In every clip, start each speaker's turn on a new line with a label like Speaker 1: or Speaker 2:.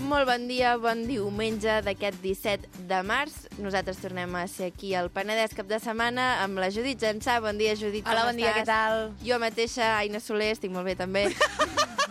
Speaker 1: Molt bon dia, bon diumenge d'aquest 17 de març. Nosaltres tornem a ser aquí al Penedès cap de setmana amb la Judit Jansà. Bon dia, Judit,
Speaker 2: Hola, bon dia, què tal?
Speaker 1: Jo mateixa, Aina Soler, estic molt bé també.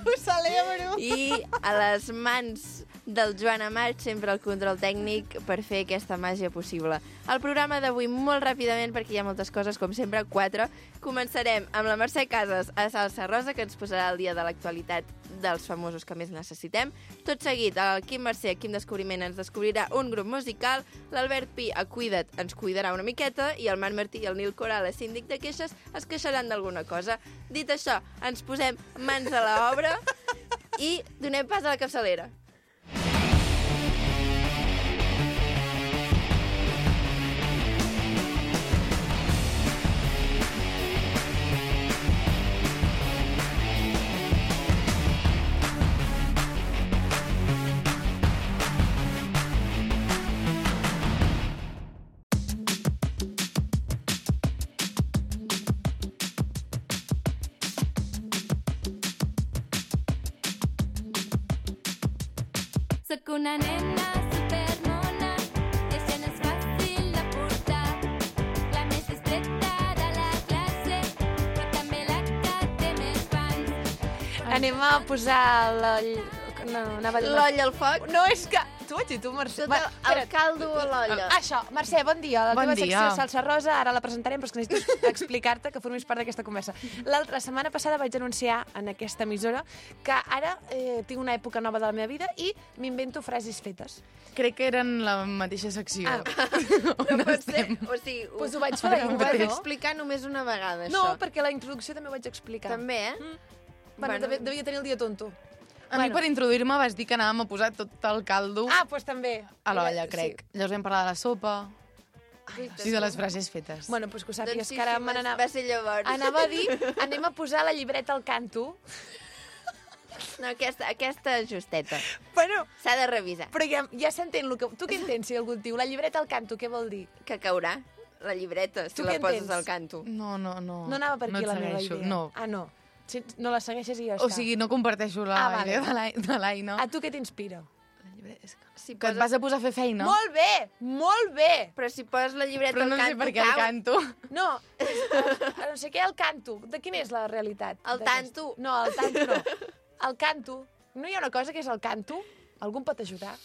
Speaker 2: Ho celebro!
Speaker 1: I a les mans del Joan Amat, sempre el control tècnic per fer aquesta màgia possible. El programa d'avui molt ràpidament, perquè hi ha moltes coses, com sempre, 4. Començarem amb la Mercè Casas a Salsa Rosa, que ens posarà el dia de l'actualitat dels famosos que més necessitem. Tot seguit, el Quim Mercè, Quim Descobriment, ens descobrirà un grup musical, l'Albert Pi, a Cuida't, ens cuidarà una miqueta, i el Marc Martí i el Nil Coral, a Síndic de Queixes, es queixaran d'alguna cosa. Dit això, ens posem mans a l'obra i donem pas a la capçalera.
Speaker 3: Soc una nena supermona, i això no és fàcil de portar. La més distreta de la classe, però també la que té més fans.
Speaker 2: Anem a posar l'oll... No, anava a dir...
Speaker 1: L'olla al foc,
Speaker 2: No, és que... Tu vaig dir tu, Mercè.
Speaker 1: tot el caldo a l'olla.
Speaker 2: Això, Mercè, bon dia. La
Speaker 4: Bon
Speaker 2: teva
Speaker 4: dia.
Speaker 2: secció Salsa Rosa, ara la presentarem, però és que necessito explicar-te que formis part d'aquesta conversa. La setmana passada vaig anunciar en aquesta emissora que ara tinc una època nova de la meva vida i m'invento frases fetes.
Speaker 4: Crec que eren la mateixa secció.
Speaker 1: No pot ser, o sigui,
Speaker 2: Pues ho vaig fer la
Speaker 1: ho
Speaker 2: íntegra,
Speaker 1: vas
Speaker 2: no?
Speaker 1: explicar només una vegada,
Speaker 2: No,
Speaker 1: això.
Speaker 2: perquè la introducció també ho vaig explicar.
Speaker 1: També,
Speaker 2: Bueno, devia tenir el dia tonto.
Speaker 4: A mi, per introduir-me, vas dir que anàvem a posar tot el caldo
Speaker 2: Doncs també.
Speaker 4: a l'olla, crec.
Speaker 2: Sí.
Speaker 4: Llavors vam parlar de la sopa i de les frases fetes.
Speaker 2: Bueno, doncs que ho sàpigues,
Speaker 1: Doncs sí,
Speaker 2: que ara
Speaker 1: sí,
Speaker 2: me n'anava...
Speaker 1: va ser llavors.
Speaker 2: Anava a dir, anem a posar la llibreta al canto.
Speaker 1: No, aquesta justeta.
Speaker 2: Bueno,
Speaker 1: S'ha de revisar.
Speaker 2: però ja s'entén el que... Tu què entens si algú et diu la llibreta al canto, què vol dir?
Speaker 1: Que caurà la llibreta, si
Speaker 2: Tu
Speaker 1: la
Speaker 2: què
Speaker 1: poses
Speaker 2: entens?
Speaker 1: al canto.
Speaker 4: No.
Speaker 2: No anava per aquí
Speaker 4: et
Speaker 2: la meva
Speaker 4: segueixo,
Speaker 2: idea.
Speaker 4: No.
Speaker 2: Ah, no. Si no la segueixes i ja
Speaker 4: O
Speaker 2: està.
Speaker 4: sigui, no comparteixo la
Speaker 2: vale.
Speaker 4: idea de l'Aina.
Speaker 2: A tu què t'inspira?
Speaker 1: Si
Speaker 4: Que et vas a posar a fer feina.
Speaker 2: Molt bé, molt bé!
Speaker 1: Però si poses la llibreta
Speaker 4: Però no
Speaker 1: al
Speaker 4: sé
Speaker 1: canto,
Speaker 4: per què el canto.
Speaker 2: No, no sé què, el canto. De quina és la realitat?
Speaker 1: El
Speaker 2: d'aquest?
Speaker 1: tanto.
Speaker 2: No, el tanto no. El canto. No hi ha una cosa que és el canto? Algú em pot ajudar?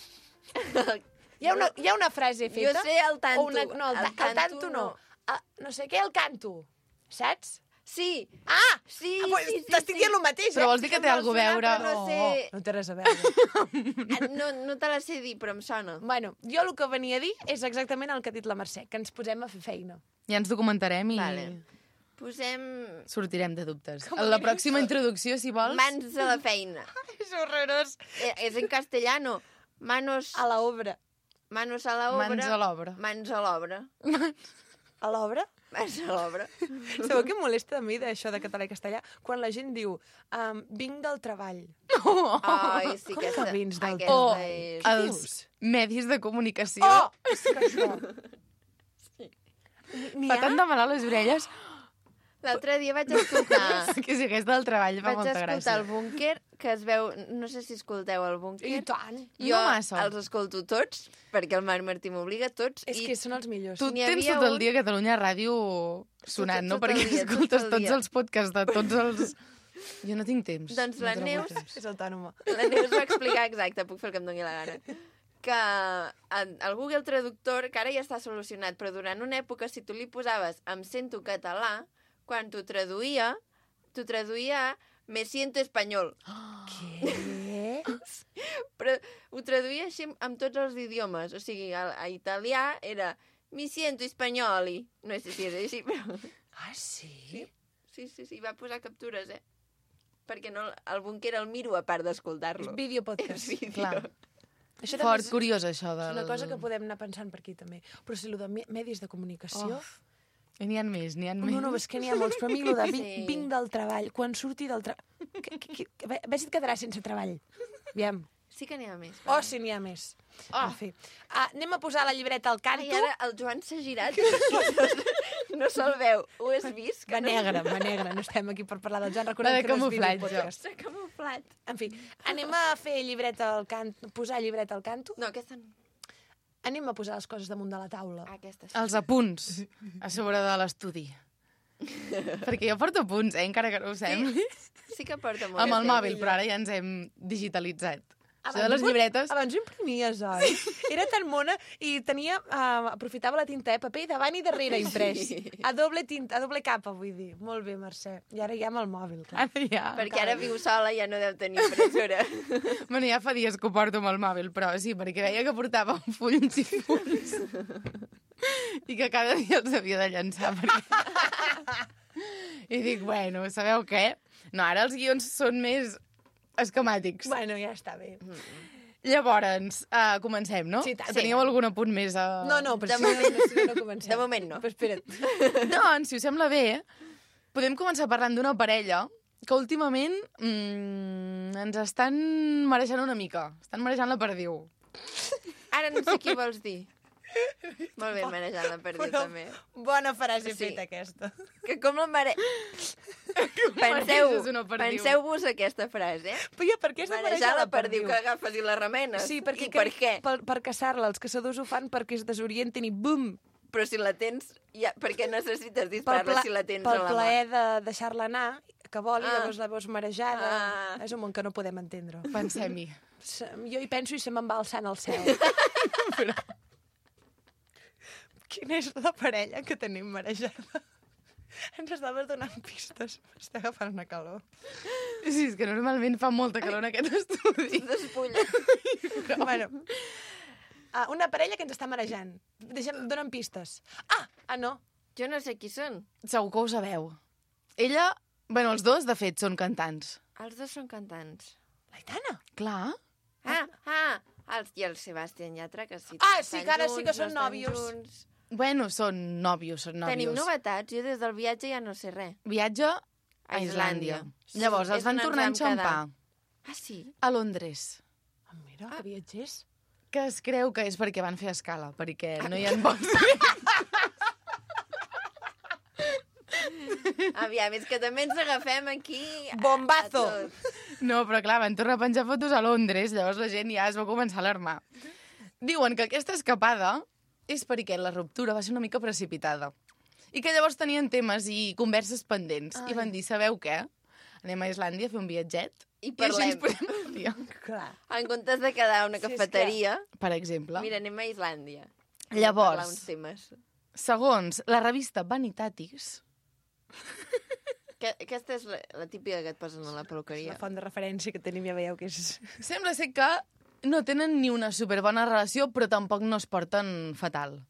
Speaker 2: Hi ha una frase feta?
Speaker 1: Jo sé el tanto.
Speaker 2: O no, el tanto no. No sé què, el canto. Saps?
Speaker 1: Sí.
Speaker 2: Ah!
Speaker 1: Sí,
Speaker 2: Pues
Speaker 1: sí, sí.
Speaker 2: t'estic dient el mateix,
Speaker 4: Però vols dir que té alguna cosa a veure?
Speaker 1: però no sé.
Speaker 2: No té res a veure.
Speaker 1: No te la sé dir, però em sona.
Speaker 2: Bueno, jo el que venia a dir és exactament el que ha dit la Mercè, que ens posem a fer feina.
Speaker 4: Ja ens documentarem i
Speaker 1: Vale. Posem
Speaker 4: sortirem de dubtes. A la pròxima introducció, si vols...
Speaker 1: mans a la feina.
Speaker 2: És horrorós.
Speaker 1: És en castellano. Manos
Speaker 2: A l'obra.
Speaker 1: manos a la obra.
Speaker 4: Mans a l'obra.
Speaker 1: Mans a l'obra.
Speaker 2: A l'obra?
Speaker 1: Mans a l'obra.
Speaker 2: Sabeu què em molesta a mi d'això de català i castellà? Quan la gent diu, vinc del treball.
Speaker 1: Ai, sí,
Speaker 2: Com que vins del
Speaker 1: aquesta
Speaker 4: O
Speaker 1: és...
Speaker 4: els medis de comunicació.
Speaker 2: Oh! És que això...
Speaker 4: Fa tant de mal a les orelles
Speaker 1: L'altre dia vaig escoltar...
Speaker 4: que si hagués del treball fa
Speaker 1: Vaig
Speaker 4: molta
Speaker 1: escoltar
Speaker 4: gràcia.
Speaker 1: el búnquer, que es veu... No sé si escolteu el búnquer.
Speaker 2: I tant.
Speaker 1: Jo
Speaker 4: No massa.
Speaker 1: els escolto tots, perquè el Marc Martí m'obliga tots.
Speaker 2: És que són els millors.
Speaker 4: Tu
Speaker 1: N'hi
Speaker 4: tens
Speaker 1: havia
Speaker 4: tot el
Speaker 1: un-
Speaker 4: dia a Catalunya Ràdio sonant, no?
Speaker 1: tot el
Speaker 4: Perquè
Speaker 1: dia, tot
Speaker 4: escoltes
Speaker 1: el
Speaker 4: tots
Speaker 1: dia.
Speaker 4: els podcasts de tots els... Jo no tinc temps.
Speaker 1: Doncs la
Speaker 4: No trobo
Speaker 1: Neus-
Speaker 4: temps.
Speaker 2: És autònoma.
Speaker 1: La Neus va explicar, exacte, puc fer el que em doni la gana, que el Google Traductor, que ara ja està solucionat, però durant una època, si tu li posaves em sento català, quan t'ho traduïa me siento espanyol.
Speaker 2: Què?
Speaker 1: Però ho traduïa així amb tots els idiomes. O sigui, a italià era mi siento spagnoli. No sé si és així, però...
Speaker 2: Ah, sí?
Speaker 1: Sí, va posar captures, perquè no, el búnquer el miro a part d'escoltar-lo.
Speaker 2: És videopodcast.
Speaker 1: És vídeo.
Speaker 4: Clar.
Speaker 2: Això
Speaker 4: Fort,
Speaker 2: també
Speaker 4: curiós, això.
Speaker 2: és una cosa que podem anar pensant per aquí, també. Però si el de medis de comunicació...
Speaker 4: Oh. N'hi ha més, n'hi ha més.
Speaker 2: No, és que n'hi ha molts, però a mi el de
Speaker 1: Sí.
Speaker 2: vinc del treball, quan surti del treball... Ves si et quedaràs sense treball. Aviam.
Speaker 1: Sí que n'hi ha més.
Speaker 2: Oh, sí, n'hi ha més. En fi. Anem a posar la llibreta al canto.
Speaker 1: Ai, ara el Joan s'ha girat. No se'l veu. Ho has vist?
Speaker 2: Va negre. No estem aquí per parlar del Joan.
Speaker 4: La
Speaker 2: Recordem
Speaker 4: de
Speaker 2: que no és
Speaker 4: camuflatge.
Speaker 2: videopodcast.
Speaker 1: S'ha camuflat.
Speaker 2: En fi, anem a fer llibret al canto, posar llibret al canto.
Speaker 1: No, aquesta no.
Speaker 2: Anem a posar les coses damunt de la taula.
Speaker 1: Aquesta sí.
Speaker 4: Els apunts a sobre de l'estudi. Perquè jo porto apunts, encara que no ho sembli.
Speaker 1: Sí que porta molt.
Speaker 4: Amb el
Speaker 1: temps.
Speaker 4: mòbil, però ara ja ens hem digitalitzat. Això de les llibretes...
Speaker 2: Abans ho imprimies, oi? Era tan mona i tenia... aprofitava la tinta, paper davant i darrere imprès. A doble tinta, a doble capa, vull dir. Molt bé, Mercè. I ara ja amb el mòbil, clar.
Speaker 4: Ara ja...
Speaker 1: Perquè ara viu sola i ja no deu tenir impressora.
Speaker 4: Bueno, ja fa dies que ho porto amb el mòbil, però sí, perquè veia que portava fulls i fulls. I que cada dia els havia de llançar. Perquè... I dic, bueno, sabeu què? No, ara els guions són més esquemàtics.
Speaker 2: Bueno, ja està bé.
Speaker 4: Llavors, comencem, no?
Speaker 2: Sí, tant.
Speaker 4: Teníeu algun apunt més a...
Speaker 2: No, però no comencem.
Speaker 1: De moment no.
Speaker 2: Però espera't.
Speaker 4: Doncs, si us sembla bé, podem començar parlant d'una parella que últimament ens estan marejant una mica. Estan marejant la perdiu.
Speaker 1: Ara no sé què vols dir. Molt bé, marejant la perdiu,
Speaker 2: Però
Speaker 1: també.
Speaker 2: bona frase
Speaker 1: Sí.
Speaker 2: feta, aquesta.
Speaker 1: Que com la mare...
Speaker 4: mareges una perdiu.
Speaker 1: Penseu-vos aquesta frase, eh?
Speaker 2: Però per què és de
Speaker 1: Marejar la perdiu, que agafes i la remenes.
Speaker 2: Sí, perquè
Speaker 1: I per què?
Speaker 2: Per caçar-la, els caçadors ho fan perquè es desorienten i bum!
Speaker 1: Però si la tens, ja, per què necessites disparar-la si la tens a
Speaker 2: pel
Speaker 1: la mà?
Speaker 2: plaer de deixar-la anar, que vol, i
Speaker 1: Ah.
Speaker 2: llavors la veus marejada.
Speaker 1: Ah.
Speaker 2: És un món que no podem entendre.
Speaker 4: Pensem-hi.
Speaker 2: Jo hi penso i se me'n va alçant al cel. Quina és la parella que tenim marejada? Ens estaves donant pistes. M'està agafant una calor.
Speaker 4: Sí, és que normalment fa molta calor en aquest estudi.
Speaker 1: Despulla.
Speaker 2: Bueno, una parella que ens està marejant. Dona'm pistes. No.
Speaker 1: Jo no sé qui són.
Speaker 4: Segur que ho sabeu. Ella... Bueno, els dos, de fet, són cantants.
Speaker 1: Els dos són cantants.
Speaker 2: L'Aitana?
Speaker 4: Clar.
Speaker 1: I el Sebastián Yatra, que sí.
Speaker 2: Sí, que ara sí que són
Speaker 1: estan
Speaker 2: nòvios.
Speaker 1: junts.
Speaker 4: Bueno, són nòvios, són nòvios.
Speaker 1: Tenim novetats. Jo des del viatge ja no sé res.
Speaker 4: Viatge a Islàndia.
Speaker 1: Sí,
Speaker 4: Llavors,
Speaker 1: és
Speaker 4: els van
Speaker 1: on ens
Speaker 4: tornar a
Speaker 1: vam quedar.
Speaker 4: enxampar
Speaker 1: Ah, sí?
Speaker 4: a Londres.
Speaker 2: Mira, que viatgers.
Speaker 4: Que es creu que és perquè van fer escala, perquè no hi ha vols.
Speaker 1: Aviam, és que també ens agafem aquí...
Speaker 2: Bombazo!
Speaker 1: a tot.
Speaker 4: No, però clar, van tornar a penjar fotos a Londres, llavors la gent ja es va començar a alarmar. Diuen que aquesta escapada és perquè la ruptura va ser una mica precipitada. I que llavors tenien temes i converses pendents. I van dir, sabeu què? Anem a Islàndia a fer un viatget
Speaker 1: I
Speaker 4: i així ens
Speaker 1: parlem.
Speaker 4: podem al dia.
Speaker 2: Clar.
Speaker 1: En comptes de quedar a una
Speaker 2: Sí, és que-
Speaker 1: cafeteria...
Speaker 4: Per exemple.
Speaker 1: Mira, anem a Islàndia.
Speaker 4: Llavors.
Speaker 1: Parlar uns temes.
Speaker 4: Segons la revista Vanitatis,
Speaker 1: Aquesta és la típica que et posen a la peluqueria.
Speaker 2: La font de referència que tenim ja veieu que és...
Speaker 4: sembla ser que no tenen ni una superbona relació, però tampoc no es porten fatal.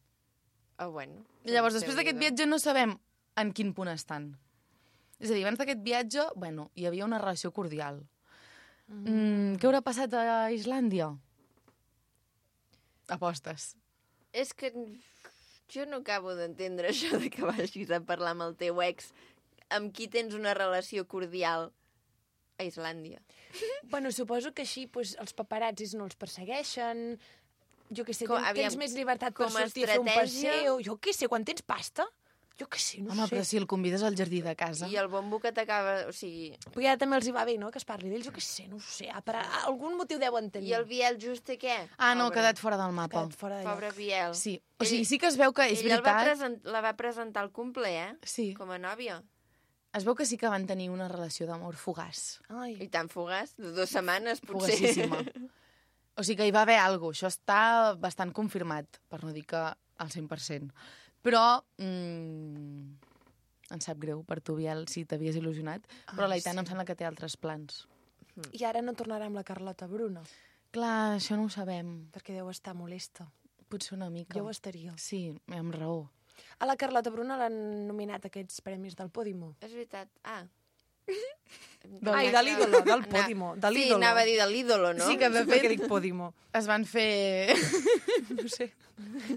Speaker 1: Bueno.
Speaker 4: Llavors, després d'aquest viatge no sabem en quin punt estan. És a dir, abans d'aquest viatge, bueno, hi havia una relació cordial. Què haurà passat a Islàndia? Apostes.
Speaker 1: És que jo no acabo d'entendre això de que vagis a parlar amb el teu ex amb qui tens una relació cordial a Islàndia.
Speaker 2: Bueno, suposo que així pues, els paparazzis no els persegueixen, jo què sé,
Speaker 1: Aviam,
Speaker 2: tens més llibertat per
Speaker 1: com a
Speaker 2: sortir a fer un
Speaker 1: estratègia-
Speaker 2: passeu, jo què sé, quan tens pasta, jo què sé, no
Speaker 4: Home,
Speaker 2: sé.
Speaker 4: però si el convides al jardí de casa...
Speaker 1: I el bombo que t'acaba... O sigui...
Speaker 2: Però ja també els hi va bé, no?, que es parli d'ells, jo què sé, no ho sé, per algun motiu deuen tenir.
Speaker 1: I el Biel Juste què?
Speaker 4: Ah, no, ha
Speaker 1: Pobre.
Speaker 4: quedat fora del mapa.
Speaker 2: Quedat fora de lloc.
Speaker 1: Pobre Biel.
Speaker 4: Sí, o sigui, sí que es veu que és
Speaker 1: Ell
Speaker 4: veritat...
Speaker 1: la va presentar al cumple, eh?
Speaker 4: Sí,
Speaker 1: Com a nòvia.
Speaker 4: es veu que sí que van tenir una relació d'amor fugaç.
Speaker 2: Ai,
Speaker 1: I tan fugaç, de 2 setmanes, potser.
Speaker 4: Fugaçíssima. O sigui que hi va haver alguna cosa. Això està bastant confirmat, per no dir que al 100%. Però em sap greu per tu, Biel, si t'havies il·lusionat, però l'Aitana em sembla que té altres plans.
Speaker 2: I ara no tornarà amb la Carlota Bruna,
Speaker 4: Clar, això no ho sabem.
Speaker 2: perquè deu estar molesta.
Speaker 4: Potser una mica.
Speaker 2: Jo ho estaria.
Speaker 4: Sí, amb raó.
Speaker 2: A la Carlota Bruna l'han nominat a aquests premis del Podimo.
Speaker 1: És veritat.
Speaker 2: Ai, de l'ídolo, del Podimo, de
Speaker 1: Sí,
Speaker 2: l'ídolo.
Speaker 1: anava a dir de l'ídolo, no?
Speaker 4: Sí, que de
Speaker 2: Per què
Speaker 4: fet
Speaker 2: dic Podimo?
Speaker 4: es van fer...
Speaker 2: No sé,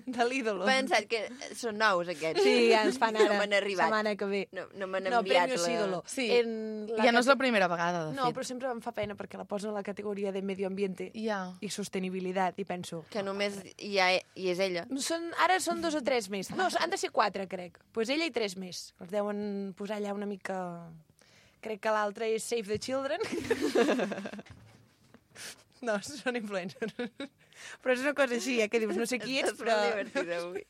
Speaker 2: de l'ídolo.
Speaker 1: He pensat que són nous, aquests.
Speaker 2: Sí, ja ens fan ara,
Speaker 1: No m'han arribat.
Speaker 2: setmana que ve.
Speaker 1: No m'han
Speaker 2: No,
Speaker 1: enviat
Speaker 2: Premios Ídolo.
Speaker 4: Sí,
Speaker 2: En
Speaker 4: ja no és la primera vegada, de
Speaker 2: No,
Speaker 4: fet.
Speaker 2: però sempre em fa pena perquè la posen a la categoria de medio ambiente
Speaker 4: Ja.
Speaker 2: i sostenibilitat, i penso...
Speaker 1: Que només hi és ella.
Speaker 2: Ara són 2 o 3 més. No, han de ser 4, crec. Doncs pues ella i 3 més. Els deuen posar allà una mica... Crec que l'altre és Save the Children. No, són influencers. Però és una cosa així, que dius, no sé qui ets,
Speaker 1: Estàs
Speaker 2: però...
Speaker 1: molt divertida avui.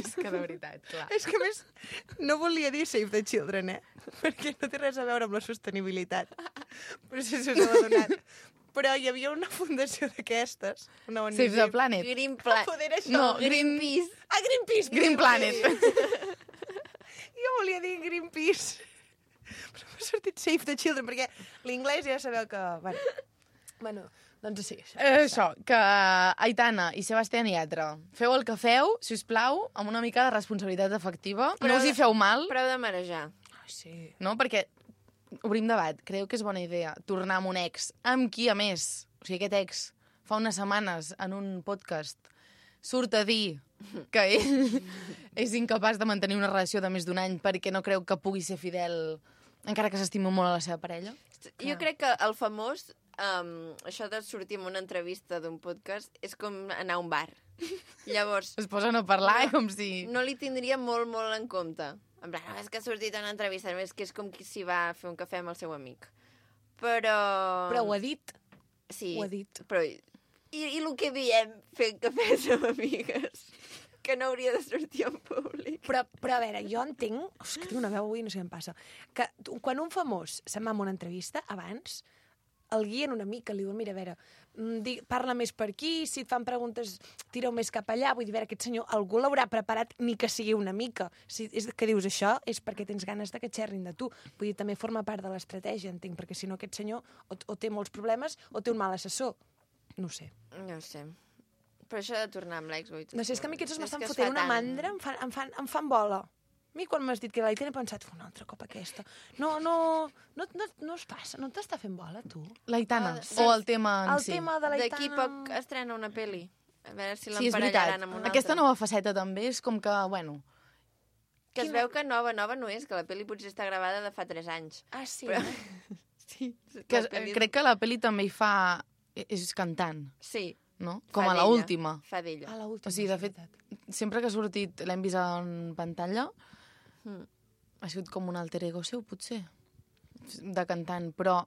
Speaker 4: És que de veritat, clar.
Speaker 2: És que, a més, no volia dir Save the Children, perquè no té res a veure amb la sostenibilitat. Però si us heu adonat. Però hi havia una fundació d'aquestes, una ONG.
Speaker 4: Save the Planet.
Speaker 1: Green Planet.
Speaker 2: Joder, això.
Speaker 4: No,
Speaker 1: Greenpeace.
Speaker 2: Ah, Greenpeace.
Speaker 4: Green Planet.
Speaker 2: Jo volia dir Greenpeace. Però m'ha sortit Save the Children, perquè l'inglès ja sabeu que... Bueno, doncs sí, això.
Speaker 4: Això, que Aitana i Sebastián Yatra, feu el que feu, si us plau, amb una mica de responsabilitat efectiva.
Speaker 1: Però-
Speaker 4: No us hi feu mal,
Speaker 1: Prou de marejar.
Speaker 2: Ai, sí.
Speaker 4: no? Perquè, obrim debat, creu que és bona idea tornar amb un ex, amb qui a més, o sigui, aquest ex, fa unes setmanes en un podcast, surt a dir que ell és incapaç de mantenir una relació de més d'un any perquè no creu que pugui ser fidel encara que s'estimi molt a la seva parella?
Speaker 1: Jo crec que el famós, això de sortir en una entrevista d'un podcast, és com anar a un bar. Llavors,
Speaker 4: Es posen a parlar com si...
Speaker 1: no li tindria molt, molt en compte. En plan, no, és que ha sortit a una entrevista, només que és com si va a fer un cafè amb el seu amic. Però...
Speaker 2: Però ho ha dit.
Speaker 1: Sí,
Speaker 2: ho ha dit.
Speaker 1: però... I el que diem fent cafès amb amigues? Que no hauria de sortir en públic.
Speaker 2: Però a veure, jo entenc... Uf, que tinc una veu avui, no sé què em passa. Que quan un famós se'n va a una entrevista, abans, el guien una mica, li diuen, mira, a veure, parla més per aquí, si et fan preguntes, tira-ho més cap allà. Vull dir, a veure, aquest senyor, algú l'haurà preparat ni que sigui una mica. Si és que dius això, és perquè tens ganes de que xerrin de tu. Vull dir, també forma part de l'estratègia, entenc, perquè si no aquest senyor o té molts problemes o té un mal assessor. No ho sé.
Speaker 1: No ho sé. Però això de tornar amb l'ex...
Speaker 2: No sé, és que a mi aquests
Speaker 1: és
Speaker 2: m'estan
Speaker 1: que es
Speaker 2: fotent
Speaker 1: fa
Speaker 2: una
Speaker 1: tant.
Speaker 2: mandra, em fan bola. A mi quan m'has dit que l'Aitana he pensat, un altre cop aquesta. No es passa, no t'està fent bola, tu?
Speaker 4: L'Aitana,
Speaker 1: Ah,
Speaker 4: o el tema en
Speaker 2: El
Speaker 4: si?
Speaker 2: tema de l'Aitana...
Speaker 1: D'aquí poc estrena una pel·li. A veure si
Speaker 4: Sí, és veritat.
Speaker 1: l'emparellaran amb una
Speaker 4: Aquesta
Speaker 1: altra.
Speaker 4: nova faceta també és com que, bueno...
Speaker 1: Que es veu que nova no és, que la pel·li potser està gravada de fa 3 anys.
Speaker 2: Ah, sí?
Speaker 1: Però-
Speaker 2: eh?
Speaker 1: Sí.
Speaker 4: Que, crec que la pel·li també hi fa... És cantant,
Speaker 1: Sí.
Speaker 4: no? Com
Speaker 1: fa
Speaker 4: a
Speaker 1: d'ella.
Speaker 4: l'última.
Speaker 1: Fa d'ella.
Speaker 2: A l'última,
Speaker 4: O sigui, de
Speaker 2: és
Speaker 4: fet,
Speaker 2: veritat.
Speaker 4: sempre que ha sortit, l'hem vist en pantalla,
Speaker 1: Mm.
Speaker 4: ha sigut com un alter ego seu, potser, de cantant, però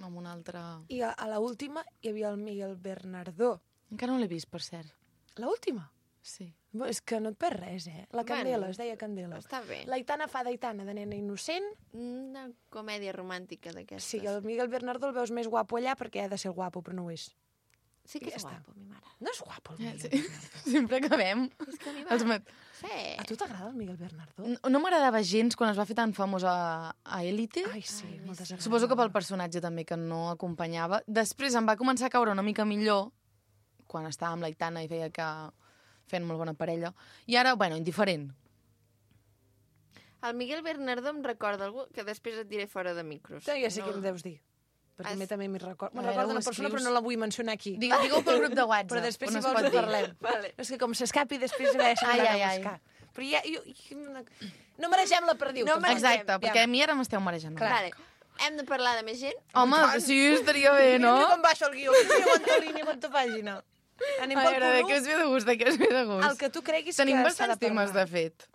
Speaker 4: amb un altre...
Speaker 2: I a l'última hi havia el Miguel Bernardó.
Speaker 4: Encara no l'he vist, per cert.
Speaker 2: L'última?
Speaker 4: Sí.
Speaker 2: Bueno, és que no et perds res, eh? La Candela, es deia Candela.
Speaker 1: Està bé.
Speaker 2: L'Aitana fa d'Aitana, de nena innocent.
Speaker 1: Una comèdia romàntica d'aquestes.
Speaker 2: Sí, el Miguel Bernardó el veus més guapo allà perquè ha de ser guapo, però no ho és.
Speaker 1: Sí que
Speaker 2: Ja
Speaker 1: és
Speaker 2: està.
Speaker 1: guapo, mi mare.
Speaker 2: No és guapo, el Miguel
Speaker 4: Sí.
Speaker 2: Bernardó.
Speaker 4: Sempre acabem.
Speaker 1: És que a mi
Speaker 4: Els
Speaker 1: m'agrada.
Speaker 4: mat...
Speaker 1: Sí.
Speaker 2: A tu t'agrada el Miguel Bernardó?
Speaker 4: No m'agradava gens quan es va fer tan famós a Élite.
Speaker 2: Ai, sí, molt desagradable.
Speaker 4: Suposo que pel personatge també, que no acompanyava. Després em va començar a caure una mica millor, quan estava amb l'Aitana i veia que feien molt bona parella. I ara, bueno, indiferent.
Speaker 1: El Miguel Bernardó em recorda algú que després et diré fora de micros.
Speaker 2: Ja sé què em deus dir. Perquè a mi també m'hi recordo.
Speaker 4: A
Speaker 2: Me'n
Speaker 4: veure,
Speaker 2: recordo
Speaker 4: ho
Speaker 2: una persona,
Speaker 4: escrius?
Speaker 2: però no la vull mencionar aquí.
Speaker 4: Digueu pel grup de WhatsApp,
Speaker 2: Però després,
Speaker 4: on
Speaker 2: si
Speaker 4: es
Speaker 2: vols,
Speaker 4: pot
Speaker 2: ho
Speaker 4: dir.
Speaker 2: parlem.
Speaker 1: Vale.
Speaker 2: És que com s'escapi, després ja se
Speaker 4: Ai,
Speaker 2: n'ha
Speaker 4: ai,
Speaker 2: de
Speaker 4: ai.
Speaker 2: buscar. Però ja... No mereixem la perdiu.
Speaker 1: No
Speaker 2: tampoc.
Speaker 1: mereixem.
Speaker 4: Exacte, perquè a mi ara m'esteu marejant.
Speaker 1: Vale. Hem de parlar de més gent?
Speaker 4: Home, sí, estaria bé, no?
Speaker 2: Mira com baixa el guió. Mira quanta línia, quanta pàgina. Anem
Speaker 4: A
Speaker 2: pel
Speaker 4: veure, de
Speaker 2: punt
Speaker 4: què us ve de gust, de què us ve de gust?
Speaker 2: El que tu creguis
Speaker 4: Tenim
Speaker 2: que s'ha
Speaker 4: bastants
Speaker 2: de
Speaker 4: temes,
Speaker 2: parlar.
Speaker 4: de fet.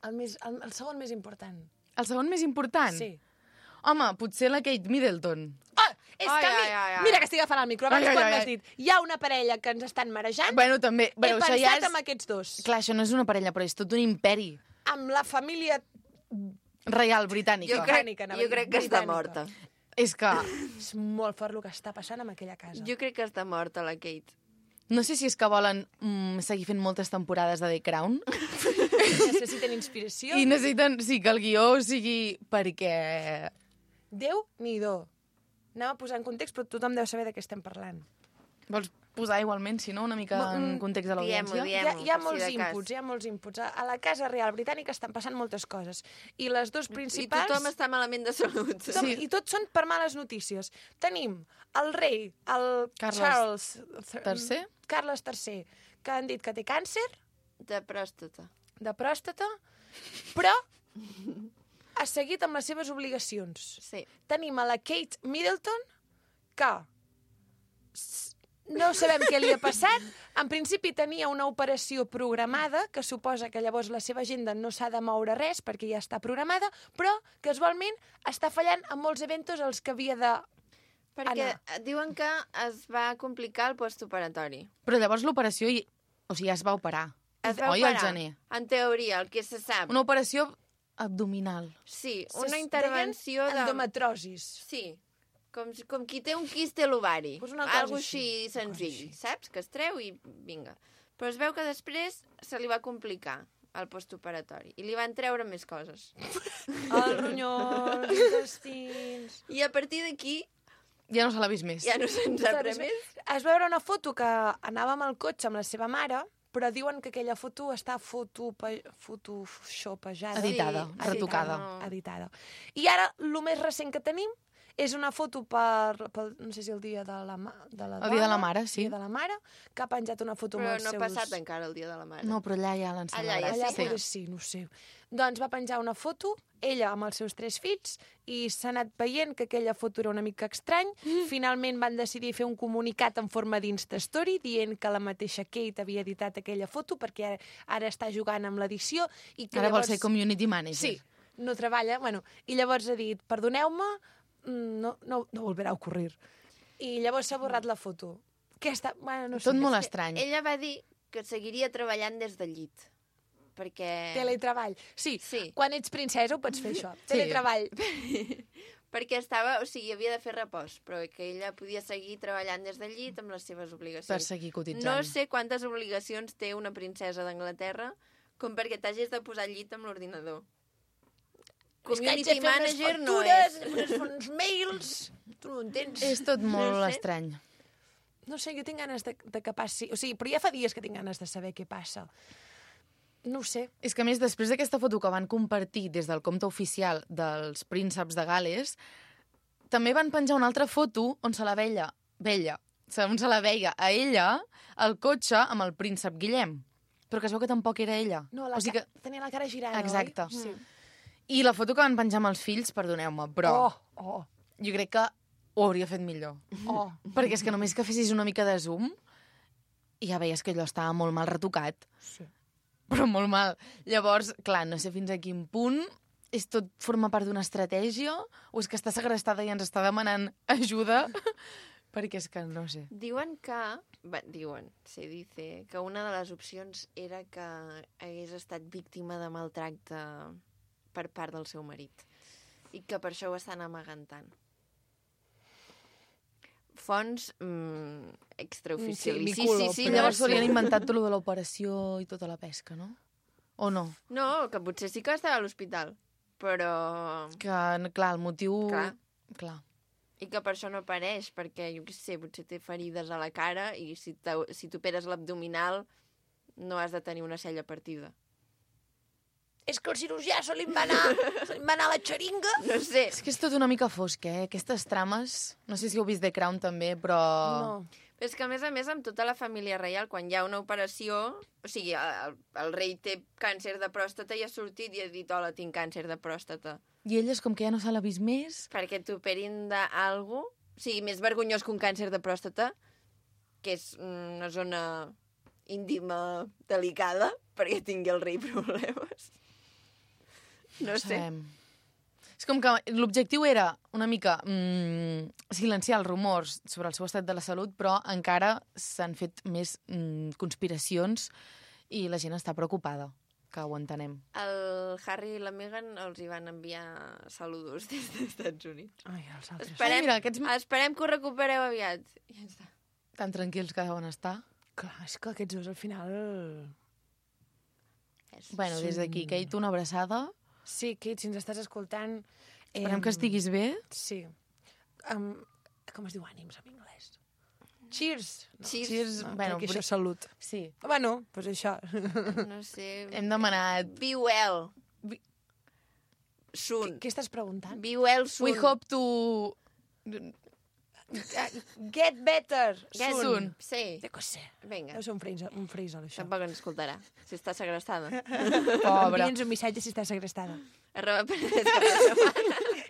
Speaker 2: El segon més important.
Speaker 4: El segon més important?
Speaker 2: Sí.
Speaker 4: Home, potser la Kate Middleton.
Speaker 2: Ah, és
Speaker 1: Ai,
Speaker 2: que a mi...
Speaker 1: ai, ai, ai.
Speaker 2: Mira que estic agafant el micro. Abans
Speaker 4: Ai, ai,
Speaker 2: quan
Speaker 4: ai,
Speaker 2: m'has
Speaker 4: ai.
Speaker 2: dit hi ha una parella que ens estan marejant,
Speaker 4: Bueno, també...
Speaker 2: he
Speaker 4: Bueno, això ja
Speaker 2: pensat
Speaker 4: és...
Speaker 2: en aquests dos.
Speaker 4: Clar, això no és una parella, però és tot un imperi
Speaker 2: Amb la família...
Speaker 4: reial britànica.
Speaker 2: Britànica, anava a dir,
Speaker 1: jo crec que està
Speaker 2: britànica.
Speaker 1: morta.
Speaker 4: És que...
Speaker 2: És molt fort el que està passant en aquella casa.
Speaker 1: Jo crec que està morta, la Kate.
Speaker 4: No sé si és que volen seguir fent moltes temporades de The Crown
Speaker 2: Necessiten inspiració.
Speaker 4: i necessiten, sí, que el guió sigui perquè...
Speaker 2: Déu-n'hi-do. Anem a posar en context, però tothom deu saber de què estem parlant.
Speaker 4: Vols posar igualment, si no, una mica en context de l'audiència.
Speaker 1: Diem-ho,
Speaker 2: Hi ha
Speaker 1: per si de cas.
Speaker 2: hi ha molts inputs. A la Casa Real Britànica estan passant moltes coses. I les dues
Speaker 1: I
Speaker 2: principals...
Speaker 1: tothom està malament de salut.
Speaker 2: I tots són per males notícies. Tenim el rei, el
Speaker 4: Carles
Speaker 2: Charles
Speaker 4: III.
Speaker 2: Carles III, que han dit que té càncer
Speaker 1: De pròstata.
Speaker 2: de pròstata, però ha seguit amb les seves obligacions.
Speaker 1: Sí.
Speaker 2: Tenim a la Kate Middleton, que no sabem què li ha passat. En principi tenia una operació programada, que suposa que llavors la seva agenda no s'ha de moure res perquè ja està programada, però casualment està fallant en molts eventos als que havia de...
Speaker 1: Perquè diuen que es va complicar el postoperatori.
Speaker 4: Però llavors l'operació, o sigui, ja es va operar.
Speaker 1: Es va
Speaker 4: Oi, al
Speaker 1: operar,
Speaker 4: gener.
Speaker 1: en teoria, el que se sap.
Speaker 4: Una operació abdominal.
Speaker 1: Sí, una intervenció de...
Speaker 2: endometrosis.
Speaker 1: Sí, com qui té un quiste a l'ovari.
Speaker 2: Pues una cosa
Speaker 1: Algo
Speaker 2: així,
Speaker 1: així senzill, saps? Que es treu i vinga. Però es veu que després se li va complicar el postoperatori i li van treure més coses.
Speaker 2: Els ronyons, els intestins...
Speaker 1: I a partir d'aquí
Speaker 4: Ja no se l'ha vist més.
Speaker 1: ja no se'n sap res
Speaker 2: Saps?
Speaker 1: més.
Speaker 2: Es va veure una foto que anava amb el cotxe amb la seva mare, però diuen que aquella foto està photoshopejada.
Speaker 4: Editada,
Speaker 1: Sí,
Speaker 4: retocada.
Speaker 2: Editada. I ara, el més recent que tenim és una foto per no sé si el dia de la dona.
Speaker 4: El dia de la mare, sí.
Speaker 2: El dia de la mare, que ha penjat una foto
Speaker 1: Però
Speaker 2: amb els
Speaker 1: no ha
Speaker 2: seus...
Speaker 1: passat encara el dia de la mare.
Speaker 4: No, però allà ja l'han
Speaker 1: Allà ja
Speaker 4: celebrat.
Speaker 2: Allà
Speaker 1: sí.
Speaker 2: potser sí, no ho sé. Doncs va penjar una foto, ella amb els seus 3 fills, i s'ha anat veient que aquella foto era una mica estrany. Finalment van decidir fer un comunicat en forma d'Instastory dient que la mateixa Kate havia editat aquella foto perquè ara està jugant amb l'edició. I que
Speaker 4: Ara vol
Speaker 2: llavors...
Speaker 4: ser community manager.
Speaker 2: Sí, no treballa. Bueno, i llavors ha dit, perdoneu-me, no volverà a ocurrir. I llavors s'ha borrat la foto. Que està... Bueno, no sé.
Speaker 4: Tot molt estrany.
Speaker 1: Ella va dir que seguiria treballant des del llit. Perquè...
Speaker 2: Teletreball. Sí,
Speaker 1: Sí.
Speaker 2: quan ets princesa ho pots fer això.
Speaker 4: Sí.
Speaker 2: Teletreball.
Speaker 1: perquè estava, o sigui, havia de fer repòs, però que ella podia seguir treballant des del llit amb les seves obligacions.
Speaker 4: Per seguir cotitzant.
Speaker 1: No sé quantes obligacions té una princesa d'Anglaterra com perquè t'hagis de posar al llit amb l'ordinador. Community manager no és.
Speaker 2: Uns mails, tu no entens.
Speaker 4: És tot molt
Speaker 1: No sé.
Speaker 4: estrany.
Speaker 2: No sé, jo tinc ganes de que passi... O sigui, però ja fa dies que tinc ganes de saber què passa. No ho sé.
Speaker 4: És que, a més, després d'aquesta foto que van compartir des del compte oficial dels prínceps de Gales, també van penjar una altra foto on se la veia a ella al cotxe amb el príncep Guillem. Però que es veu que tampoc era ella.
Speaker 2: No,
Speaker 4: o sigui que...
Speaker 2: tenia la cara girant,
Speaker 4: Exacte.
Speaker 2: oi? Sí.
Speaker 4: I la foto que van penjar amb els fills, perdoneu-me, però
Speaker 2: Oh,
Speaker 4: jo crec que ho hauria fet millor.
Speaker 2: oh.
Speaker 4: Perquè és que només que fessis una mica de zoom i ja veies que allò estava molt mal retocat.
Speaker 2: Sí.
Speaker 4: Però molt mal. Llavors, clar, no sé fins a quin punt és tot forma part d'una estratègia o és que està segrestada i ens està demanant ajuda perquè és que no sé.
Speaker 1: Diuen que... se dice que una de les opcions era que hagués estat víctima de maltracte per part del seu marit i que per això ho estan amagant tant. Fonts extraoficials.
Speaker 2: Sí, Miculo,
Speaker 1: sí,
Speaker 4: I
Speaker 1: no
Speaker 4: llavors
Speaker 1: sé.
Speaker 4: s'haurien inventat tot lo de l'operació i tota la pesca, no? O no?
Speaker 1: No, que potser sí que estava a l'hospital, però...
Speaker 4: Que, clar, el motiu...
Speaker 1: Clar. I que per això no apareix, perquè, jo què sé, potser té ferides a la cara i si t'operes l'abdominal no has de tenir una cella partida.
Speaker 2: És que el cirurgià se li va anar la xeringa.
Speaker 1: No sé.
Speaker 4: És que és tot una mica fosc, Aquestes trames... No sé si heu vist The Crown també, però...
Speaker 2: No.
Speaker 1: Però és que, a més, amb tota la família reial, quan hi ha una operació... O sigui, el rei té càncer de pròstata i ha sortit i ha dit hola, tinc càncer de pròstata.
Speaker 4: I elles, com que ja no se l'ha vist més...
Speaker 1: Perquè t'operin d'algú... O sigui, més vergonyós que un càncer de pròstata, que és una zona íntima delicada, perquè tingui el rei problemes. No sé.
Speaker 4: Sabem. És com que l'objectiu era una mica silenciar els rumors sobre el seu estat de la salut, però encara s'han fet més conspiracions i la gent està preocupada, que ho entenem.
Speaker 1: El Harry i la Meghan els hi van enviar saludos des dels Estats Units.
Speaker 2: Ai, els altres.
Speaker 1: Esperem,
Speaker 4: mira,
Speaker 1: esperem que ho recupereu aviat. Ja està.
Speaker 4: Tan tranquils que deuen estar.
Speaker 2: Clar, és que aquests dos al final...
Speaker 4: Bueno, des d'aquí, Kate, una abraçada.
Speaker 2: Sí, Kate, si ens estàs escoltant...
Speaker 4: Esperem que estiguis bé.
Speaker 2: Sí. Com es diu ànims en anglès? Cheers.
Speaker 1: Cheers.
Speaker 2: No,
Speaker 4: Bueno,
Speaker 2: perquè això és salut.
Speaker 4: Sí.
Speaker 2: Bueno, doncs això.
Speaker 1: No sé...
Speaker 4: Hem demanat...
Speaker 1: Be well. Soon.
Speaker 2: Què estàs preguntant?
Speaker 1: Be well soon.
Speaker 4: We hope to...
Speaker 2: Get better
Speaker 1: Get
Speaker 4: soon.
Speaker 1: Sí.
Speaker 2: De què sé.
Speaker 1: Vinga.
Speaker 2: Deu ser un frisol, això.
Speaker 1: Tampoc ens escoltarà, si està segrestada.
Speaker 4: Pobre.
Speaker 2: Envia'ns un missatge si estàs segrestada.
Speaker 1: @penedès.cat.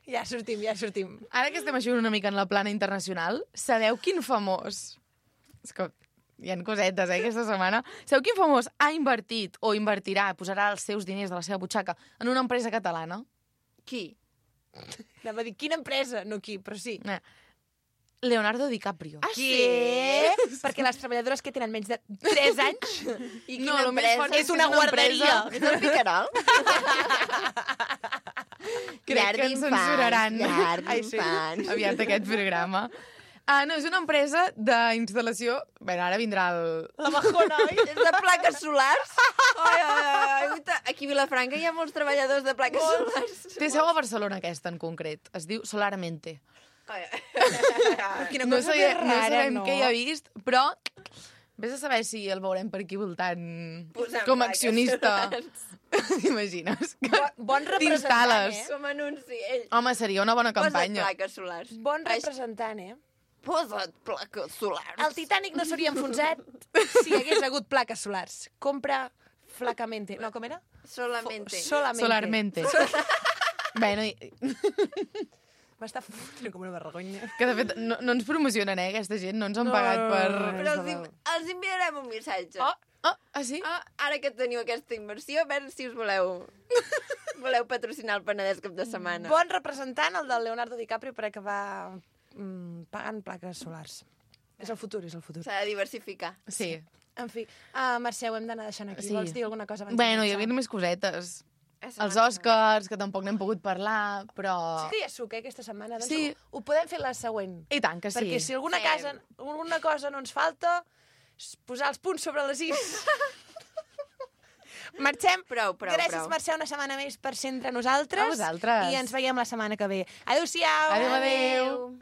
Speaker 2: Ja sortim.
Speaker 4: Ara que estem així una mica en la plana internacional, sabeu quin famós... És que hi ha cosetes, aquesta setmana. Sabeu quin famós ha invertit o invertirà, posarà els seus diners de la seva butxaca en una empresa catalana?
Speaker 1: Qui?
Speaker 2: Anava a dir, quina empresa? No qui, però sí.
Speaker 4: Leonardo DiCaprio.
Speaker 1: Ah,
Speaker 2: Què? Perquè les treballadores que tenen menys de 3 anys
Speaker 1: I
Speaker 4: No,
Speaker 1: quina
Speaker 4: lo més
Speaker 1: empresa?
Speaker 4: fort
Speaker 2: és una guarderia.
Speaker 1: És el Picarol?
Speaker 4: Crec que ens censuraran.
Speaker 1: Llar
Speaker 2: Ai, sí.
Speaker 1: d'infants.
Speaker 4: Aviat aquest programa. No, és una empresa d'instal·lació... Bé, ara vindrà el...
Speaker 2: La bajona, oi?
Speaker 1: És de plaques solars? Ai. Aquí a Vilafranca hi ha molts treballadors de plaques solars.
Speaker 4: Té seu a Barcelona, aquesta, en concret. Es diu Solarmente.
Speaker 2: Quina
Speaker 4: No,
Speaker 2: cosa
Speaker 4: sabia,
Speaker 2: més
Speaker 4: no
Speaker 2: rara,
Speaker 4: sabem
Speaker 2: no?
Speaker 4: què hi ha vist, però vés a saber si el veurem per aquí voltant
Speaker 1: Posant
Speaker 4: com a
Speaker 1: plaques
Speaker 4: accionista.
Speaker 1: solars.
Speaker 4: T'imagines?
Speaker 2: Bon representant,
Speaker 4: T'instal·les.
Speaker 1: Com anunci, ell.
Speaker 4: Home, seria una bona
Speaker 1: Posa't
Speaker 4: campanya.
Speaker 1: plaques solars.
Speaker 2: Bon representant,
Speaker 1: Posa't plaques solars.
Speaker 2: El Titanic no s'hauria enfonsat si hi hagués hagut plaques solars. Compra flacamente. No, com era?
Speaker 1: Solamente.
Speaker 2: Solamente.
Speaker 4: Solarmente. Bueno,
Speaker 2: M'està fotent com una vergonya.
Speaker 4: que de fet no ens promocionen, aquesta gent, no ens han pagat per...
Speaker 1: Però els enviarem un missatge.
Speaker 4: Sí?
Speaker 1: Ara que teniu aquesta inversió, a veure si us voleu patrocinar el Penedès cap de setmana.
Speaker 2: Bon representant, el del Leonardo DiCaprio, per acabar pagant plaques solars. És el futur.
Speaker 1: S'ha de diversificar.
Speaker 4: Sí.
Speaker 2: En fi, Mercè, ho hem d'anar deixant aquí.
Speaker 4: Sí.
Speaker 2: Vols dir alguna cosa abans
Speaker 4: Bueno,
Speaker 2: de
Speaker 4: hi havia
Speaker 2: marxar?
Speaker 4: més cosetes.
Speaker 1: És
Speaker 4: Els
Speaker 1: una-
Speaker 4: Oscars, que tampoc n'hem pogut parlar, però...
Speaker 2: Sí que hi ha suc, aquesta setmana. Doncs
Speaker 4: Sí.
Speaker 2: ho podem fer la següent.
Speaker 4: I tant que sí.
Speaker 2: Perquè si alguna cosa no ens falta, és posar els punts sobre les is. Marxem.
Speaker 1: Prou.
Speaker 2: Gràcies, Mercè, una setmana més per ser entre nosaltres.
Speaker 4: A vosaltres.
Speaker 2: I ens veiem la setmana que ve. Adéu-siau.
Speaker 4: Adéu.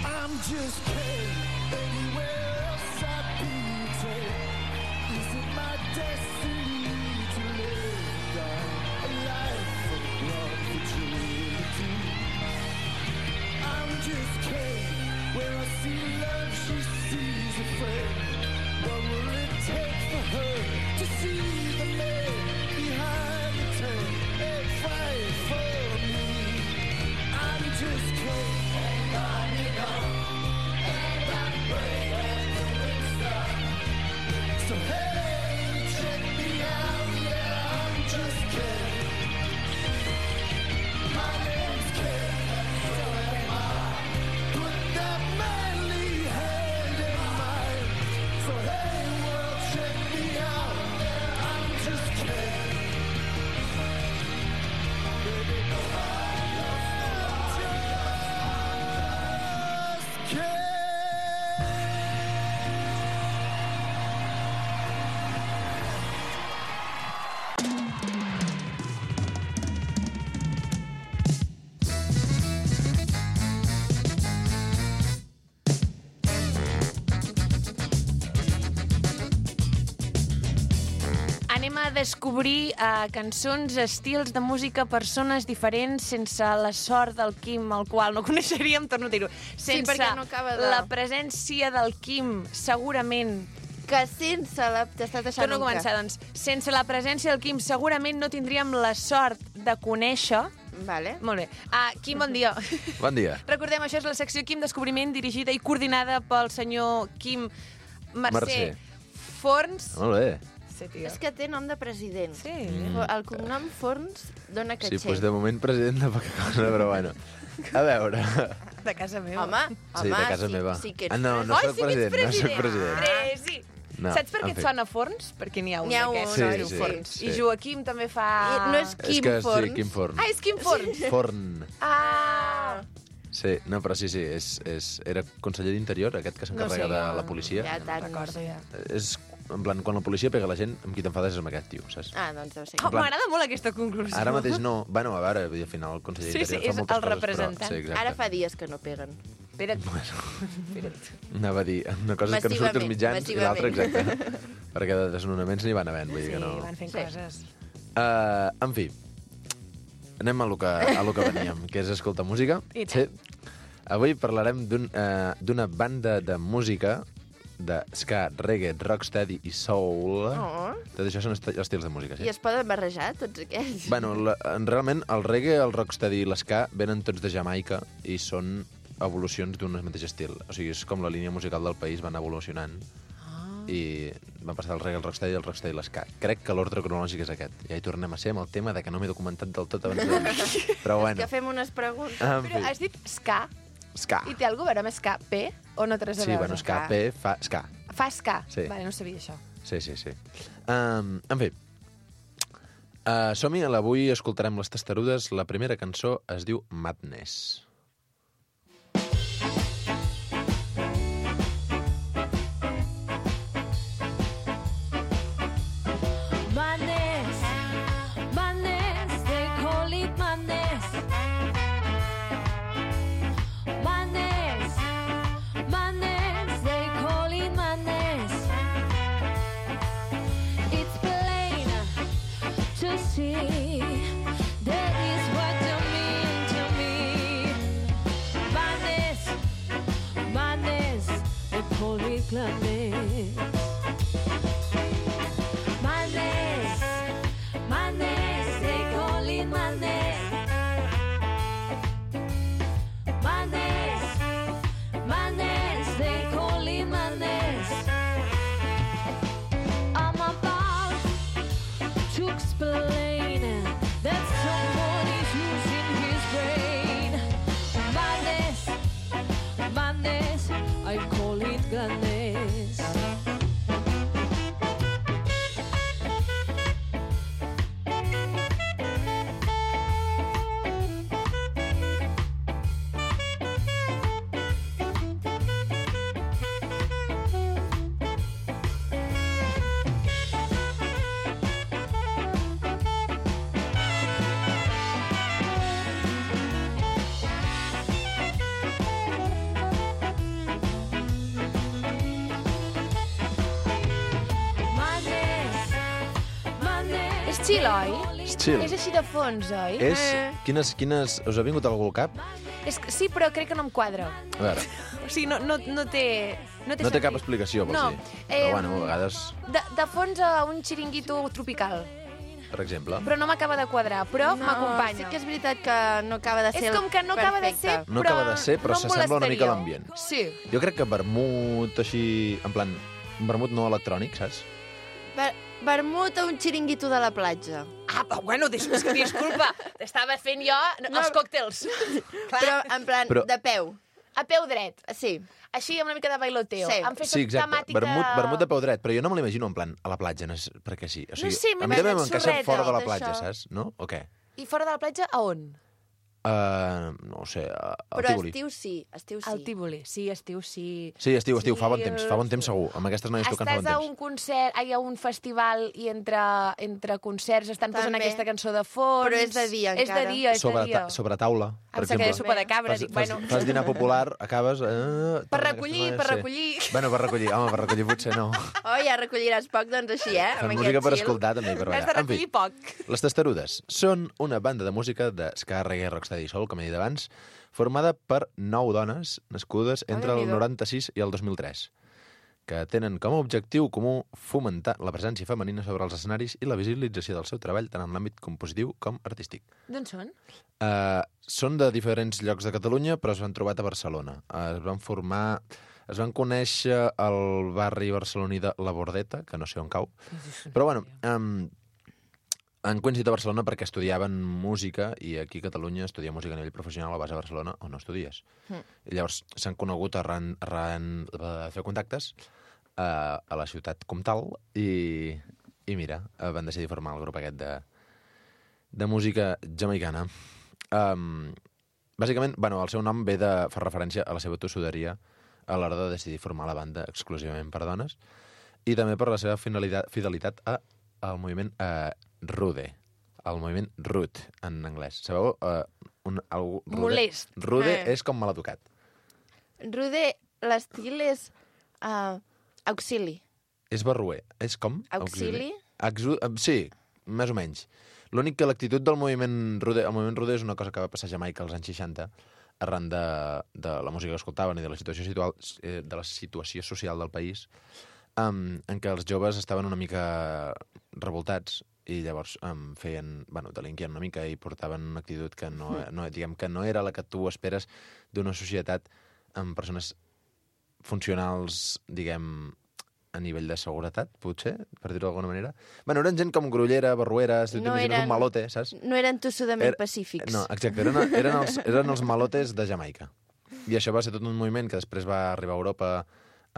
Speaker 5: I'm just kidding. Anywhere else I'd be today. Is it my destiny to live a life of love fragility? I'm just kidding. Where I see love, she sees a friend. What will it take for her to see the man behind the tent and fight for me? I'm just kidding. So hey, check me out, yeah, I'm just kidding. My name's Ken, so am I. Put that manly hand in mine. So hey, world, check me out, I'm just kidding. Baby, I'm just kidding.
Speaker 2: Anem a descobrir cançons, estils de música, persones diferents, sense la sort del Quim, el qual no coneixeríem, torno a dir-ho. Sense
Speaker 1: perquè no acaba de-
Speaker 2: la presència del Quim, segurament...
Speaker 1: Que sense la... T'està deixant
Speaker 2: Torno a començar, doncs. Sense la presència del Quim, segurament no tindríem la sort de conèixer...
Speaker 1: Vale.
Speaker 2: Molt bé. Quim, bon dia.
Speaker 6: Bon dia.
Speaker 2: Recordem, això és la secció Quim Descobriment, dirigida i coordinada pel senyor Quim Mercè Forns.
Speaker 6: Molt bé.
Speaker 2: Sí, tio.
Speaker 1: És que té nom de president.
Speaker 2: Sí.
Speaker 1: El cognom Forns dona
Speaker 6: Sí,
Speaker 1: caché.
Speaker 6: doncs de moment president de poca cosa, però bueno. A veure.
Speaker 2: De casa meva.
Speaker 1: Home,
Speaker 6: Sí, de casa
Speaker 1: sí,
Speaker 6: meva.
Speaker 1: Sí que ets
Speaker 6: No
Speaker 2: Ai,
Speaker 6: soc
Speaker 2: sí que ets
Speaker 6: president, no soc president.
Speaker 2: Sí.
Speaker 6: No,
Speaker 2: Saps per què
Speaker 6: en
Speaker 2: et
Speaker 6: fi.
Speaker 2: sona Forns? Perquè n'hi ha un
Speaker 1: N'hi ha un,
Speaker 2: d'aquests.
Speaker 6: Sí,
Speaker 2: que es diu
Speaker 6: sí,
Speaker 2: Forns.
Speaker 6: sí.
Speaker 2: I Joaquim també fa...
Speaker 1: No és
Speaker 6: És
Speaker 1: Quim
Speaker 6: que
Speaker 1: Forns.
Speaker 6: sí, Quim Forn.
Speaker 2: Ah, és Quim Forns.
Speaker 6: Forn.
Speaker 2: Ah,
Speaker 6: Sí, no, però sí, era conseller d'Interior, aquest que s'encarrega de la policia.
Speaker 1: Ja tant, no
Speaker 2: Recordo,
Speaker 1: sé.
Speaker 2: ja.
Speaker 6: És, en plan, quan la policia pega la gent, amb qui t'enfades és amb aquest tio, saps?
Speaker 1: Ah, doncs deu ser.
Speaker 2: Oh, m'agrada molt aquesta conclusió.
Speaker 6: Ara mateix no. Bueno, a veure, vull dir, al final el conseller
Speaker 2: Sí,
Speaker 6: d'Interior
Speaker 2: sí,
Speaker 6: fa
Speaker 2: és
Speaker 6: moltes
Speaker 2: el
Speaker 6: coses,
Speaker 2: representant.
Speaker 6: Però, sí, exacte.
Speaker 1: Ara fa dies que no peguen.
Speaker 2: Espera't.
Speaker 6: Anava a dir, una cosa és que no surt als mitjans i l'altra, exacte. Perquè de desnonaments n'hi van havent, vull dir
Speaker 2: Sí,
Speaker 6: que no...
Speaker 2: van fent
Speaker 1: Sí.
Speaker 2: coses.
Speaker 6: En fi, anem a lo que veníem, que és escoltar música.
Speaker 2: I tant.
Speaker 6: Sí. Avui parlarem d'una banda de música de ska, reggae, rocksteady i soul.
Speaker 1: Oh.
Speaker 6: Tot això són estils de música,
Speaker 1: I
Speaker 6: sí.
Speaker 1: es poden barrejar, tots aquests?
Speaker 6: Bueno, realment el reggae, el rocksteady i l'eska venen tots de Jamaica i són evolucions d'un mateix estil. O sigui, és com la línia musical del país van evolucionant. I van passar del reggae al rocksteady i el rocksteady i l'eska. Crec que l'ordre cronològic és aquest. Ja hi tornem a ser amb el tema de que no m'he documentat del tot abans de... Però bueno.
Speaker 1: Que fem unes preguntes.
Speaker 6: En
Speaker 2: Però
Speaker 6: fi.
Speaker 2: has dit ska,
Speaker 6: Ska.
Speaker 2: i té alguna cosa a veure amb ska, P, o no té res a
Speaker 6: Sí,
Speaker 2: veure?
Speaker 6: bueno, ska, P, fa ska.
Speaker 2: Fa ska?
Speaker 6: Sí.
Speaker 2: Vale, no sabia això.
Speaker 6: Sí. En fi. Som-hi, avui escoltarem les testarudes. La primera cançó es diu Madness.
Speaker 3: Madness, madness, they call it madness. Madness, madness, they call it madness. It's plain to see that is what you mean to me. Madness, madness, they call it gladness. Madness, madness, they call it madness. Madness, madness, they call it madness. I'm about to explain that someone is losing his brain. Madness, madness, I call it gladness.
Speaker 2: És chill, oi?
Speaker 6: És chill.
Speaker 2: És així de fons, oi?
Speaker 6: És... Quines... Us ha vingut algú al cap?
Speaker 2: És que, sí, però crec que no em quadra.
Speaker 6: A veure,
Speaker 2: O sigui, no té... No té,
Speaker 6: no té cap
Speaker 2: sentit.
Speaker 6: explicació, vols
Speaker 2: No,
Speaker 6: dir? Però bueno, a vegades,
Speaker 2: De fons a un xiringuito tropical.
Speaker 6: per exemple...
Speaker 2: Però no m'acaba de quadrar, però m'acompanya.
Speaker 1: Sí que és veritat que no acaba de ser
Speaker 2: És com que no acaba de ser,
Speaker 1: perfecte.
Speaker 6: No acaba de ser, però
Speaker 2: no em
Speaker 6: s'assembla una mica a
Speaker 2: molestaria.
Speaker 6: l'ambient.
Speaker 2: Sí.
Speaker 6: Jo crec que vermut així... En plan, un vermut no electrònic, saps?
Speaker 1: Vermut a un xiringuito de la platja.
Speaker 2: Ah, bueno, disculpa, estava fent jo els còctels.
Speaker 1: Però en plan,
Speaker 6: Però-
Speaker 1: de peu.
Speaker 2: A peu dret.
Speaker 1: Sí.
Speaker 2: Així, amb una mica de bailoteo.
Speaker 1: Sí.
Speaker 2: Han fet
Speaker 6: Sí, exacte.
Speaker 2: temàtica...
Speaker 6: Vermut de peu dret, però jo no me l'imagino en plan a la platja, no és perquè sí. O sigui,
Speaker 2: No sé, m'he
Speaker 6: a mi també
Speaker 2: imaginat
Speaker 6: m'encaixa
Speaker 2: sorreta,
Speaker 6: fora de la
Speaker 1: tot
Speaker 6: platja,
Speaker 1: això.
Speaker 6: saps? No? O què?
Speaker 2: I fora de la platja, a on?
Speaker 6: No ho sé, al
Speaker 1: Però
Speaker 6: Tívoli.
Speaker 1: estiu sí, estiu sí.
Speaker 2: Al Tívoli. Sí, estiu, sí.
Speaker 6: Sí, estiu,
Speaker 2: Sí,
Speaker 6: fa bon temps segur. Amb aquestes noies tocant fa
Speaker 2: Estàs
Speaker 6: bon
Speaker 2: a
Speaker 6: temps.
Speaker 2: un concert, a un festival i entre concerts estan posant
Speaker 1: També.
Speaker 2: aquesta cançó de fons.
Speaker 1: Però és de dia,
Speaker 2: És de
Speaker 1: encara.
Speaker 2: dia, és de dia.
Speaker 6: Sobre taula, per
Speaker 2: Em sap que
Speaker 6: exemple.
Speaker 2: és sopa de cabra. Dic, bueno,
Speaker 6: Fas dinar popular, acabes...
Speaker 2: per recollir, per recollir.
Speaker 6: Bueno, per recollir, home, per recollir potser no.
Speaker 1: Oh, ja recolliràs poc, doncs així,
Speaker 6: Fem
Speaker 1: amb
Speaker 6: música
Speaker 1: aquest
Speaker 6: per
Speaker 1: chill.
Speaker 6: escoltar, també, per
Speaker 2: Has
Speaker 6: ballar.
Speaker 2: de
Speaker 6: En fi,
Speaker 2: recollir poc.
Speaker 6: les Testarudes són una banda de música de ska, reggae, rocksteady i soul, com he dit abans, formada per 9 dones nascudes entre el
Speaker 2: Déu-n'hi-do.
Speaker 6: 96 i el 2003, que tenen com a objectiu comú fomentar la presència femenina sobre els escenaris i la visibilització del seu treball tant en l'àmbit compositiu com artístic.
Speaker 2: D'on són?
Speaker 6: Són de diferents llocs de Catalunya, però s'han trobat a Barcelona. Es van conèixer al barri barceloní de La Bordeta, que no sé on cau. Però bueno, han coincidit a Barcelona perquè estudiaven música i aquí a Catalunya estudiar música a nivell professional a base a Barcelona o no estudies. I llavors s'han conegut arran de fer contactes a la ciutat comtal i mira, van decidir formar el grup aquest de música jamaicana. bàsicament, el seu nom fa referència a la seva tossuderia a l'hora de decidir formar la banda exclusivament per dones i també per la seva fidelitat al moviment Rude, el moviment Rude, en anglès. Sabeu? Algú rude?
Speaker 2: Molest.
Speaker 6: Rude és com maleducat.
Speaker 1: Rude, l'estil és auxili.
Speaker 6: És barruer. És com?
Speaker 1: Auxili?
Speaker 6: Sí, més o menys. L'únic que l'actitud del moviment Rude... El moviment Rude és una cosa que va passar a Jamaica als anys 60 arran de la música que escoltaven i de la situació social del país, en què els joves estaven una mica revoltats i llavors delinquien una mica i portaven una actitud que no era la que tu esperes d'una societat amb persones funcionals, a nivell de seguretat, potser, per dir-ho d'alguna manera. Eren gent com grullera, barruera, un malote, saps?
Speaker 1: No eren tossudament pacífics.
Speaker 6: No, exacte, eren els malotes de Jamaica. I això va ser tot un moviment que després va arribar a Europa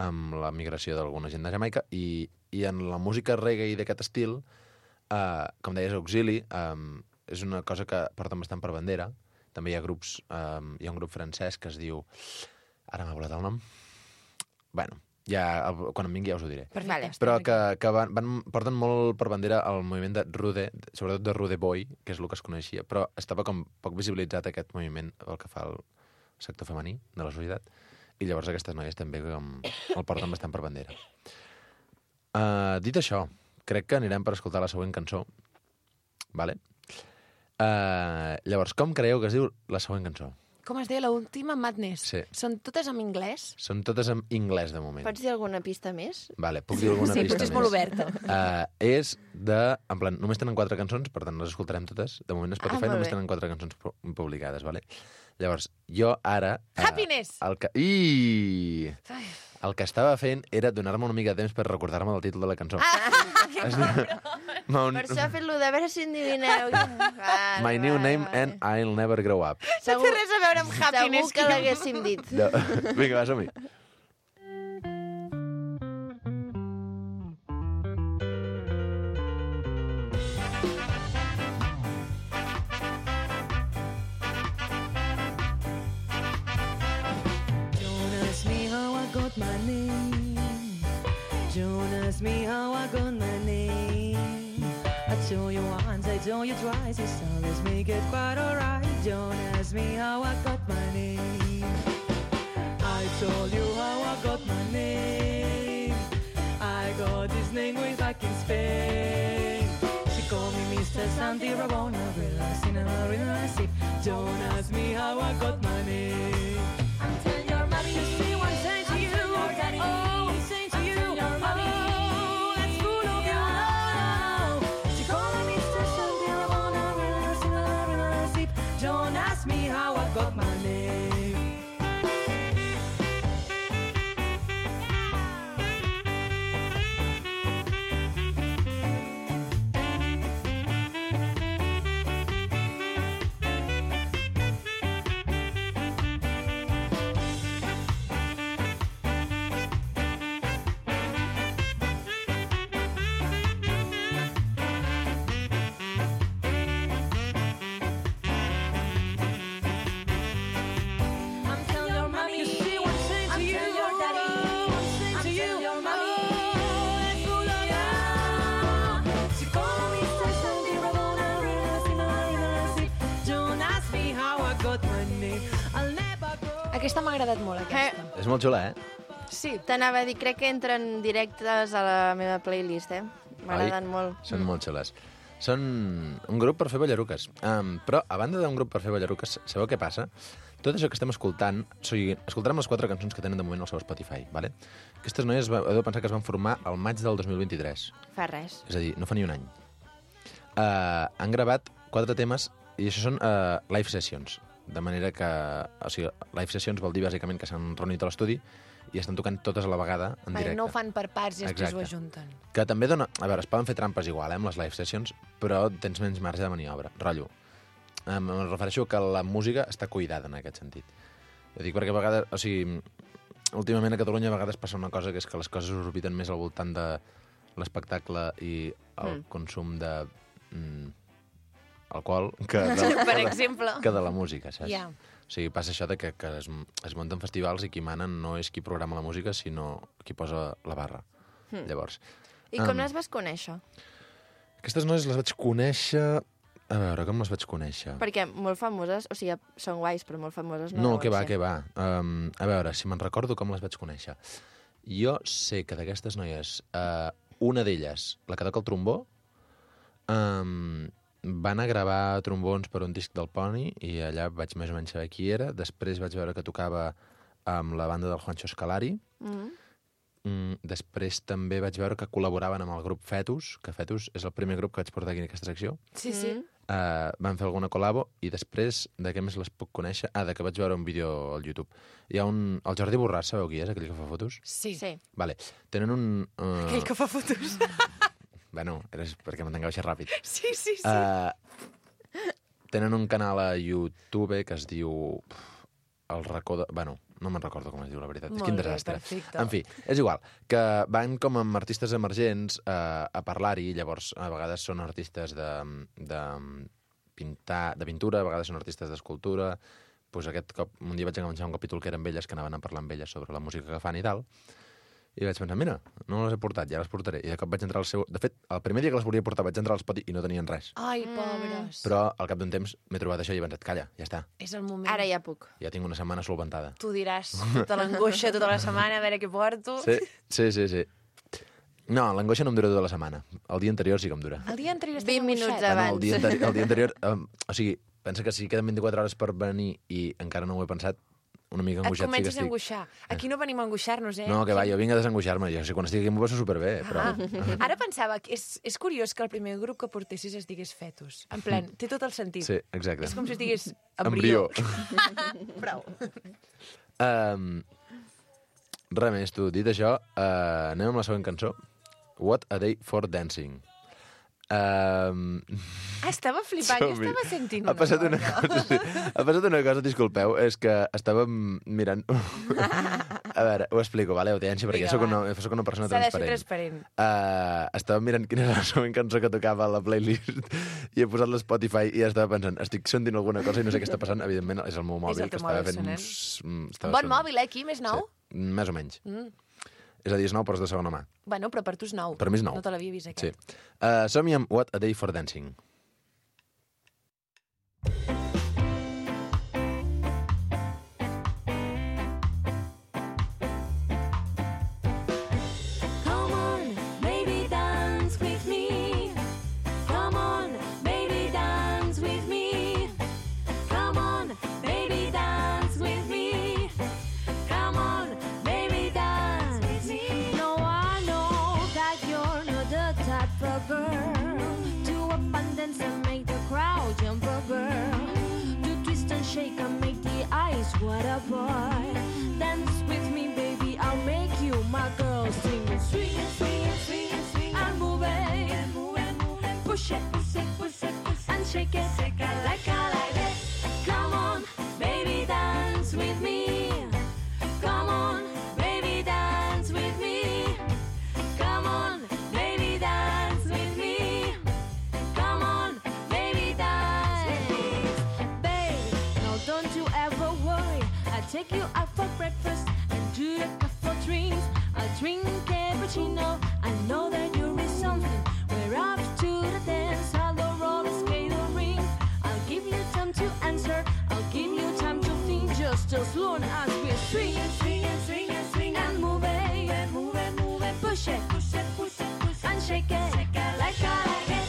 Speaker 6: amb la migració d'alguna gent de Jamaica i en la música reggae d'aquest estil, com deies, auxili, és una cosa que porten bastant per bandera. També hi ha grups, hi ha un grup francès que es diu... Ara m'ha volat el nom. Quan em vingui ja us ho diré.
Speaker 2: Perfecte.
Speaker 6: Però que porten molt per bandera el moviment de Rude, sobretot de Rude Boy, que és el que es coneixia, però estava com poc visibilitzat aquest moviment pel que fa al sector femení de la societat, i llavors aquestes noies també el porten bastant per bandera. Dit això, crec que anirem per escoltar la següent cançó. Vale? Llavors, com creieu que es diu la següent cançó?
Speaker 2: Com es deia l'última? Madness.
Speaker 6: Sí.
Speaker 2: Són totes en anglès?
Speaker 6: Són totes en anglès, de moment.
Speaker 1: Pots dir alguna pista més?
Speaker 6: Vale, puc dir alguna pista més.
Speaker 2: Sí, potser és molt oberta.
Speaker 6: És de... En plan, només tenen 4 cançons, per tant les escoltarem totes. De moment a Spotify només tenen 4 cançons publicades, vale? Llavors, jo ara...
Speaker 2: Happiness!
Speaker 6: El que estava fent era donar-me una mica de temps per recordar-me del títol de la cançó.
Speaker 1: Per això ha fet-lo de veure si endivineu.
Speaker 6: My New Name and I'll Never Grow Up.
Speaker 2: No té res a veure amb Happiness.
Speaker 1: Segur que l'haguéssim dit.
Speaker 6: No. Vinga, va, som-hi.
Speaker 7: Don't ask me how I got my name. I told you once, I told you twice, it's always make it quite alright. Don't ask me how I got my name. I told you how I got my name. I got this name way back in Spain. She called me Mr. Santi Rabona, relaxing and relaxing. Don't ask me how I got my name. Until your mommy, you see what I'm saying to you. Oh, I'm saying to you. Oh, that's full of your love. She called me Mr. Santi Rabona, relaxing and relaxing. Don't ask me how I got my name. Aquesta m'ha agradat molt, aquesta.
Speaker 6: És molt xula,
Speaker 1: Sí, t'anava a dir, crec que entren directes a la meva playlist, M'agraden molt.
Speaker 6: Són molt xules. Són un grup per fer ballaruques. Però, a banda d'un grup per fer ballaruques, sabeu què passa? Tot això que estem escoltant, escoltarem les 4 cançons que tenen de moment al seu Spotify, vale? Aquestes noies heu de pensar que es van formar al maig del 2023.
Speaker 1: Fa res.
Speaker 6: És a dir, no fa ni un any. Han gravat 4 temes i això són live sessions. De manera que... O sigui, live sessions vol dir bàsicament que s'han reunit a l'estudi i estan tocant totes a la vegada en directe.
Speaker 2: No ho fan per parts i després
Speaker 6: Exacte.
Speaker 2: ho ajunten.
Speaker 6: Que també dona... A veure, es poden fer trampes igual, amb les live sessions, però tens menys marge de maniobra. Rotllo. Em refereixo que la música està cuidada en aquest sentit. Ho dic perquè a vegades... O sigui, últimament a Catalunya a vegades passa una cosa que és que les coses orbiten més al voltant de l'espectacle i el consum de alcohol que
Speaker 2: Per exemple.
Speaker 6: que de la música, saps?
Speaker 2: Ja.
Speaker 6: O sigui, passa això de que es munten festivals i qui manen no és qui programa la música, sinó qui posa la barra. Llavors,
Speaker 1: I com les vas conèixer?
Speaker 6: aquestes noies les vaig conèixer... A veure, com les vaig conèixer?
Speaker 1: Perquè molt famoses, o sigui, són guais, però molt famoses no
Speaker 6: No,
Speaker 1: deuen
Speaker 6: que va,
Speaker 1: ser.
Speaker 6: que va. A veure, si me'n recordo com les vaig conèixer. Jo sé que d'aquestes noies, una d'elles, la que toca el trombó, va anar a gravar trombons per un disc del Pony i allà vaig més o menys saber qui era. Després vaig veure que tocava amb la banda del Juancho Scalari. Després també vaig veure que col·laboraven amb el grup Fetus, que Fetus és el primer grup que vaig portar aquí en aquesta secció.
Speaker 2: Sí, sí.
Speaker 6: Van fer alguna col·labo i després, de què més les puc conèixer? De que vaig veure un vídeo al YouTube. Hi ha el Jordi Borràs, sabeu qui és, aquell que fa fotos?
Speaker 2: Sí.
Speaker 1: Sí.
Speaker 6: Vale. Tenen un...
Speaker 2: Aquell que fa fotos.
Speaker 6: Bueno, és perquè m'entengueu així ràpid.
Speaker 2: Sí.
Speaker 6: Tenen un canal a YouTube que es diu... El racó de... Bueno, no me'n recordo com es diu, la veritat.
Speaker 2: Molt
Speaker 6: Quin
Speaker 2: bé,
Speaker 6: desastre.
Speaker 2: perfecte.
Speaker 6: En fi, és igual. Que van com amb artistes emergents a parlar-hi, llavors a vegades són artistes de pintura, a vegades són artistes d'escultura. Pues aquest cop, un dia vaig enganxar un capítol que eren elles, que anaven a parlar amb elles sobre la música que fan i tal. I vaig pensar, mira, no les he portat, ja les portaré. I de cop vaig entrar al seu... De fet, el primer dia que les volia portar vaig entrar al Spotify i no tenien res.
Speaker 2: Ai, pobres.
Speaker 6: Però al cap d'un temps m'he trobat això i he pensat, calla, ja està.
Speaker 2: És el moment.
Speaker 1: Ara ja puc.
Speaker 6: Ja tinc una setmana solventada.
Speaker 2: Tu diràs tota l'angoixa tota la setmana, a veure què porto.
Speaker 6: Sí. No, l'angoixa no em dura tota la setmana. El dia anterior sí que em dura.
Speaker 2: El dia anterior
Speaker 1: 20
Speaker 2: estàs
Speaker 1: minuts
Speaker 2: angoixat.
Speaker 1: abans.
Speaker 6: El dia anterior... o sigui, pensa que si queden 24 hores per venir i encara no ho he pensat, una mica
Speaker 2: Et
Speaker 6: angoixat sí que
Speaker 2: comences a
Speaker 6: estic.
Speaker 2: angoixar. Aquí no venim a angoixar-nos,
Speaker 6: No, que va, jo vinc a desangoixar-me. Jo sé, quan estic aquí m'ho passo superbé, però...
Speaker 2: Ara pensava que és curiós que el primer grup que portessis es digués Fetus. En plan, té tot el sentit.
Speaker 6: Sí, exacte.
Speaker 2: És com si es digués embrió. Prou.
Speaker 6: Res més, tu. Dit això, anem amb la següent cançó. What a Day for Dancing.
Speaker 2: Estava flipant, jo
Speaker 6: Som-hi.
Speaker 2: estava sentint
Speaker 6: Ha
Speaker 2: una
Speaker 6: passat
Speaker 2: cosa.
Speaker 6: una cosa, sí. Ha passat una cosa, disculpeu, és que estàvem mirant... A veure, ho explico, vale? Audiència, perquè
Speaker 2: Vinga,
Speaker 6: soc una persona
Speaker 2: S'ha de ser
Speaker 6: transparent.
Speaker 2: transparent.
Speaker 6: Estàvem mirant quina era la següent cançó que tocava a la playlist i he posat l'Spotify i estava pensant, estic sentint alguna cosa i no sé què està passant. Evidentment, és el meu mòbil
Speaker 2: el
Speaker 6: que
Speaker 2: teu
Speaker 6: estava
Speaker 2: mòbil
Speaker 6: fent
Speaker 2: sonant.
Speaker 6: estava
Speaker 2: Bon
Speaker 6: sonant.
Speaker 2: mòbil, aquí, més nou?
Speaker 6: Sí, més o menys. És a dir, és nou, però és de segona mà.
Speaker 2: Bueno, però per tu és nou.
Speaker 6: Per mi és nou.
Speaker 2: No te l'havia vist,
Speaker 6: Sí.
Speaker 2: aquest.
Speaker 6: Som-hi amb What a Day for Dancing.
Speaker 3: Come on, baby, dance with me. Come on, baby, dance with me. Come on, baby, dance with me. Come on, baby, dance with me. No, I know that you're not the type of girl to up and dance and make the crowd jump a girl. To twist and shake and make the eyes water, boy. Dance with me, baby, I'll make you my girl. Sing it, swing it, swing it, swing it, swing it, and move it, and move it, move it. Push it, push it, push it, push it, and shake it, shake it like I like it. Come on, baby, dance with me. Come on, baby, dance with me. Come on, baby, dance with me. Come on, baby, dance with me. Babe, no, don't you ever worry. I'll take you out for breakfast and do the couple drinks. I'll drink cappuccino. I know that you're with something. We're off to the dance, I'll roller skate or ring. I'll give you time to answer. I'll give you time to think just as long as we swing and swing and swing and swing and move it, and move it, move it. Push it, push it, push it, push it, and shake it like I like it.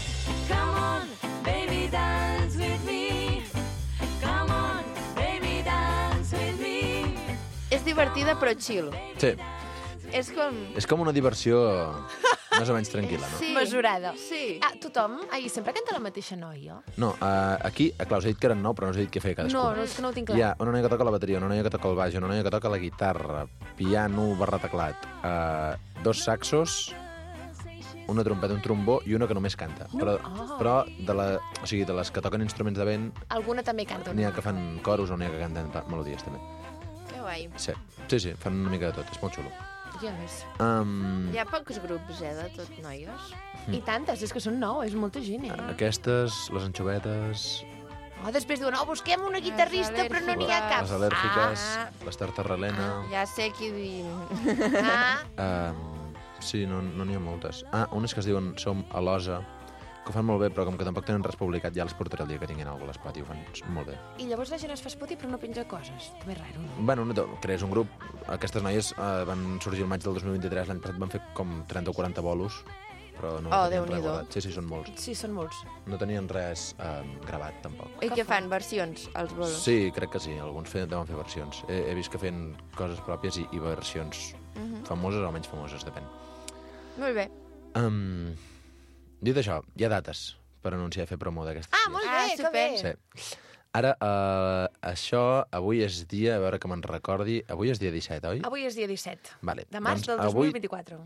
Speaker 3: Come on, baby, dance with me. Come on, baby, dance with me.
Speaker 1: És divertida però chill.
Speaker 6: Sí,
Speaker 1: És com...
Speaker 6: és com una diversió més o menys tranquil·la, no?
Speaker 1: Sí.
Speaker 2: Mesurada.
Speaker 1: Sí.
Speaker 2: Tothom, sempre canta la mateixa noia?
Speaker 6: No, aquí, clar, us he dit que eren 9, però no us he dit què feia cadascuna.
Speaker 2: No, és que no ho tinc clar.
Speaker 6: Hi ha una noia que toca la bateria, una noia que toca el baix, una noia que toca la guitarra, piano barra teclat, 2 saxos, una trompeta, un trombó i una que només canta. Però o sigui, de les que toquen instruments de vent,
Speaker 2: Alguna també canta.
Speaker 6: n'hi ha que fan coros o n'hi ha que canten melodies, també.
Speaker 1: Que guai.
Speaker 6: Sí, fan una mica de tot, és molt xulo.
Speaker 2: Ja ves.
Speaker 1: Hi ha pocs grups, de tot noies.
Speaker 2: I tantes, és que són 9, és molta gent,
Speaker 6: Aquestes, les anxovetes,
Speaker 2: Oh, després diuen, busquem una guitarrista, però no n'hi ha cap.
Speaker 6: les al·lèrgiques, les tartarrelena...
Speaker 1: Ja sé qui diu.
Speaker 6: Sí, no n'hi ha moltes. Unes que es diuen Som a l'Osa, que ho fan molt bé, però com que tampoc tenen res publicat, ja les portaré el dia que tinguin alguna cosa a l'Espot i ho fan molt bé.
Speaker 2: I llavors la gent es fa Spotify però no penja coses. També és raro, no?
Speaker 6: Bueno, crees un grup. Aquestes noies van sorgir el maig del 2023, l'any passat van fer com 30 o 40 bolos, però no tenien res
Speaker 1: Déu-n'hi-do.
Speaker 6: guardat. Sí, són molts.
Speaker 2: Sí, són molts.
Speaker 6: No tenien res gravat, tampoc.
Speaker 1: I què fan? Versions, els bolos?
Speaker 6: Sí, crec que sí. Alguns deuen fer versions. He vist que feien coses pròpies i versions famoses o menys famoses, depèn.
Speaker 1: Molt bé.
Speaker 6: Dit això, hi ha dates per anunciar i fer promo d'aquestes dies.
Speaker 2: Molt bé, que bé.
Speaker 6: Sí. Ara, això, avui és dia, a veure que me'n recordi, avui és dia 17, oi?
Speaker 2: Avui és dia 17
Speaker 6: Vale.
Speaker 2: de març
Speaker 6: Doncs
Speaker 2: del 2024.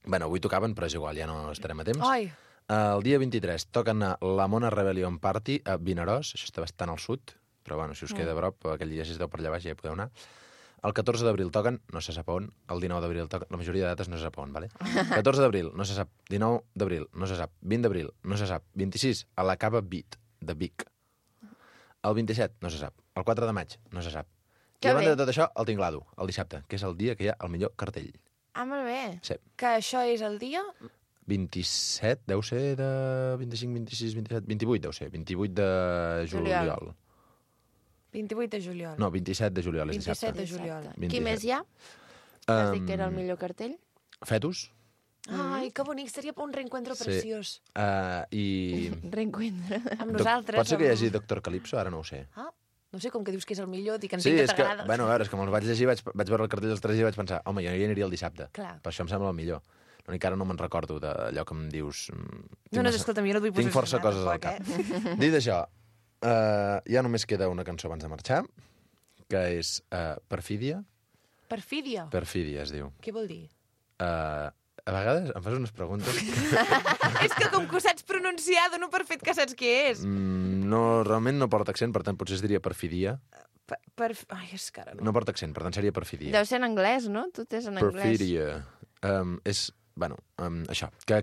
Speaker 6: Bueno, avui tocaven, però és igual, ja no estarem a temps.
Speaker 2: Ai,
Speaker 6: El dia 23 toquen a la Mona Rebellion Party a Vinaròs, això està bastant al sud, però bueno, si us queda a prop, aquell dia si esteu per allà baix ja hi podeu anar. El 14 d'abril toquen, no se sap on, el 19 d'abril toquen, la majoria de dates no se sap on, vale? 14 d'abril, no se sap, 19 d'abril, no se sap, 20 d'abril, no se sap, 26, a la Cava Beat, de Vic. El 27, no se sap. El 4 de maig, no se sap.
Speaker 1: Que
Speaker 6: I a banda
Speaker 1: bé.
Speaker 6: de tot això, el Tinglado, el dissabte, que és el dia que hi ha el millor cartell.
Speaker 1: Molt bé.
Speaker 6: Sí.
Speaker 2: que això és el dia...
Speaker 6: 27, deu ser de 25, 26, 27, 28 deu ser, 28 de juliol.
Speaker 2: 28 de juliol.
Speaker 6: No, 27 de juliol, és
Speaker 2: 27
Speaker 6: dissabte.
Speaker 2: de juliol.
Speaker 1: Qui més hi ha? Has dit que era el millor cartell?
Speaker 6: Fetus.
Speaker 2: Ai, que bonic, seria un reencuentro
Speaker 6: Sí.
Speaker 2: preciós.
Speaker 6: I...
Speaker 1: Reencuentre.
Speaker 2: Amb nosaltres.
Speaker 6: Pot ser que hi
Speaker 2: amb-
Speaker 6: hagi Doctor Calypso? Ara no ho sé.
Speaker 2: Ah, no sé, com que dius que és el millor, dic,
Speaker 6: Sí,
Speaker 2: entenc
Speaker 6: és
Speaker 2: que
Speaker 6: que,
Speaker 2: t'agrada.
Speaker 6: bueno, a veure, és que me'ls vaig llegir, vaig veure el cartell dels 3 dies i vaig pensar, home, jo hi aniria el dissabte.
Speaker 2: Clar.
Speaker 6: Per això em sembla el millor. L'únic que ara no me'n recordo d'allò que em dius...
Speaker 2: No, escolta'm, jo no et vull
Speaker 6: Tinc força
Speaker 2: posicionar,
Speaker 6: coses al
Speaker 2: tampoc,
Speaker 6: cap. Dit això, ja només queda una cançó abans de marxar, que és Perfídia.
Speaker 2: Perfídia.
Speaker 6: Perfídia es diu.
Speaker 2: Què vol dir?
Speaker 6: A vegades em fas unes preguntes
Speaker 2: És que com que ho saps pronunciar, dono per fet que saps què és.
Speaker 6: no, realment no porta accent, per tant potser es diria perfidia.
Speaker 2: Ai, és que ara no.
Speaker 6: No porta accent, per tant seria perfidia.
Speaker 1: Deu ser en anglès, no? Tot és en anglès.
Speaker 6: Perfidia. És, bueno, això, que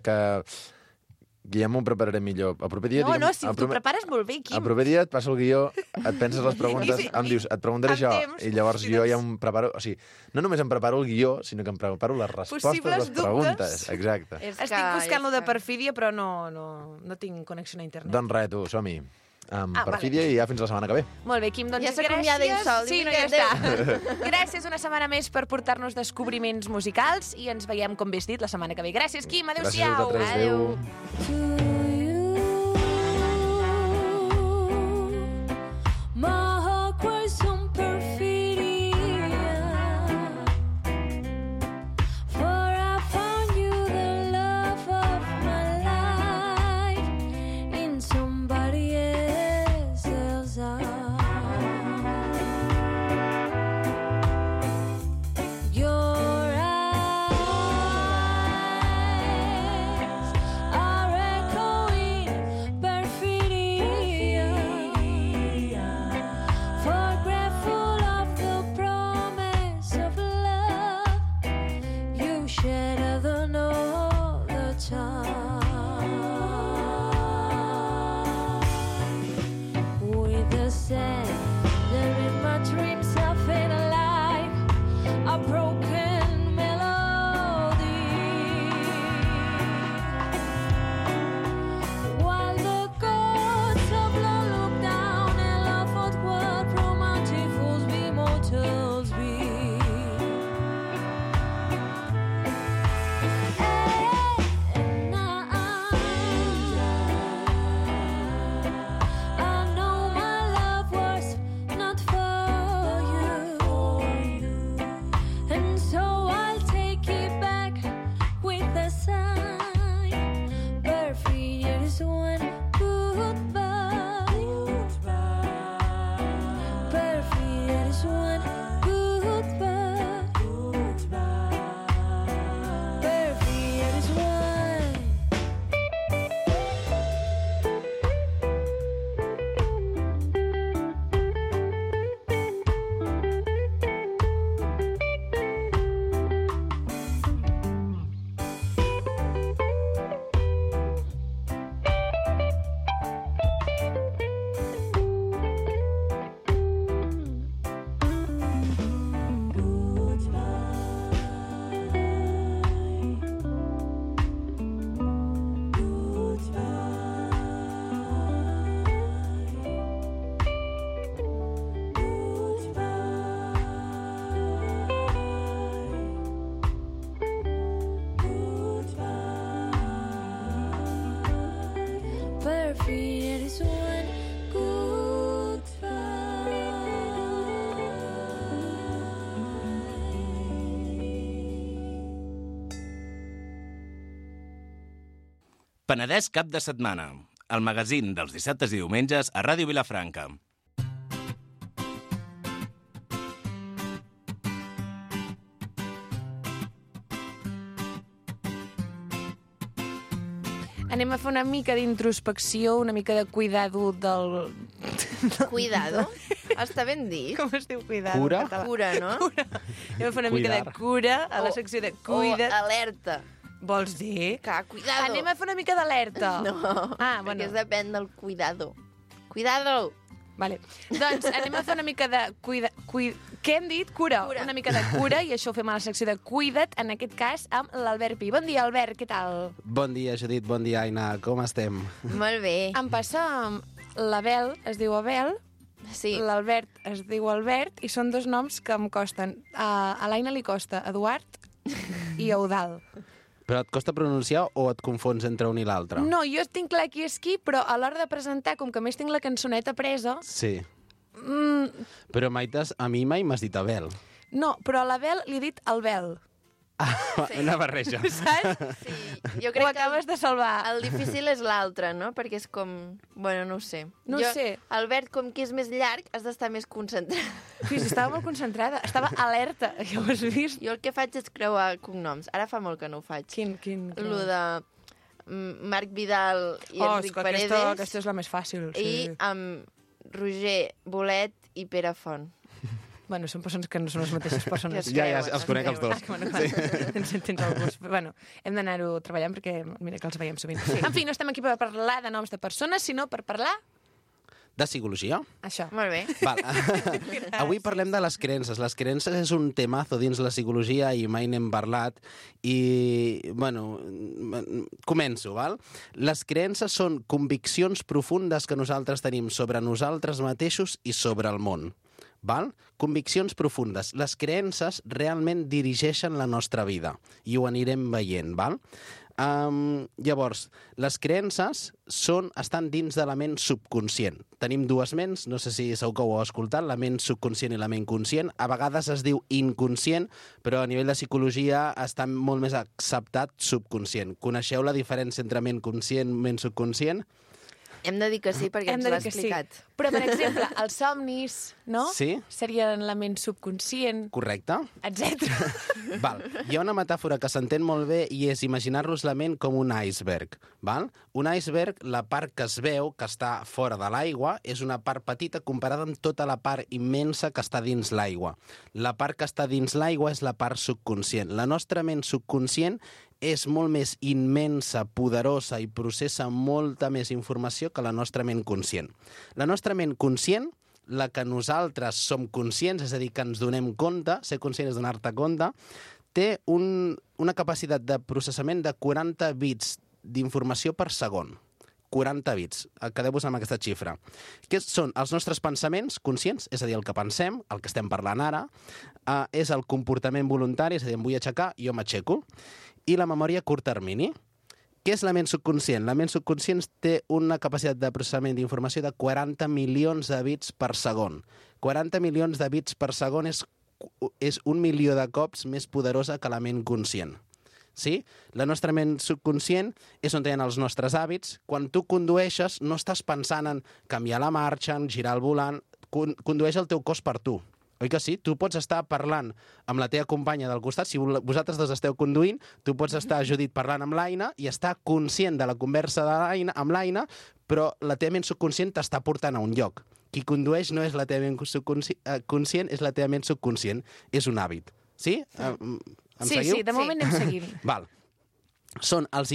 Speaker 6: ja m'ho prepararé millor. El proper dia...
Speaker 2: No, si t'ho prepares molt bé, Quim.
Speaker 6: El proper dia et passo el guió, et penses les preguntes,
Speaker 2: Sí,
Speaker 6: em dius, et preguntaré
Speaker 2: amb
Speaker 6: això,
Speaker 2: temps,
Speaker 6: i llavors
Speaker 2: si
Speaker 6: jo
Speaker 2: doncs-
Speaker 6: ja em preparo... O sigui, no només em preparo el guió, sinó que em preparo les respostes a
Speaker 2: Possibles
Speaker 6: les preguntes.
Speaker 2: dubtes.
Speaker 6: Exacte.
Speaker 2: Estic buscant lo de perfídia, però no tinc connexió a internet.
Speaker 6: Doncs res, tu, som-hi.
Speaker 2: vale.
Speaker 6: Perfídia i ja fins la setmana que ve.
Speaker 2: Molt bé, Quim, doncs
Speaker 1: Ja s'acomiada ell sol.
Speaker 2: Sí, no, ja està. Gràcies una setmana més per portar-nos descobriments musicals i ens veiem, com bé has dit, la setmana que ve. Gràcies, Quim.
Speaker 6: Gràcies a
Speaker 2: Adéu-siau.
Speaker 6: vosaltres. Adéu.
Speaker 3: My heart cries on perfidia, for I found you the love of my life in somebody else's eyes. Your eyes are echoes our feet is one good
Speaker 8: Penedès cap de setmana, el magazín dels dissabtes i diumenges a Ràdio Vilafranca.
Speaker 2: Anem a fer una mica d'introspecció, una mica de cuidado del...
Speaker 1: Cuidado? Està ben dit.
Speaker 2: Com es diu cuidado?
Speaker 6: Cura?
Speaker 2: en català?
Speaker 1: Cura, no?
Speaker 2: Cura. Anem a fer una mica de
Speaker 6: Cuidar.
Speaker 2: cura a la secció de cuida.
Speaker 1: O alerta.
Speaker 2: Vols dir?
Speaker 1: Que, cuidado.
Speaker 2: Anem a fer una mica d'alerta.
Speaker 1: No,
Speaker 2: Ah, bueno.
Speaker 1: perquè es depèn del cuidado. Cuidado!
Speaker 2: Vale. Doncs anem a fer una mica de Què hem dit? Cura.
Speaker 1: Cura.
Speaker 2: Una mica de cura, i això ho fem a la secció de Cuida't, en aquest cas amb l'Albert Pi. Bon dia, Albert, què tal?
Speaker 9: Bon dia, Judit, bon dia, Aina. Com estem?
Speaker 1: Molt bé.
Speaker 2: Em passa l'Abel, es diu Abel,
Speaker 1: Sí.
Speaker 2: l'Albert es diu Albert, i són dos noms que em costen. A l'Aina li costa Eduard i Eudald.
Speaker 9: Però et costa pronunciar o et confons entre un i l'altre?
Speaker 2: No, jo tinc clar qui és qui, però a l'hora de presentar, com que a més tinc la cançoneta presa...
Speaker 9: Sí. Però a mi mai m'has dit Abel.
Speaker 2: No, però a l'Abel li he dit Albel.
Speaker 1: Sí.
Speaker 9: Una barreja.
Speaker 2: Saps?
Speaker 1: Sí, jo
Speaker 2: Ho
Speaker 1: crec que
Speaker 2: acabes de salvar.
Speaker 1: el difícil és l'altre, no? Perquè és com... Bueno, no ho sé.
Speaker 2: No
Speaker 1: jo,
Speaker 2: sé.
Speaker 1: Albert, com que és més llarg, has d'estar més concentrat.
Speaker 2: Sí, estava molt concentrada. Estava alerta, ja ho has vist?
Speaker 1: Jo el que faig és creuar cognoms. Ara fa molt que no ho faig.
Speaker 2: Quin?
Speaker 1: Lo de Marc Vidal i Enric Paredes
Speaker 2: Aquesta és la més fàcil.
Speaker 1: i
Speaker 2: Sí.
Speaker 1: amb Roger Bolet i Pere Font.
Speaker 2: Bueno, són persones que no són les mateixes persones.
Speaker 1: Que
Speaker 9: Ja,
Speaker 1: creuen,
Speaker 9: els conec els dos.
Speaker 2: Bueno, clar, tens el gust. Bueno, hem d'anar-ho treballant perquè mira que els veiem sovint. Sí. En fi, no estem aquí per parlar de noms de persones, sinó per parlar
Speaker 9: De psicologia?
Speaker 2: això.
Speaker 9: Ah.
Speaker 1: Molt bé.
Speaker 9: Val. Avui parlem de les creences. Les creences és un temazo dins la psicologia i mai n'hem parlat. I, bueno, començo, val? Les creences són conviccions profundes que nosaltres tenim sobre nosaltres mateixos i sobre el món. Val? Conviccions profundes. Les creences realment dirigeixen la nostra vida i ho anirem veient, val? Llavors, les creences estan dins de la ment subconscient. Tenim dues ments, no sé si segur que ho heu escoltat, la ment subconscient i la ment conscient. A vegades es diu inconscient, però a nivell de psicologia està molt més acceptat subconscient. Coneixeu la diferència entre ment conscient i ment subconscient?
Speaker 1: Hem de dir que sí, perquè
Speaker 2: Hem
Speaker 1: ens
Speaker 2: de
Speaker 1: l'ha
Speaker 2: dir que sí.
Speaker 1: explicat.
Speaker 2: Però, per exemple, els somnis, no?
Speaker 9: Sí.
Speaker 2: Serien la ment subconscient,
Speaker 9: Correcte?
Speaker 2: etc.
Speaker 9: Val. Hi ha una metàfora que s'entén molt bé i és imaginar-nos la ment com un iceberg. Val? Un iceberg, la part que es veu, que està fora de l'aigua, és una part petita comparada amb tota la part immensa que està dins l'aigua. La part que està dins l'aigua és la part subconscient. La nostra ment subconscient és molt més immensa, poderosa i processa molta més informació que la nostra ment conscient. La nostra ment conscient, la que nosaltres som conscients, és a dir, que ens donem compte, ser conscient és donar-te compte, té una capacitat de processament de 40 bits d'informació per segon. 40 bits. Quedeu-vos amb aquesta xifra. Què són els nostres pensaments conscients, és a dir, el que pensem, el que estem parlant ara, és el comportament voluntari, és a dir, em vull aixecar, jo m'aixeco, i la memòria a curt termini. Què és la ment subconscient? La ment subconscient té una capacitat de processament d'informació de 40 milions de bits per segon. 40 milions de bits per segon és 1 milió de cops més poderosa que la ment conscient. Sí? La nostra ment subconscient és on hi ha els nostres hàbits. Quan tu condueixes, no estàs pensant en canviar la marxa, en girar el volant. Condueix el teu cos per tu. Oi que sí? Tu pots estar parlant amb la teva companya del costat, si vosaltres dos esteu conduint, tu pots estar, Judit, parlant amb l'Aina i estar conscient de la conversa amb l'Aina, però la teva ment subconscient t'està portant a un lloc. Qui condueix no és la teva ment conscient, és la teva ment subconscient. És un hàbit. Sí? Em seguiu?
Speaker 2: Sí, de moment anem seguint.
Speaker 9: Val. Són els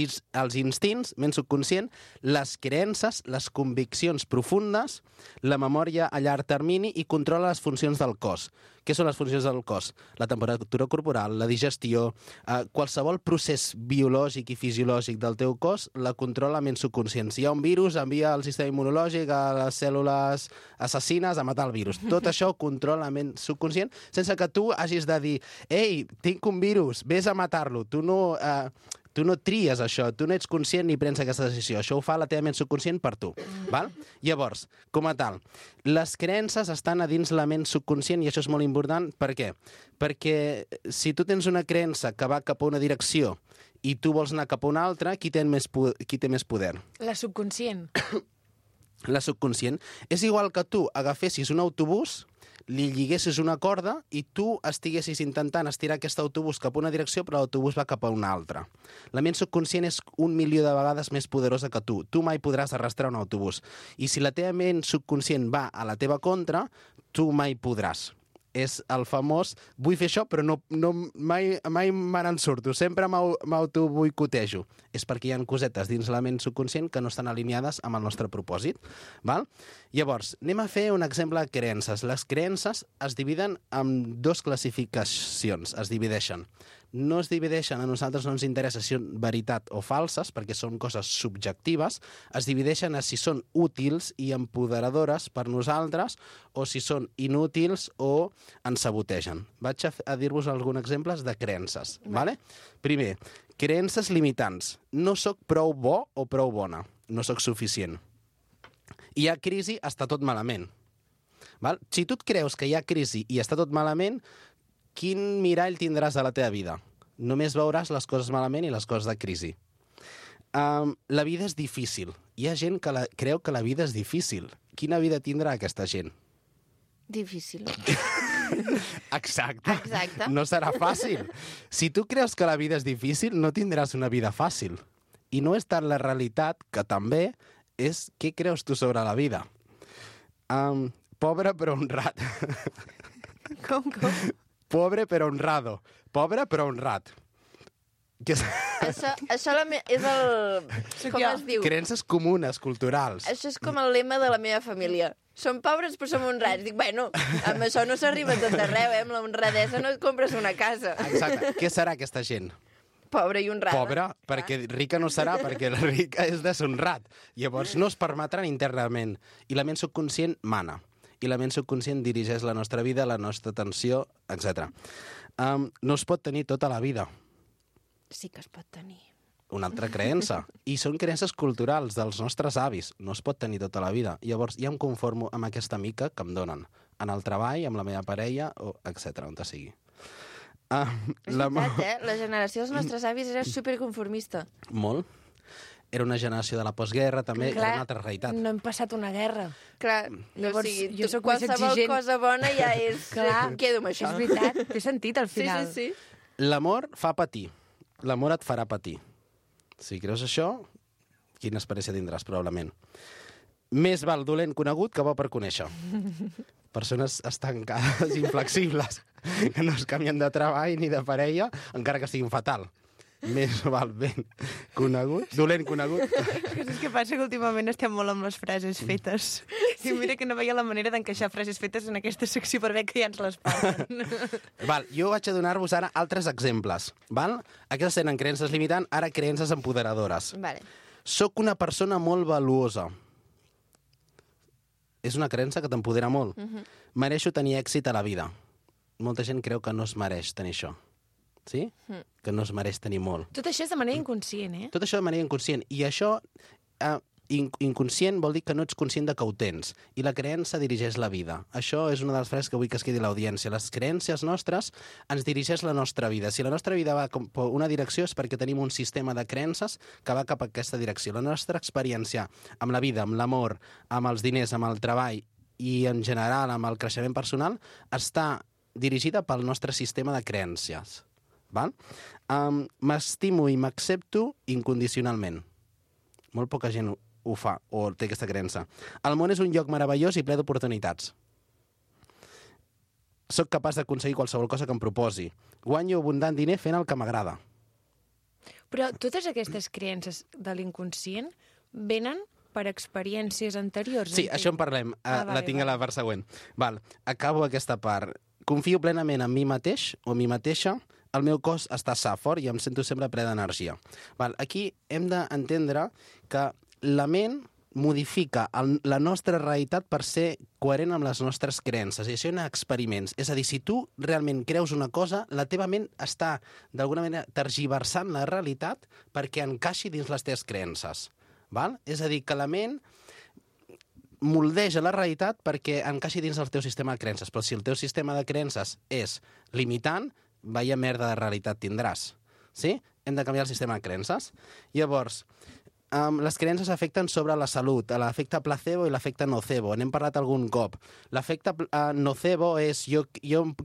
Speaker 9: instints, ment subconscient, les creences, les conviccions profundes, la memòria a llarg termini i controla les funcions del cos. Què són les funcions del cos? La temperatura corporal, la digestió, qualsevol procés biològic i fisiològic del teu cos la controla la ment subconscient. Si hi ha un virus, envia el sistema immunològic a les cèl·lules assassines a matar el virus. Tot això ho controla la ment subconscient sense que tu hagis de dir «Ei, tinc un virus, vés a matar-lo». Tu no... Tu no tries això, tu no ets conscient ni prens aquesta decisió. Això ho fa la teva ment subconscient per tu. Val? Llavors, com a tal, les creences estan a dins la ment subconscient i això és molt important. Per què? Perquè si tu tens una creença que va cap a una direcció i tu vols anar cap a una altra, qui té més poder?
Speaker 2: La subconscient.
Speaker 9: La subconscient. És igual que tu agafessis un autobús, li lliguessis una corda i tu estiguessis intentant estirar aquest autobús cap a una direcció, però l'autobús va cap a una altra. La ment subconscient és 1.000.000 de vegades més poderosa que tu. Tu mai podràs arrastrar un autobús. I si la teva ment subconscient va a la teva contra, tu mai podràs. És el famós, vull fer això, però mai me n'en surto, sempre m'autoboicotejo. És perquè hi ha cosetes dins la ment subconscient que no estan alineades amb el nostre propòsit. Val? Llavors, anem a fer un exemple de creences. Les creences es dividen en 2 classificacions, es divideixen. No es divideixen, a nosaltres no ens interessa si són veritat o falses, perquè són coses subjectives, es divideixen a si són útils i empoderadores per nosaltres o si són inútils o ens sabotegen. Vaig a dir-vos alguns exemples de creences. Vale? Primer, creences limitants. No sóc prou bo o prou bona. No sóc suficient. Hi ha crisi, està tot malament. Val? Si tu et creus que hi ha crisi i està tot malament, quin mirall tindràs a la teva vida? Només veuràs les coses malament i les coses de crisi. La vida és difícil. Hi ha gent que creu que la vida és difícil. Quina vida tindrà aquesta gent?
Speaker 1: Difícil.
Speaker 9: Exacte.
Speaker 1: Exacte.
Speaker 9: No serà fàcil. Si tu creus que la vida és difícil, no tindràs una vida fàcil. I no és tant la realitat, que també és què creus tu sobre la vida. Pobre però honrat.
Speaker 2: Com?
Speaker 9: Pobre però honrado. Pobre però honrat.
Speaker 1: Això és el... Com es diu?
Speaker 9: Creences comunes, culturals.
Speaker 1: Això és com el lema de la meva família. Som pobres però som honrats. Dic, bueno, amb això no s'arriba a tot arreu, Amb la honradesa no et compres una casa.
Speaker 9: Exacte. Què serà aquesta gent?
Speaker 1: Pobra i honrada.
Speaker 9: Pobra, perquè rica no serà, perquè la rica és deshonrat. Llavors no es permetran internament. I la ment subconscient mana. I la ment subconscient dirigeix la nostra vida, la nostra atenció, etc. No es pot tenir tota la vida.
Speaker 1: Sí que es pot tenir.
Speaker 9: Una altra creença. I són creences culturals dels nostres avis. No es pot tenir tota la vida. Llavors ja em conformo amb aquesta mica que em donen. En el treball, amb la meva parella, etc. on sigui.
Speaker 1: És veritat, La generació dels nostres avis era superconformista.
Speaker 9: Molt. Era una generació de la postguerra, també. Era una altra realitat.
Speaker 2: No hem passat una guerra.
Speaker 1: Clar,
Speaker 2: Llavors,
Speaker 1: o sigui,
Speaker 2: jo soc més
Speaker 1: qualsevol
Speaker 2: exigent.
Speaker 1: cosa bona ja és...
Speaker 2: Clar.
Speaker 1: Em quedo amb això.
Speaker 2: És veritat, té sentit al final.
Speaker 1: Sí.
Speaker 9: L'amor fa patir. L'amor et farà patir. Si creus això, quina experiència tindràs, probablement. Més val dolent conegut que bo per conèixer. Persones estancades, inflexibles, que no es canvien de treball ni de parella, encara que siguin fatal. Més val ben conegut, dolent conegut.
Speaker 2: És que passa que últimament estem molt amb les frases fetes. I mira que no veia la manera d'encaixar frases fetes en aquesta secció per veure que ja ens les parlen.
Speaker 9: Val, jo vaig a donar-vos ara altres exemples. Val? Aquestes eren creences limitant, ara creences empoderadores.
Speaker 1: Vale.
Speaker 9: Soc una persona molt valuosa. És una creença que t'empodera molt. Mereixo tenir èxit a la vida. Molta gent creu que no es mereix tenir això. Sí? Que no es mereix tenir molt.
Speaker 2: Tot això és de manera inconscient, eh?
Speaker 9: Tot això de manera inconscient. I això, inconscient, vol dir que no ets conscient de que ho tens. I la creença dirigeix la vida. Això és una de les frases que vull que es quedi a l'audiència. Les creences nostres ens dirigeix la nostra vida. Si la nostra vida va cap a una direcció és perquè tenim un sistema de creences que va cap a aquesta direcció. La nostra experiència amb la vida, amb l'amor, amb els diners, amb el treball i, en general, amb el creixement personal, està dirigida pel nostre sistema de creences. Val? M'estimo i m'accepto incondicionalment. Molt poca gent ho fa o té aquesta creença. El món és un lloc meravellós i ple d'oportunitats. Soc capaç d'aconseguir qualsevol cosa que em proposi. Guanyo abundant diner fent el que m'agrada.
Speaker 2: Però totes aquestes creences de l'inconscient venen per experiències anteriors.
Speaker 9: Sí, això en parlem. La tinc a la part següent. Val, acabo aquesta part. Confio plenament en mi mateix o mi mateixa. El meu cos està sa, fort, i em sento sempre ple d'energia. Aquí hem d'entendre que la ment modifica la nostra realitat per ser coherent amb les nostres creences. I això hi ha experiments. És a dir, si tu realment creus una cosa, la teva ment està, d'alguna manera, tergiversant la realitat perquè encaixi dins les teves creences. Val? És a dir, que la ment moldeja la realitat perquè encaixi dins el teu sistema de creences. Però si el teu sistema de creences és limitant, vaya merda de realitat tindràs. Sí? Hem de canviar el sistema de creences. Llavors, les creences afecten sobre la salut, l'efecte placebo i l'efecte nocebo. N'hem parlat algun cop. L'efecte nocebo és jo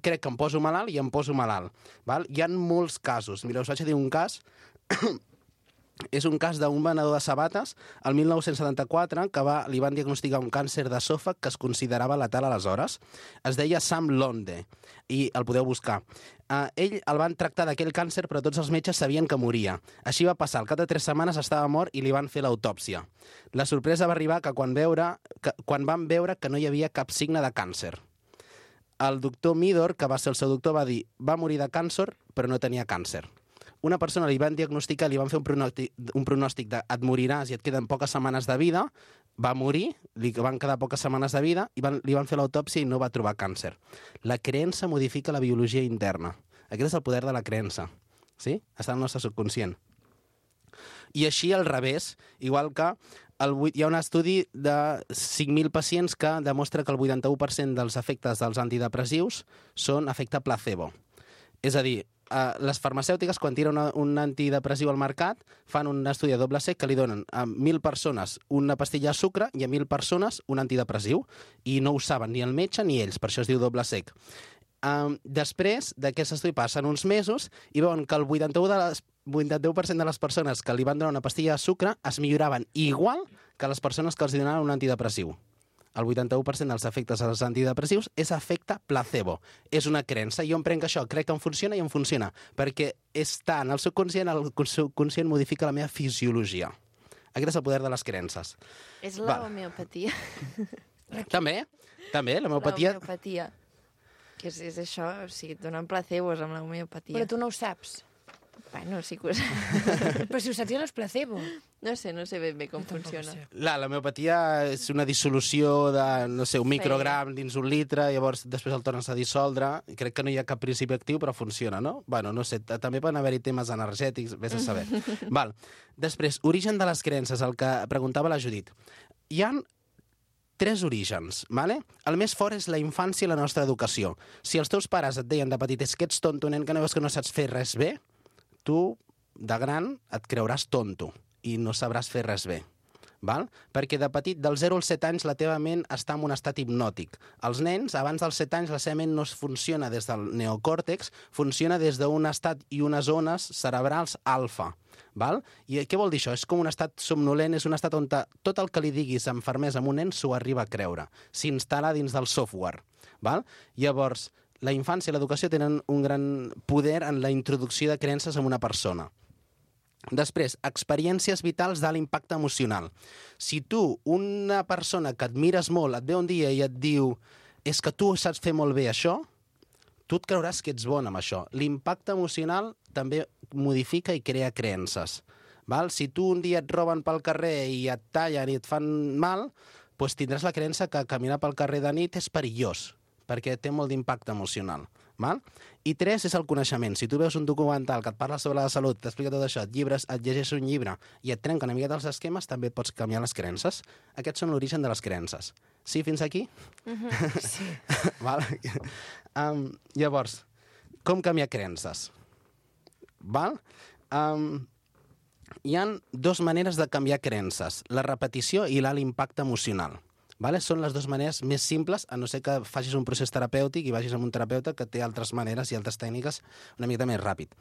Speaker 9: crec que em poso malalt i em poso malalt. Val? Hi ha molts casos. Mira, us vaig a dir un cas. És un cas d'un venedor de sabates el 1974 que li van diagnosticar un càncer d'esòfag que es considerava letal aleshores. Es deia Sam Londe i el podeu buscar. Ell el van tractar d'aquell càncer però tots els metges sabien que moria. Així va passar. Al cap de 3 setmanes estava mort i li van fer l'autòpsia. La sorpresa va arribar que quan van veure que no hi havia cap signe de càncer. El doctor Midor, que va ser el seu doctor, va dir va morir de càncer però no tenia càncer. Una persona li van diagnosticar, li van fer un pronòstic de et moriràs i et queden poques setmanes de vida, va morir, li van quedar poques setmanes de vida i li van fer l'autòpsia i no va trobar càncer. La creença modifica la biologia interna. Aquest és el poder de la creença. Sí? Està al nostre subconscient. I així al revés, igual que hi ha un estudi de 5.000 pacients que demostra que el 81% dels efectes dels antidepressius són efecte placebo. És a dir, les farmacèutiques, quan tiren un antidepressiu al mercat, fan un estudi a doble cec que li donen a 1.000 persones una pastilla de sucre i a 1.000 persones un antidepressiu. I no ho saben ni el metge ni ells, per això es diu doble cec. Després d'aquest estudi passen uns mesos i veuen que el 81% de les persones que li van donar una pastilla de sucre es milloraven igual que les persones que els donaven un antidepressiu. El 81% dels efectes dels antidepressius és efecte placebo. És una creença. Jo em prenc això, crec que em funciona i em funciona. Perquè està en el subconscient, el subconscient modifica la meva fisiologia. Aquest és el poder de les creences.
Speaker 1: És la homeopatia.
Speaker 9: També, l'homeopatia...
Speaker 1: La homeopatia. Que és això, o sigui, et donen placebos amb la homeopatia.
Speaker 2: Però tu no ho saps.
Speaker 1: Bueno, sí que ho sé.
Speaker 2: Però si ho saps ja no és placebo.
Speaker 1: No sé ben bé com funciona.
Speaker 9: L'homeopatia és una dissolució de, no sé, un microgram dins un litre, llavors després el tornes a dissoldre. Crec que no hi ha cap principi actiu, però funciona, no? Bueno, no sé, també poden haver-hi temes energètics, vés a saber. Val. Després, origen de les creences, el que preguntava la Judit. Hi ha 3 orígens, ¿vale? El més fort és la infància i la nostra educació. Si els teus pares et deien de petit és que ets tonto, nen, que no veus que no saps fer res bé, tu, de gran, et creuràs tonto i no sabràs fer res bé. Val? Perquè de petit, del 0 als 7 anys, la teva ment està en un estat hipnòtic. Els nens, abans dels 7 anys, la seva ment no funciona des del neocòrtex, funciona des d'un estat i unes zones cerebrals alfa. Val? I què vol dir això? És com un estat somnolent, és un estat on tot el que li diguis amb fermesa a un nen s'ho arriba a creure. S'instal·la dins del software. Val? Llavors, la infància i l'educació tenen un gran poder en la introducció de creences en una persona. Després, experiències vitals d'alt impacte emocional. Si tu, una persona que admires molt, et ve un dia i et diu és que tu saps fer molt bé això, tu et creuràs que ets bon amb això. L'impacte emocional també modifica i crea creences. Val? Si tu un dia et roben pel carrer i et tallen i et fan mal, doncs tindràs la creença que caminar pel carrer de nit és perillós, perquè té molt d'impacte emocional. Val? I 3 és el coneixement. Si tu veus un documental que et parla sobre la salut, t'explica tot això, et llegeixes un llibre i et trenca una mica dels esquemes, també pots canviar les creences. Aquests són l'origen de les creences. Sí, fins aquí?
Speaker 2: Sí.
Speaker 9: Val? Llavors, com canviar creences? Val? Hi ha 2 maneres de canviar creences, la repetició i l'alt impacte emocional. Vale? Són les 2 maneres més simples, a no ser que facis un procés terapèutic i vagis amb un terapeuta que té altres maneres i altres tècniques una mica més ràpid.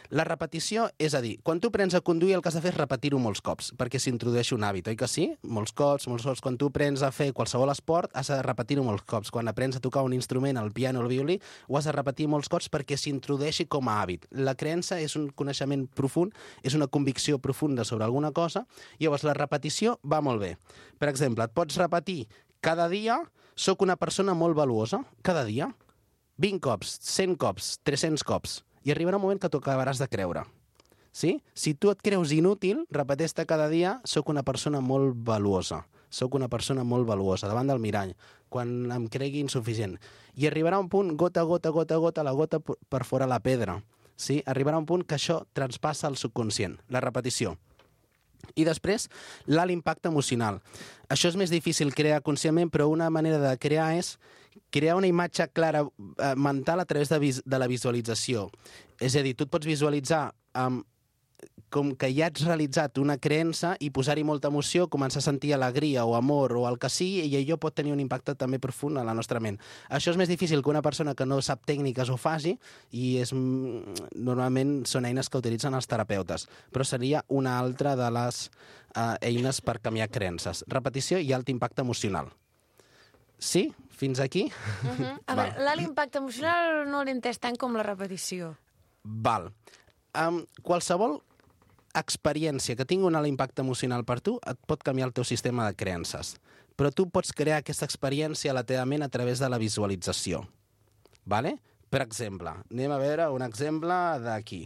Speaker 9: La repetició, és a dir, quan tu prens a conduir el que has de fer és repetir-ho molts cops, perquè s'introdueixi un hàbit, oi que sí? Molts cops. Quan tu prens a fer qualsevol esport, has de repetir-ho molts cops. Quan aprens a tocar un instrument, el piano o el violí, ho has de repetir molts cops perquè s'introdueixi com a hàbit. La creença és un coneixement profund, és una convicció profunda sobre alguna cosa, i llavors la repetició va molt bé. Per exemple, et pots repetir cada dia sóc una persona molt valuosa, cada dia, 20 cops, 100 cops, 300 cops, i arribarà un moment que t'ho acabaràs de creure. Sí? Si tu et creus inútil, repeteix-te cada dia, sóc una persona molt valuosa. Sóc una persona molt valuosa, davant del mirall, quan em cregui insuficient. I arribarà un punt, gota a gota, gota a gota, la gota per fora la pedra. Sí? Arribarà un punt que això transpassa el subconscient, la repetició. I després, l'alt impacte emocional. Això és més difícil crear conscientment, però una manera de crear és crear una imatge clara mental a través de la visualització. És a dir, tu et pots visualitzar com que ja ets realitzat una creença i posar-hi molta emoció, començar a sentir alegria o amor o el que sigui, i allò pot tenir un impacte també profund a la nostra ment. Això és més difícil que una persona que no sap tècniques ho faci, i normalment són eines que utilitzen els terapeutes, però seria una altra de les eines per canviar creences. Repetició i alt impacte emocional. Sí? Fins aquí?
Speaker 2: A veure, l'alt impacte emocional no l'he entès tant com la repetició.
Speaker 9: Val. Qualsevol experiència que tingui un alt impacte emocional per tu et pot canviar el teu sistema de creences. Però tu pots crear aquesta experiència a la teva ment a través de la visualització. Vale? Per exemple, anem a veure un exemple d'aquí.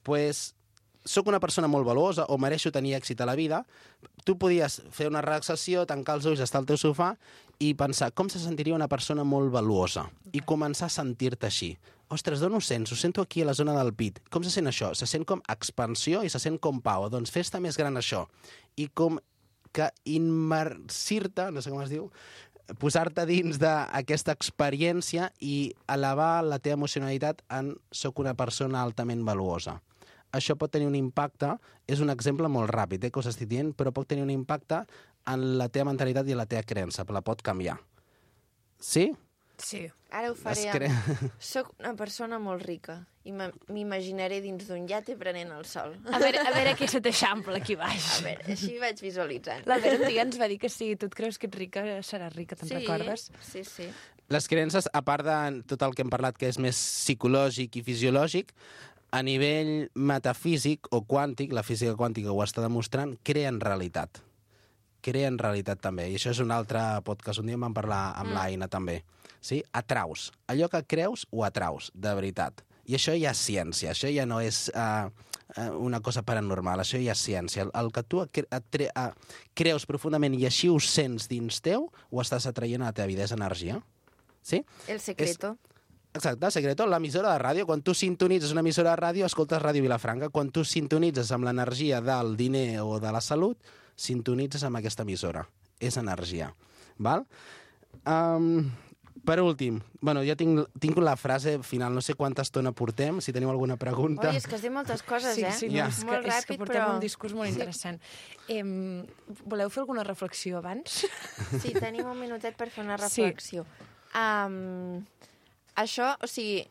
Speaker 9: Pues, soc una persona molt valuosa o mereixo tenir èxit a la vida. Tu podies fer una relaxació, tancar els ulls, estar al teu sofà i pensar com se sentiria una persona molt valuosa i començar a sentir-te així. Ostres, d'on ho sents? Ho sento aquí a la zona del pit. Com se sent això? Se sent com expansió i se sent com pau. Doncs fes-te més gran això. I com que immersir-te, no sé com es diu, posar-te dins d'aquesta experiència i elevar la teva emocionalitat en soc una persona altament valuosa. Això pot tenir un impacte, és un exemple molt ràpid, que us estic dient, però pot tenir un impacte en la teva mentalitat i la teva creença, la pot canviar. Sí?
Speaker 2: Sí.
Speaker 1: Ara ho faré. Soc una persona molt rica i m'imaginaré dins d'un iate prenent el sol.
Speaker 2: A veure què se t'eixampla aquí baix.
Speaker 1: A veure, així vaig visualitzant.
Speaker 2: La Vera un dia ens va dir que si tu et creus que ets rica, seràs rica, te'n recordes?
Speaker 1: Sí, sí.
Speaker 9: Les creences, a part de tot el que hem parlat, que és més psicològic i fisiològic, a nivell metafísic o quàntic, la física quàntica ho està demostrant, creen realitat. Creen realitat també. I això és un altre podcast. Un dia en vam parlar amb l'Aina també. Sí? Atraus. Allò que creus, ho atraus, de veritat. I això ja és ciència. Això ja no és una cosa paranormal. Això ja és ciència. El que tu creus profundament i així ho sents dins teu, ho estàs atraient a la teva vida. És energia. Sí?
Speaker 1: El secreto.
Speaker 9: Exacte, el secreto, l'emissora de ràdio. Quan tu sintonitzes una emissora de ràdio, escoltes Ràdio Vilafranca. Quan tu sintonitzes amb l'energia del diner o de la salut, sintonitzes amb aquesta emissora. És energia. Val? Per últim, bueno, ja tinc la frase final, no sé quanta estona portem, si teniu alguna pregunta.
Speaker 1: Oi, és que has dit moltes coses,
Speaker 2: sí,
Speaker 1: eh?
Speaker 2: Sí,
Speaker 9: ja.
Speaker 2: és que portem un discurs molt interessant. Voleu fer alguna reflexió abans?
Speaker 1: Sí, tenim un minutet per fer una reflexió. Sí. Això, o sigui,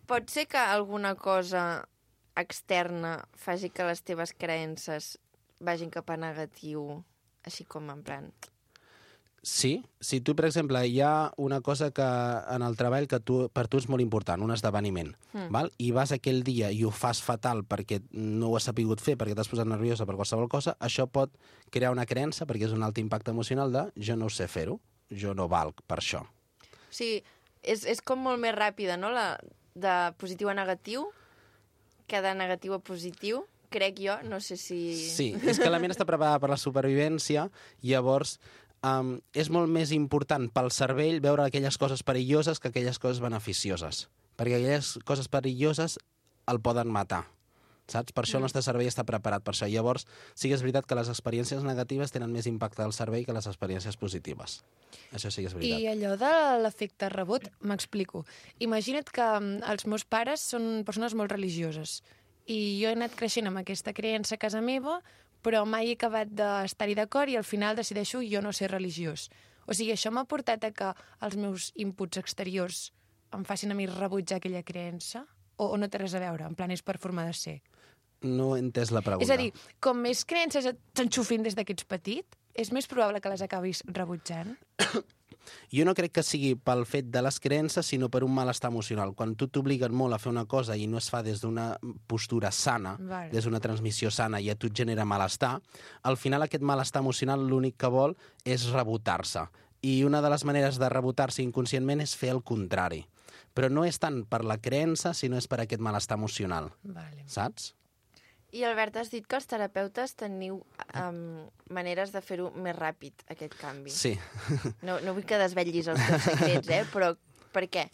Speaker 1: pot ser que alguna cosa externa faci que les teves creences vagin cap a negatiu, així com en plan...
Speaker 9: Sí, si tu, per exemple, hi ha una cosa que en el treball que per tu és molt important, un esdeveniment, val? I vas aquell dia i ho fas fatal perquè no ho has sapigut fer, perquè t'has posat nerviosa per qualsevol cosa, això pot crear una creença, perquè és un alt impacte emocional de jo no sé fer-ho, jo no valc per això.
Speaker 1: Sí, és com molt més ràpida, no?, de positiu a negatiu, que de negatiu a positiu, crec jo, no sé si...
Speaker 9: Sí, és que la ment està preparada per la supervivència, llavors és molt més important pel cervell veure aquelles coses perilloses que aquelles coses beneficioses, perquè aquelles coses perilloses el poden matar, saps? Per això el nostre cervell està preparat per això. Llavors, sí que és veritat que les experiències negatives tenen més impacte al cervell que les experiències positives. Això sí que és veritat.
Speaker 2: I allò de l'efecte rebot, m'explico. Imagina't que els meus pares són persones molt religioses i jo he anat creixent amb aquesta creença a casa meva, però mai he acabat d'estar-hi d'acord i al final decideixo jo no ser religiós. O sigui, això m'ha portat a que els meus inputs exteriors em facin a mi rebutjar aquella creença? O no té res a veure? En plan, és per forma de ser?
Speaker 9: No he entès la pregunta.
Speaker 2: És a dir, com més creences t'enxufin des que ets petit, és més probable que les acabis rebutjant?
Speaker 9: Jo no crec que sigui pel fet de les creences, sinó per un malestar emocional. Quan tu t'obliguen molt a fer una cosa i no es fa des d'una postura sana, des d'una transmissió sana, i a tu et genera malestar, al final aquest malestar emocional l'únic que vol és rebotar-se. I una de les maneres de rebotar-se inconscientment és fer el contrari. però no és tant per la creença, sinó és per aquest malestar emocional,
Speaker 2: Vale.
Speaker 9: saps?
Speaker 1: I Albert, has dit que els terapeutes teniu maneres de fer-ho més ràpid, aquest canvi.
Speaker 9: Sí.
Speaker 1: No vull que desvetllis els teus secrets, però per què?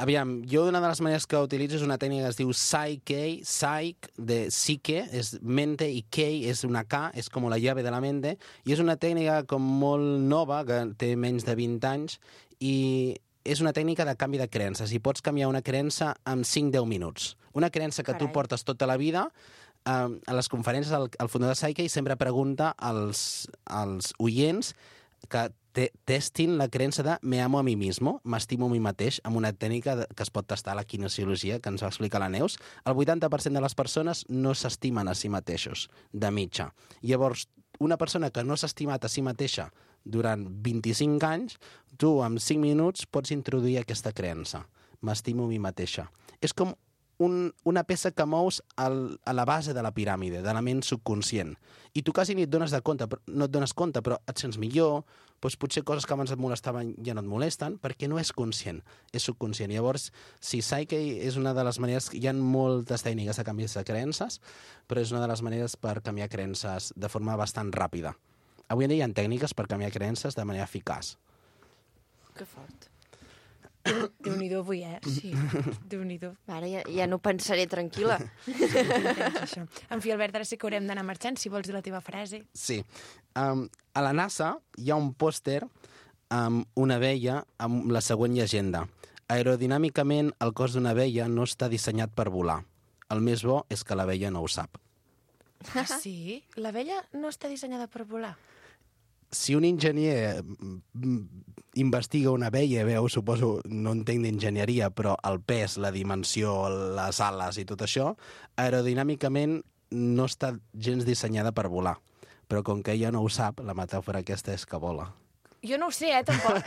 Speaker 9: Aviam, jo una de les maneres que utilitzo és una tècnica que es diu Psyche, de psique, és mente, i Kei és una K, és com la llave de la mente, i és una tècnica com molt nova, que té menys de 20 anys, i és una tècnica de canvi de creences, i pots canviar una creença en 5-10 minuts. Una creença que tu
Speaker 1: Carai.
Speaker 9: portes tota la vida, a les conferències el fundador de Psyche sempre pregunta als oients que testin la creença de me amo a mi mismo, m'estimo a mi mateix, amb una tècnica que es pot tastar a la kinesiologia, que ens va explicar la Neus. El 80% de les persones no s'estimen a si mateixos, de mitja. Llavors, una persona que no s'ha estimat a si mateixa durant 25 anys, tu en 5 minuts pots introduir aquesta creença. M'estimo a mi mateixa. És com una peça que mous a la base de la piràmide, de la ment subconscient. I tu quasi ni et dones compte, però et sents millor, doncs potser coses que abans et molestaven ja no et molesten, perquè no és conscient, és subconscient. Llavors, sí, Psyche és una de les maneres... Hi ha moltes tècniques de canvi de creences, però és una de les maneres per canviar creences de forma bastant ràpida. Avui en dia hi ha tècniques per canviar creences de manera eficaç.
Speaker 1: Que fort.
Speaker 2: Déu-n'hi-do avui, Sí, Déu-n'hi-do.
Speaker 1: Ara ja no pensaré tranquil·la.
Speaker 2: Això. En fi, Albert, ara sí que haurem d'anar marxant, si vols dir la teva frase.
Speaker 9: Sí. A la NASA hi ha un pòster amb una abella amb la següent llegenda. Aerodinàmicament, el cos d'una abella no està dissenyat per volar. El més bo és que l'abella no ho sap.
Speaker 2: Ah, sí? L'abella no està dissenyada per volar.
Speaker 9: Si un enginyer investiga una abella, veu, suposo, no entenc d'enginyeria, però el pes, la dimensió, les ales i tot això, aerodinàmicament no està gens dissenyada per volar. Però com que ella no ho sap, la metàfora aquesta és que vola.
Speaker 2: Jo no ho sé, tampoc.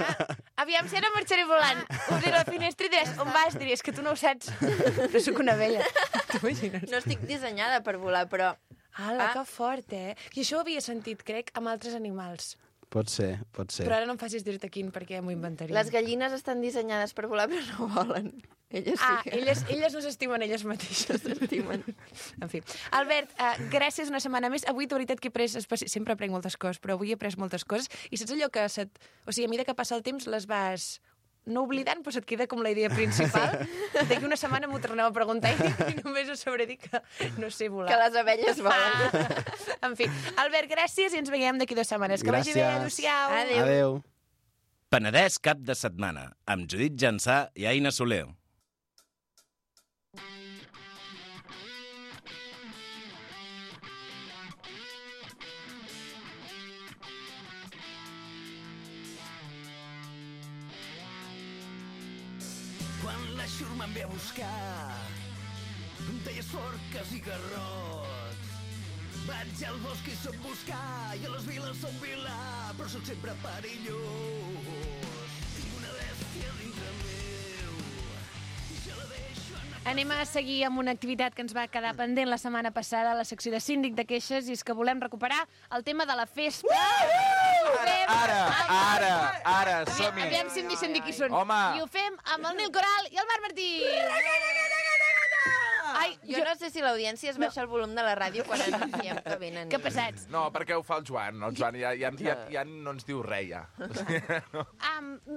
Speaker 2: Aviam, si ara marxaré volant. Obriré la finestra i diràs, on vas? Diries que tu no ho saps. Però sóc una abella. T'imagines?
Speaker 1: No estic dissenyada per volar, però...
Speaker 2: Ala, que fort, I això ho havia sentit, crec, amb altres animals.
Speaker 9: Pot ser, pot ser.
Speaker 2: Però ara no em facis dir-te quin, perquè m'ho inventaria.
Speaker 1: Les gallines estan dissenyades per volar, però no volen. Elles sí que...
Speaker 2: elles no s'estimen elles mateixes.
Speaker 1: s'estimen.
Speaker 2: En fi. Albert, gràcies una setmana més. Avui, de veritat, que he pres... Sempre aprenc moltes coses, però avui he pres moltes coses. I saps allò que... O sigui, a mesura que passa el temps, les vas... no oblidant, però se't queda com la idea principal. D'aquí una setmana m'ho torneu a preguntar i només us sabré dir que no sé volar.
Speaker 1: Que les abelles volen.
Speaker 2: En fi, Albert, gràcies i ens veiem d'aquí 2 setmanes. Que vagi bé, adéu-siau.
Speaker 9: Adéu.
Speaker 8: Penedès cap de setmana, amb Judit Jansà i Aina Soler.
Speaker 5: Quan la xurma em ve a buscar, em talles forques i garrots. Vaig al bosc i soc buscar, i a les viles soc vilà, però soc sempre perillós. Tinc una bèstia dintre meu, i ja la deixo anar.
Speaker 2: Anem a seguir amb una activitat que ens va quedar pendent la setmana passada a la secció de síndic de queixes, i és que volem recuperar el tema de la festa.
Speaker 10: Ara, som-hi.
Speaker 2: Aviam si em deixen dir qui són.
Speaker 10: Home.
Speaker 2: I ho fem amb el Nil Coral i el Marc Martí. Ai,
Speaker 1: Jo no sé si l'audiència es baixa el volum de la ràdio quan anunciem que venen.
Speaker 2: Que pesats.
Speaker 10: No, perquè ho fa el Joan. El Joan ja no ens diu res, ja.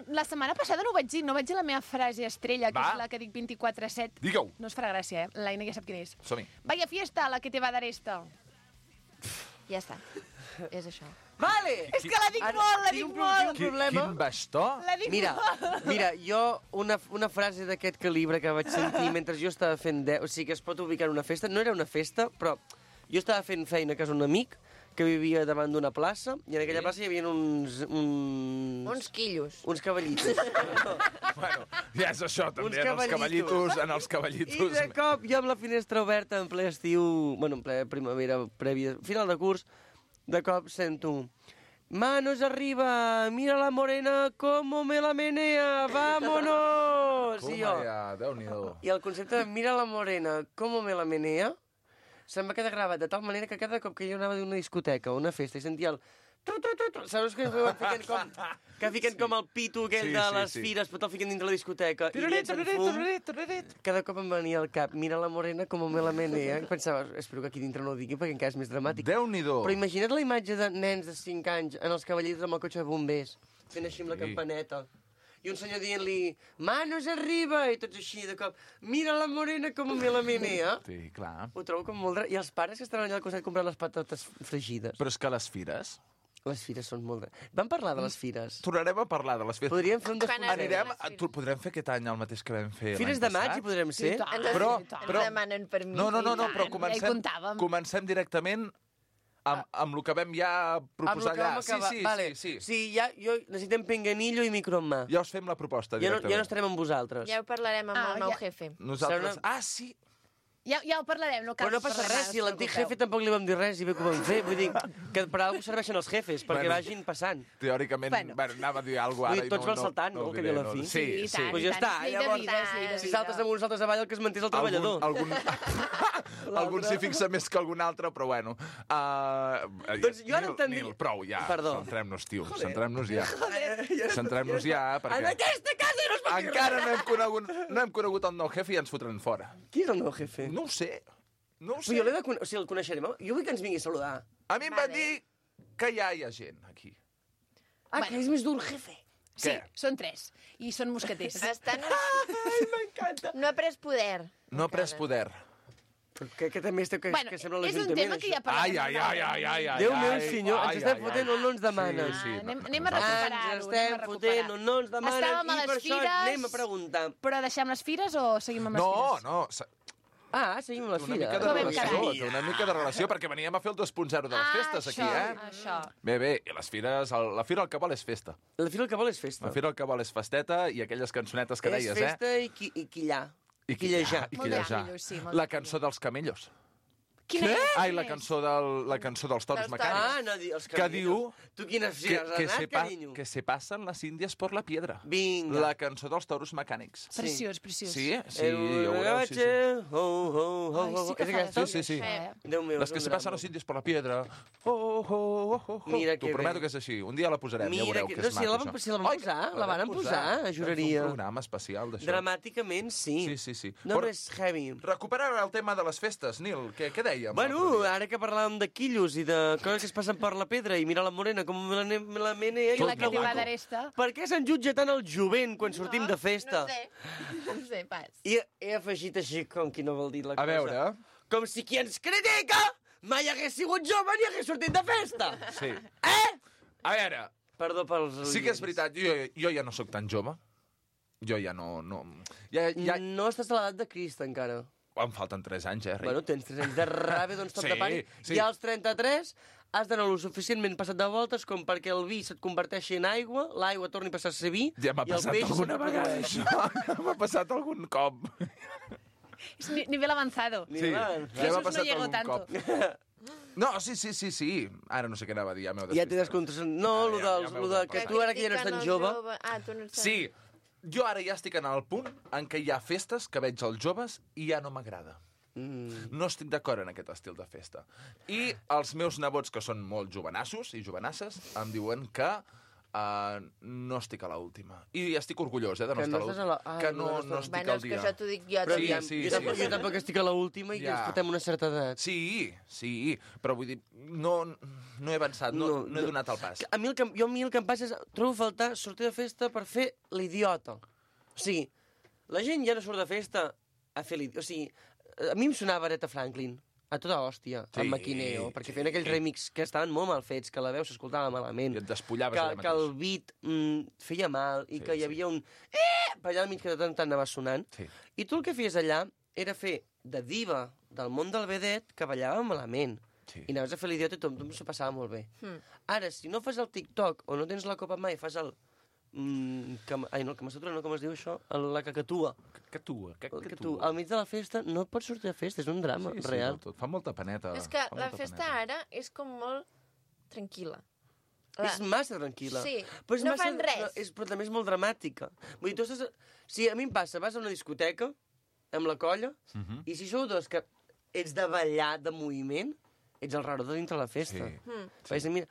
Speaker 2: La setmana passada no ho vaig dir, no vaig dir la meva frase estrella, que
Speaker 10: Va.
Speaker 2: és la que dic 24/7.
Speaker 10: Digue-ho.
Speaker 2: No us farà gràcia, L'Aina ja sap quina és.
Speaker 10: Som-hi.
Speaker 2: Vaya fiesta, la que te va dar esta.
Speaker 1: Ja està. És això.
Speaker 11: Vale!
Speaker 2: És que la dic molt, la dic molt.
Speaker 10: Quin bastó?
Speaker 2: La dic molt.
Speaker 11: Mira, jo una frase d'aquest calibre que vaig sentir mentre jo estava fent... O sigui, que es pot ubicar en una festa. No era una festa, però jo estava fent feina a casa d'un amic que vivia davant d'una plaça, i en aquella plaça hi havia
Speaker 1: Uns quillos.
Speaker 11: uns cavallitos.
Speaker 10: Bueno, ja és això, també,
Speaker 11: Uns
Speaker 10: en els
Speaker 11: cavallitos.
Speaker 10: cavallitos.
Speaker 11: I de cop, jo amb la finestra oberta, en ple estiu, bueno, en ple primavera, prèvia, final de curs, de cop sento... Manos arriba, mira la morena como me la menea, vámonos!
Speaker 10: Toma
Speaker 11: I jo,
Speaker 10: ja, Déu-n'hi-do.
Speaker 11: i el concepte de mira la morena como me la menea se'm va quedar gravat de tal manera que cada cop que jo anava d'una discoteca o una festa i sentia el Saps que fiquen com el pito aquell de les fires, però te'l fiquen dintre la discoteca i llencen fum? Cada cop em venia al cap, mira la morena com me la menea. Pensava, espero que aquí dintre no ho digui perquè encara és més dramàtic.
Speaker 10: Déu-n'hi-do.
Speaker 11: Però imagina't la imatge de nens de 5 anys en els cavallers amb el cotxe de bombers, fent així amb la campaneta. I un senyor dient-li, manos arriba, i tots així de cop, mira la morena com me la menea.
Speaker 10: Sí, clar.
Speaker 11: Ho trobo com molt... I els pares que estan allà al costat comprant les patates fregides.
Speaker 10: Però és que les fires...
Speaker 11: Les fires són molt... Vam parlar de les fires.
Speaker 10: Tornarem a parlar de les fires.
Speaker 11: Podríem fer un
Speaker 10: Anirem... Podrem fer aquest any el mateix que vam fer
Speaker 11: Fires de maig hi podrem ser?
Speaker 10: Però...
Speaker 1: Ens demanen permís.
Speaker 10: No, però comencem directament amb el que vam ja proposar allà.
Speaker 11: Sí, ja necessitem pinganillo i micro en mà.
Speaker 10: Ja us fem la proposta directament.
Speaker 11: Ja no estarem amb vosaltres.
Speaker 1: Ja ho parlarem amb el nou jefe.
Speaker 10: Nosaltres... Sí!
Speaker 2: Ja ho parlarem, no cal.
Speaker 11: Però no passa res, si a l'antic jefe tampoc li vam dir res i bé que ho vam fer. Vull dir que per alguna cosa serveixen els jefes, perquè vagin passant.
Speaker 10: Teòricament, anava a dir alguna cosa ara i no...
Speaker 11: Tots van saltant, no? Que dir a la fi.
Speaker 10: Sí.
Speaker 11: Doncs ja està, llavors, si saltes damunt, saltes avall, el que es manté és el treballador.
Speaker 10: Algun s'hi fixa més que algun altre, però bueno.
Speaker 11: Doncs jo ara entendria...
Speaker 10: Nil, prou, ja. Centrem-nos, tio. Centrem-nos ja.
Speaker 11: Centrem-nos
Speaker 10: ja, perquè...
Speaker 11: En aquesta casa no es pot dir
Speaker 10: encara no hem conegut el nou jefe i ens fotran fora.
Speaker 11: Qui és el nou jefe?
Speaker 10: No ho sé.
Speaker 11: Però jo l'he de conèixer, o sigui, el coneixerem. Jo vull que ens vingui a saludar.
Speaker 10: A mi em van dir que ja hi ha gent aquí.
Speaker 11: Que és més dur el jefe.
Speaker 2: Sí, són 3. I són mosqueters.
Speaker 11: Ai, m'encanta.
Speaker 1: No ha pres poder.
Speaker 10: No ha pres poder.
Speaker 11: Que també que sembla l'Ajuntament.
Speaker 2: És un tema que ja parlem.
Speaker 10: Ai.
Speaker 11: Déu meu senyor, ens estem fotent on no ens demana.
Speaker 2: Anem a recuperar-ho.
Speaker 11: Ens estem fotent on no ens demana.
Speaker 2: Estàvem a
Speaker 11: i per
Speaker 2: les
Speaker 11: això
Speaker 2: fires...
Speaker 11: anem a preguntar.
Speaker 2: Però deixem les fires o seguim amb les fires?
Speaker 10: No.
Speaker 11: Seguim amb les
Speaker 10: Una mica de relació, perquè veníem a fer el 2.0 de les festes aquí,
Speaker 2: Això.
Speaker 10: Bé, i les fires, la fira el que vol és festa.
Speaker 11: La fira el que vol és festa.
Speaker 10: La fira el que vol és festeta i aquelles cançonetes que deies,
Speaker 11: És festa i quillar.
Speaker 10: I quillejar. La cançó dels camellos.
Speaker 2: Quina és?
Speaker 10: Ai, la cançó dels toros mecànics. Que diu
Speaker 11: tu quines fires has anat, carinyo?
Speaker 10: que se passen las indias por la piedra.
Speaker 11: Vinga.
Speaker 10: La cançó dels toros mecànics.
Speaker 2: Preciós.
Speaker 10: Sí, ja ho veureu. Sí.
Speaker 11: Déu meu,
Speaker 10: les que se passen las indias por la piedra.
Speaker 11: Mira que
Speaker 10: t'ho prometo que és així. Un dia la posarem, ja veureu que és maco.
Speaker 11: Si la van posar, la van posar, juraria.
Speaker 10: Un programa especial d'això.
Speaker 11: Dramàticament, sí.
Speaker 10: Sí.
Speaker 11: No més heavy.
Speaker 10: Recuperant el tema de les festes, Nil, què deies?
Speaker 11: Bueno, ara que parlàvem de quillos i de coses que es passen per la pedra i mira la morena com me la menea...
Speaker 2: I la que te va d'aresta.
Speaker 11: Per què se'n jutja tant el jovent quan sortim de festa?
Speaker 1: No sé, pas.
Speaker 11: I he afegit així com qui no vol dir la cosa.
Speaker 10: A veure...
Speaker 11: Com si qui ens critica mai hagués sigut jove ni hagués sortit de festa.
Speaker 10: Sí. A veure...
Speaker 11: Perdó pels...
Speaker 10: Sí que és veritat, jo ja no sóc tan jove. Jo ja no... No
Speaker 11: estàs a l'edat de Crist, encara.
Speaker 10: Em falten 3 anys, ric.
Speaker 11: Bueno, tens 3 anys de ràbia, doncs tot de pànic.
Speaker 10: Sí.
Speaker 11: I als 33 has d'anar lo suficientment passat de voltes com perquè el vi se't converteixi en aigua, l'aigua torni a passar a ser vi,
Speaker 10: ja m'ha passat alguna vegada, això. M'ha passat algun cop.
Speaker 2: És nivell avanzado.
Speaker 10: Sí,
Speaker 2: ja m'ha passat algun
Speaker 10: cop. No, sí. Ara no sé què anava a dir, ja m'heu
Speaker 11: despistat. Ja t'he descontrat. No, lo de que tu ara que ja no ets tan jove...
Speaker 1: Tu no ets tan...
Speaker 10: Sí. Jo ara ja estic en el punt en què hi ha festes que veig els joves i ja no m'agrada. No estic d'acord en aquest estil de festa. I els meus nebots, que són molt jovenassos i jovenasses, em diuen que no estic a l'última. I estic orgullós, de no estar a l'última. Que no estic al dia.
Speaker 1: És que això t'ho dic jo.
Speaker 11: Jo tampoc estic a l'última i ens portem una certa edat.
Speaker 10: Sí, però vull dir, no he avançat, no he donat el pas.
Speaker 11: A mi el que em passa és, trobo a faltar sortir de festa per fer l'idiota. O sigui, la gent ja no surt de festa a fer l'idiota. O sigui, a mi em sonava Aretha Franklin, a tota hòstia, amb Maquineo, perquè feien aquells remix que estaven molt mal fets, que la veu s'escoltava malament.
Speaker 10: I et despullaves allà mateix.
Speaker 11: Que el beat feia mal i que hi havia un... per allà al mig que de tant anava sonant. I tu el que feies allà era fer de diva del món del vedet que ballava malament. I anaves a fer l'idiota i tothom s'ho passava molt bé. Ara, si no fas el TikTok o no tens la copa mai, fas el... Ai, no, el Kama-Sutra, no, com es diu això? La cacatua.
Speaker 10: Cacatua.
Speaker 11: Al mig de la festa no et pots sortir de festa, és un drama real.
Speaker 10: Fa molta paneta.
Speaker 1: És que la festa ara és com molt tranquil·la.
Speaker 11: És massa tranquil·la.
Speaker 1: Sí,
Speaker 11: no fan res. Però també és molt dramàtica. Vull dir, tu estàs... Si a mi em passa, vas a una discoteca amb la colla i si sou dos que ets de ballar, de moviment, ets el raro de dintre la festa. Mira,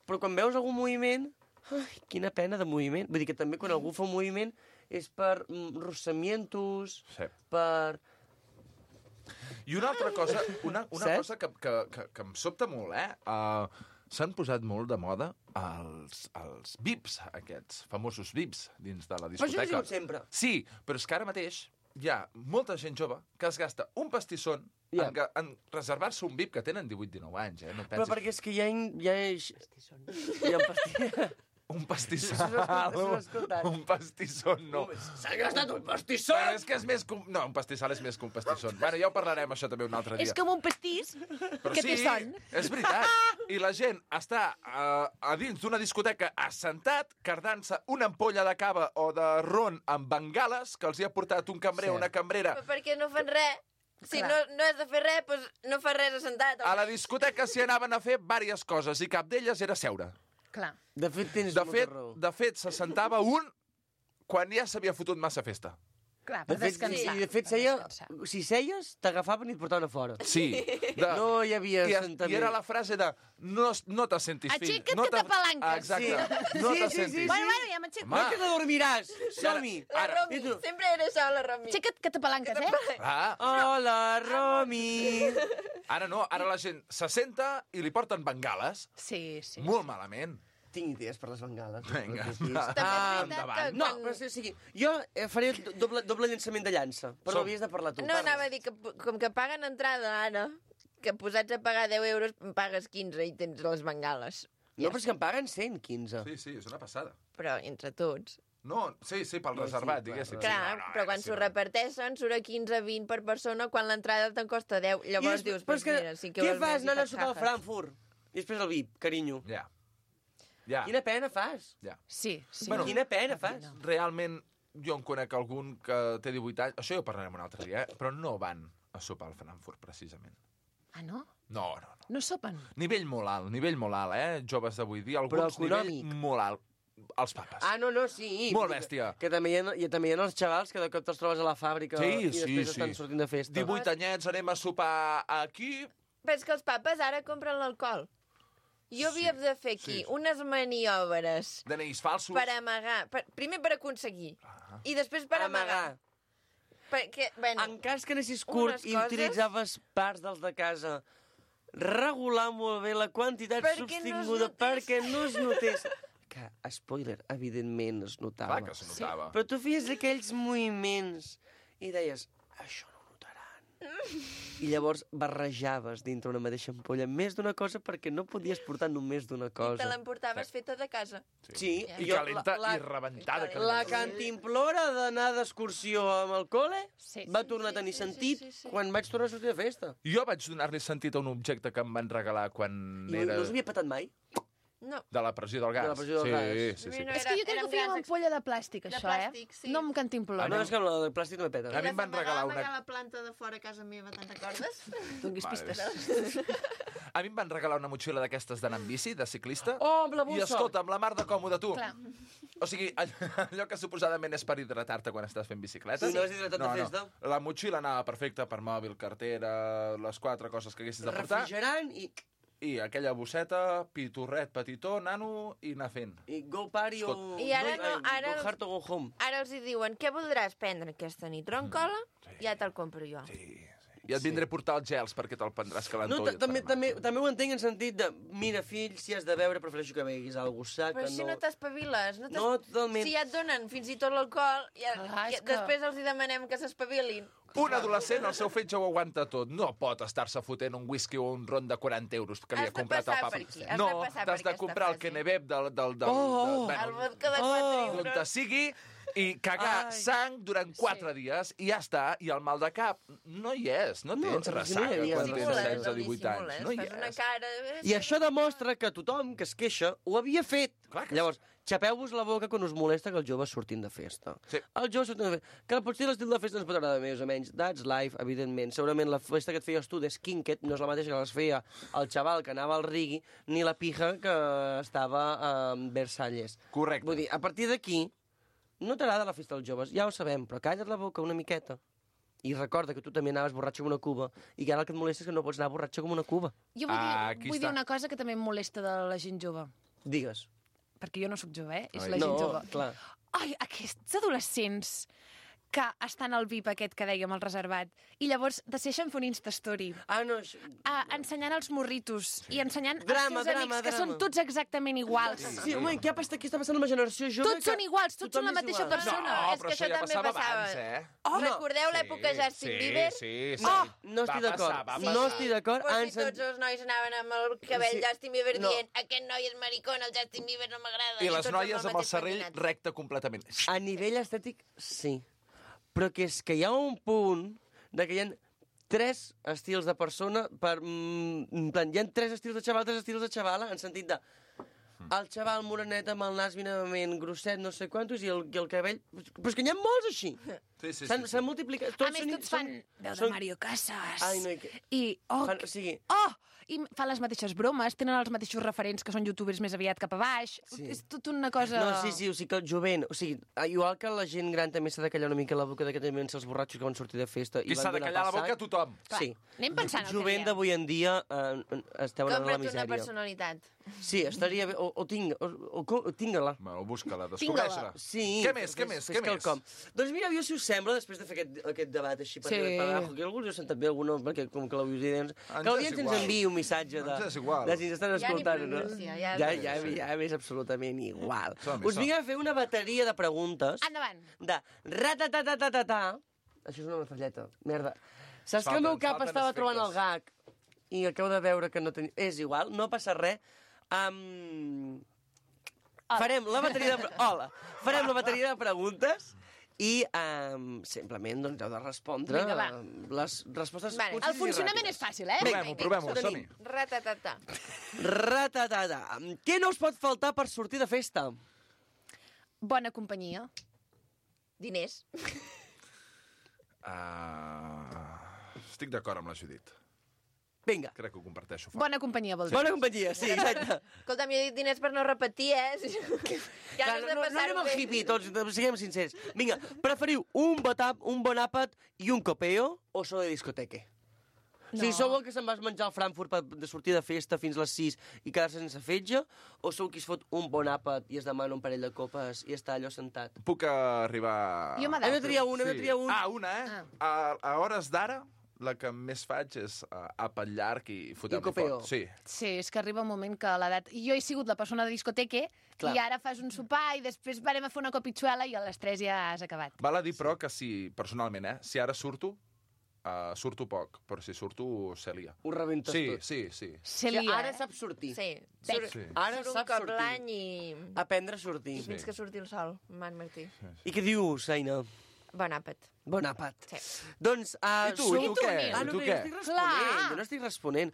Speaker 11: Però quan veus algun moviment... Ai, quina pena de moviment. Vull dir que també quan algú fa un moviment és per rossamientos,
Speaker 10: Sí.
Speaker 11: per...
Speaker 10: I una altra cosa, una
Speaker 11: Saps?
Speaker 10: cosa que em sobta molt, s'han posat molt de moda els VIPs, aquests famosos VIPs dins de la
Speaker 11: Però això ho
Speaker 10: discoteca.
Speaker 11: diuen sempre.
Speaker 10: Sí, però és que ara mateix hi ha molta gent jove que es gasta un pastisson
Speaker 11: Ja.
Speaker 10: en reservar-se un VIP que tenen 18-19 anys, No
Speaker 11: Però
Speaker 10: pensis...
Speaker 11: perquè és que hi ha un pastisson.
Speaker 10: Un pastisson.
Speaker 11: Això s'ho he escoltat.
Speaker 10: Un pastisson, no.
Speaker 11: S'ha gastat un pastisson!
Speaker 10: Però és que és més que un... No, un pastissal és més que un pastisson. Bueno, ja ho parlarem, això també, un altre dia.
Speaker 2: És com un pastís
Speaker 10: Però
Speaker 2: que té son.
Speaker 10: és veritat. I la gent està a dins d'una discoteca assentat, cardant-se una ampolla de cava o de ron amb bengales que els hi ha portat un cambrer o una cambrera.
Speaker 1: Però perquè no fan res. Si no has de fer res, doncs no fas res assentat.
Speaker 10: A la discoteca s'hi anaven a fer diverses coses i cap d'elles era seure.
Speaker 2: Clar.
Speaker 11: De fet, tens molta raó.
Speaker 10: De fet, s'assentava un quan ja s'havia fotut massa festa.
Speaker 2: Clar,
Speaker 11: De
Speaker 2: per
Speaker 11: fet,
Speaker 2: descansar.
Speaker 11: i de fet
Speaker 2: per
Speaker 11: seia,
Speaker 2: descansar.
Speaker 11: si seies, t'agafaven i et portaven a fora.
Speaker 10: Sí.
Speaker 11: No hi havia
Speaker 10: I
Speaker 11: assentament.
Speaker 10: era la frase de no te sentis fill.
Speaker 2: Aixeca't
Speaker 10: no
Speaker 2: que t'apalanques.
Speaker 10: Exacte.
Speaker 11: Sí.
Speaker 10: No
Speaker 11: Sí,
Speaker 10: te
Speaker 11: sí,
Speaker 10: sentis.
Speaker 11: sí,
Speaker 2: Bueno, ja m'aixeco.
Speaker 11: No que t'adormiràs. Som-hi.
Speaker 1: La Romi,
Speaker 11: I tu?
Speaker 1: sempre era això, la Romi.
Speaker 2: Aixeca't que t'apalanques,
Speaker 10: Ah,
Speaker 11: Hola, Romi.
Speaker 10: ara no, ara la gent s'assenta i li porten bengales.
Speaker 2: Sí, sí.
Speaker 10: Molt malament.
Speaker 11: Tinc idees per les bengales.
Speaker 10: Vinga,
Speaker 1: També és veritat
Speaker 10: endavant.
Speaker 1: que
Speaker 11: No,
Speaker 1: quan-
Speaker 11: però o sigui, jo faré doble llançament de llança, però
Speaker 10: Som.
Speaker 11: havies de parlar tu.
Speaker 1: No, anava a dir que com que paguen entrada ara, que posats a pagar 10 euros, pagues 15 i tens les bengales.
Speaker 11: No, però és que em paguen 115.
Speaker 10: Sí, sí, és una passada.
Speaker 1: Però entre tots.
Speaker 10: No, sí, pel
Speaker 11: No,
Speaker 10: reservat,
Speaker 11: sí,
Speaker 10: diguéssim.
Speaker 1: Clar, però quan s'ho reparteixen surt a 15-20 per persona quan l'entrada te'n costa 10. Llavors dius,
Speaker 11: però és que,
Speaker 1: mira, 5
Speaker 11: què
Speaker 1: euros
Speaker 11: fas
Speaker 1: més i
Speaker 11: anant a
Speaker 1: faig
Speaker 11: sopar al
Speaker 1: jajas.
Speaker 11: Frankfurt? I després el VIP, carinyo.
Speaker 10: Ja. Ja.
Speaker 11: Quina pena fas.
Speaker 10: Ja.
Speaker 2: Sí, sí.
Speaker 10: Bueno,
Speaker 11: Quina pena fas.
Speaker 10: Realment, jo en conec algun que té 18 anys, això ja ho parlarem un altre dia, però no van a sopar al Frankfurt, precisament.
Speaker 2: Ah, no?
Speaker 10: No.
Speaker 2: No sopen?
Speaker 10: Nivell molt alt, Joves d'avui dia,
Speaker 11: Però
Speaker 10: alguns
Speaker 11: econòmic.
Speaker 10: nivell molt alt. Els papes.
Speaker 11: Ah, no, sí.
Speaker 10: Molt bèstia.
Speaker 11: Que també hi ha els xavals que de cop te'ls trobes a la fàbrica
Speaker 10: Sí,
Speaker 11: i després
Speaker 10: sí.
Speaker 11: estan sortint de festa.
Speaker 10: 18 anyets, anem a sopar aquí.
Speaker 1: Però és que els papes ara compren l'alcohol. Jo havia de fer aquí unes maniobres
Speaker 10: DNIs falsos.
Speaker 1: per amagar. Primer per aconseguir. I després per amagar. Perquè, bueno,
Speaker 11: En cas que anessis curt
Speaker 1: unes
Speaker 11: i
Speaker 1: coses-
Speaker 11: utilitzaves parts dels de casa, regular molt bé la quantitat
Speaker 1: Perquè no es
Speaker 11: sostinguda
Speaker 1: notés.
Speaker 11: perquè no es notés. Que, spoiler, evidentment es notava.
Speaker 10: Clar que se notava.
Speaker 11: Però tu feies aquells moviments i deies, això no ho notaran. I llavors barrejaves dintre una mateixa ampolla més d'una cosa perquè no podies portar només d'una
Speaker 1: i te
Speaker 11: cosa.
Speaker 1: l'emportaves feta de casa.
Speaker 11: Sí,
Speaker 10: I calenta i rebentada.
Speaker 11: La cantimplora d'anar d'excursió amb el col·le
Speaker 2: Sí.
Speaker 11: va tornar a tenir sentit quan vaig tornar a sortir de festa.
Speaker 10: Jo vaig donar-li sentit a un objecte que em van regalar quan
Speaker 11: I
Speaker 10: era
Speaker 11: no us havia patat mai?
Speaker 1: No.
Speaker 10: de la pressió del gas.
Speaker 11: De la pressió del gas.
Speaker 10: Sí.
Speaker 1: No
Speaker 2: És que jo crec que ho feia amb ampolla de plàstic,
Speaker 1: De
Speaker 2: això,
Speaker 1: plàstic, sí.
Speaker 2: No amb cantimplora.
Speaker 11: No, és que amb la de plàstic no me peta.
Speaker 10: A mi em van regalar una...
Speaker 1: la planta de fora a casa meva, te'n recordes?
Speaker 2: Donis pistes.
Speaker 10: A mi em van regalar una motxilla d'aquestes d'anar amb bici, de ciclista.
Speaker 11: Oh, amb la
Speaker 10: I
Speaker 11: bossa!
Speaker 10: escolta, amb la mar de còmode, tu.
Speaker 2: Clar.
Speaker 10: O sigui, allò que suposadament és per hidratar-te quan estàs fent bicicleta.
Speaker 11: Sí, no has hidratat de festa?
Speaker 10: La motxilla anava perfecta per mòbil, cartera, les 4 coses que haguessis de portar.
Speaker 11: Refrigerant i
Speaker 10: I aquella bosseta, pitorret, petitó, nano, i anar fent.
Speaker 11: go party o...
Speaker 10: Escolta.
Speaker 1: I ara no, ara
Speaker 11: Go
Speaker 1: els-
Speaker 11: hard o go home.
Speaker 1: Ara els hi diuen, què voldràs prendre aquesta nit? Ron cola? Ja te'l compro jo.
Speaker 10: I et vindré a portar els gels perquè te'l prendràs calentó.
Speaker 11: No, també ho entenc en sentit de, mira, fill, si has de beure, prefereixo que beguis alguna cosa
Speaker 1: Però
Speaker 11: que
Speaker 1: si no t'espaviles,
Speaker 11: No, totalment.
Speaker 1: Si ja et donen fins i tot l'alcohol,
Speaker 2: Clar, és que-
Speaker 1: després els hi demanem que s'espavilin.
Speaker 10: Un adolescent, el seu fetge ho aguanta tot. No pot estar-se fotent un whisky o un ron de 40 euros que li
Speaker 1: Has
Speaker 10: ha
Speaker 1: de
Speaker 10: comprat el
Speaker 1: passar
Speaker 10: papa.
Speaker 1: per aquí, has de
Speaker 10: No,
Speaker 1: passar per
Speaker 10: t'has de
Speaker 1: aquesta
Speaker 10: comprar el
Speaker 1: fase.
Speaker 10: Kenebeb del
Speaker 1: El vodka de 4
Speaker 10: d'on te
Speaker 1: euros.
Speaker 10: sigui i cagar
Speaker 11: Ai.
Speaker 10: sang durant 4 dies i ja està. I el mal de cap no hi és. No tens
Speaker 11: si no hi
Speaker 10: ressaca
Speaker 11: havia
Speaker 10: quan tens
Speaker 11: dissimules,
Speaker 10: 16 o 18 anys. No hi
Speaker 1: Fas una
Speaker 10: és.
Speaker 1: cara...
Speaker 11: I això demostra que tothom que es queixa ho havia fet.
Speaker 10: Clar que
Speaker 11: Llavors, xapeu-vos la boca quan us molesta que els joves surtin de festa.
Speaker 10: Sí.
Speaker 11: Els joves surtin de festa. Que potser l'estil de festa ens pot agradar més o menys. That's life, evidentment. Segurament la festa que et feies tu d'Skinket no és la mateixa que les feia el xaval que anava al Rigui ni la pija que estava a Versalles.
Speaker 10: Correcte.
Speaker 11: Vull dir, a partir d'aquí, no t'agrada la festa dels joves, ja ho sabem, però calla't la boca una miqueta. I recorda que tu també anaves borratxo com una cuba i que ara el que et molesta és que no pots anar borratxo com una cuba.
Speaker 2: Jo vull,
Speaker 10: Aquí
Speaker 2: vull dir
Speaker 10: està.
Speaker 2: una cosa que també em molesta de la gent jove.
Speaker 11: Digues.
Speaker 2: perquè jo no sóc jove, és
Speaker 6: Ai.
Speaker 2: la gent
Speaker 11: No,
Speaker 2: jove.
Speaker 11: clar.
Speaker 2: Ai, aquests adolescents que estan al VIP aquest que dèiem, el reservat, i llavors decideixen fer un Instastory
Speaker 11: Ah, no,
Speaker 2: ensenyant els morritos i ensenyant
Speaker 11: Drama,
Speaker 2: els seus amics, que són tots exactament iguals.
Speaker 11: Sí, home, què està passant amb la generació jove?
Speaker 2: Tots són iguals, tots són la mateixa persona.
Speaker 10: No,
Speaker 1: és
Speaker 10: però
Speaker 1: que
Speaker 10: això
Speaker 1: això
Speaker 10: ja
Speaker 1: també
Speaker 10: passava
Speaker 1: passava.
Speaker 10: abans, eh?
Speaker 1: Oh, recordeu l'època Justin Bieber?
Speaker 10: Sí, sí.
Speaker 11: No estic d'acord. No estic d'acord.
Speaker 1: Però si tots els nois anaven amb el cabell
Speaker 11: Sí.
Speaker 1: Justin Bieber
Speaker 11: No.
Speaker 1: dient aquest noi és maricón, el Justin Bieber no m'agrada.
Speaker 10: I les
Speaker 1: tots
Speaker 10: noies amb el
Speaker 1: mateix
Speaker 10: serrell
Speaker 1: pentinat.
Speaker 10: recte completament.
Speaker 11: A nivell estètic, sí. Però que és que hi ha un punt de que hi ha 3 estils de persona per... en plan, hi ha 3 estils de xaval, 3 estils de xavala, en sentit de... El xaval morenet amb el nas minimament grosset, no sé quantos, i el cabell... Però és que n'hi ha molts així.
Speaker 10: Sí, sí,
Speaker 11: S'han multiplicat...
Speaker 2: A més, tots fan veu de Mario Casas.
Speaker 11: Ai, no, i que...
Speaker 2: I,
Speaker 11: Fan, o sigui,
Speaker 2: i fan les mateixes bromes, tenen els mateixos referents que són youtubers més aviat cap a baix.
Speaker 11: Sí.
Speaker 2: És tot una cosa...
Speaker 11: no, sí, o sigui que el jovent... O sigui, igual que la gent gran també s'ha de callar una mica la boca d'aquest moment els borratxos que van sortir de festa.
Speaker 10: I s'ha de callar la boca a tothom.
Speaker 11: Sí.
Speaker 2: Anem pensant el que
Speaker 11: Jovent
Speaker 2: diem.
Speaker 11: d'avui en dia esteu en la
Speaker 1: Compra't una
Speaker 11: misèria.
Speaker 1: personalitat.
Speaker 11: Sí, estaria bé. O tinga-la.
Speaker 10: Bueno, busca-la, descobreix-la.
Speaker 11: Sí.
Speaker 10: Què més, què més, què més?
Speaker 11: Quelcom. Doncs mira, jo, si us sembla, després de fer aquest debat així per
Speaker 2: Sí.
Speaker 11: arriba per abajo, que algú us ha sentat bé, alguno, perquè com que l'audiència...
Speaker 10: Ens
Speaker 11: Que l'audiència
Speaker 10: és
Speaker 11: ens
Speaker 10: igual.
Speaker 11: enviï un missatge de...
Speaker 10: Ens és igual.
Speaker 11: De si ens estan
Speaker 1: Ja ni
Speaker 11: escoltant o no.
Speaker 1: pronuncia,
Speaker 11: Ja m'és absolutament igual.
Speaker 10: Som-hi,
Speaker 11: Us vinc a fer una bateria de preguntes
Speaker 2: Endavant.
Speaker 11: de ratatatatata. Això és una metralleta. Merda. Saps que el meu cap
Speaker 10: falten
Speaker 11: estava trobant el
Speaker 10: efectes.
Speaker 11: gag i acabo de veure que no tenia... És igual, no passa res. Farem la bateria de... Hola. Farem la bateria de preguntes i simplement doncs, heu de respondre
Speaker 2: Vinga, va.
Speaker 11: les respostes
Speaker 1: Vale.
Speaker 11: concises
Speaker 2: El funcionament
Speaker 11: i
Speaker 2: és fàcil, eh?
Speaker 10: Provem-ho,
Speaker 11: Tenim.
Speaker 10: som-hi.
Speaker 1: Ratatata.
Speaker 11: Ratatata. Què no us pot faltar per sortir de festa?
Speaker 2: Bona companyia.
Speaker 1: Diners.
Speaker 10: Estic d'acord amb la Judit.
Speaker 11: Vinga.
Speaker 10: Crec que ho comparteixo.
Speaker 2: Bona companyia, vol dir.
Speaker 11: Bona companyia, sí, exacte.
Speaker 1: Escolta'm, jo he dit diners per no repetir, ja
Speaker 11: Clar,
Speaker 1: no has de
Speaker 11: no
Speaker 1: passar-ho
Speaker 11: anem al
Speaker 1: bé.
Speaker 11: hippie, tots, siguem sincers. Vinga, preferiu un bon àpat i un copeo o sou de discoteque? No. O sigui, sou el que se'n vas menjar al Frankfurt de sortir de festa fins les 6 i quedar-se sense fetge? O sou qui es fot un bon àpat i es demana un parell de copes i està allò sentat?
Speaker 10: Puc arribar...
Speaker 2: Jo
Speaker 11: Hem de triar un, hem de triar un.
Speaker 10: Ah, una, eh? A hores d'ara, la que més faig és àpat llarg i fotem-li
Speaker 11: copeo.
Speaker 10: fort. Sí.
Speaker 2: Sí, és que arriba un moment que l'edat... Jo he sigut la persona de discoteque
Speaker 11: Clar.
Speaker 2: i ara fas un sopar i després farem a fer una copitxuela i a les 3 ja has acabat.
Speaker 10: Val a dir, però, que si, personalment, si ara surto, surto poc, però si surto, se lia.
Speaker 11: Ho rebentes
Speaker 10: Sí,
Speaker 11: tot.
Speaker 10: sí, sí.
Speaker 2: Se
Speaker 11: O sigui,
Speaker 2: lia,
Speaker 11: ara
Speaker 2: eh?
Speaker 11: saps sortir.
Speaker 1: Sí.
Speaker 10: Sí.
Speaker 11: Ara
Speaker 1: Surt un
Speaker 11: saps
Speaker 1: cop
Speaker 11: sortir.
Speaker 1: l'any i...
Speaker 11: Aprendre a sortir.
Speaker 1: Fins que surti el sol, Man Martí.
Speaker 11: I què dius, Aina?
Speaker 1: Bon àpat.
Speaker 11: Bon àpat.
Speaker 1: Sí.
Speaker 11: Doncs...
Speaker 10: I tu què?
Speaker 11: Ah,
Speaker 10: I
Speaker 11: no,
Speaker 10: tu
Speaker 11: no,
Speaker 10: què?
Speaker 11: jo estic responent. Jo no estic responent.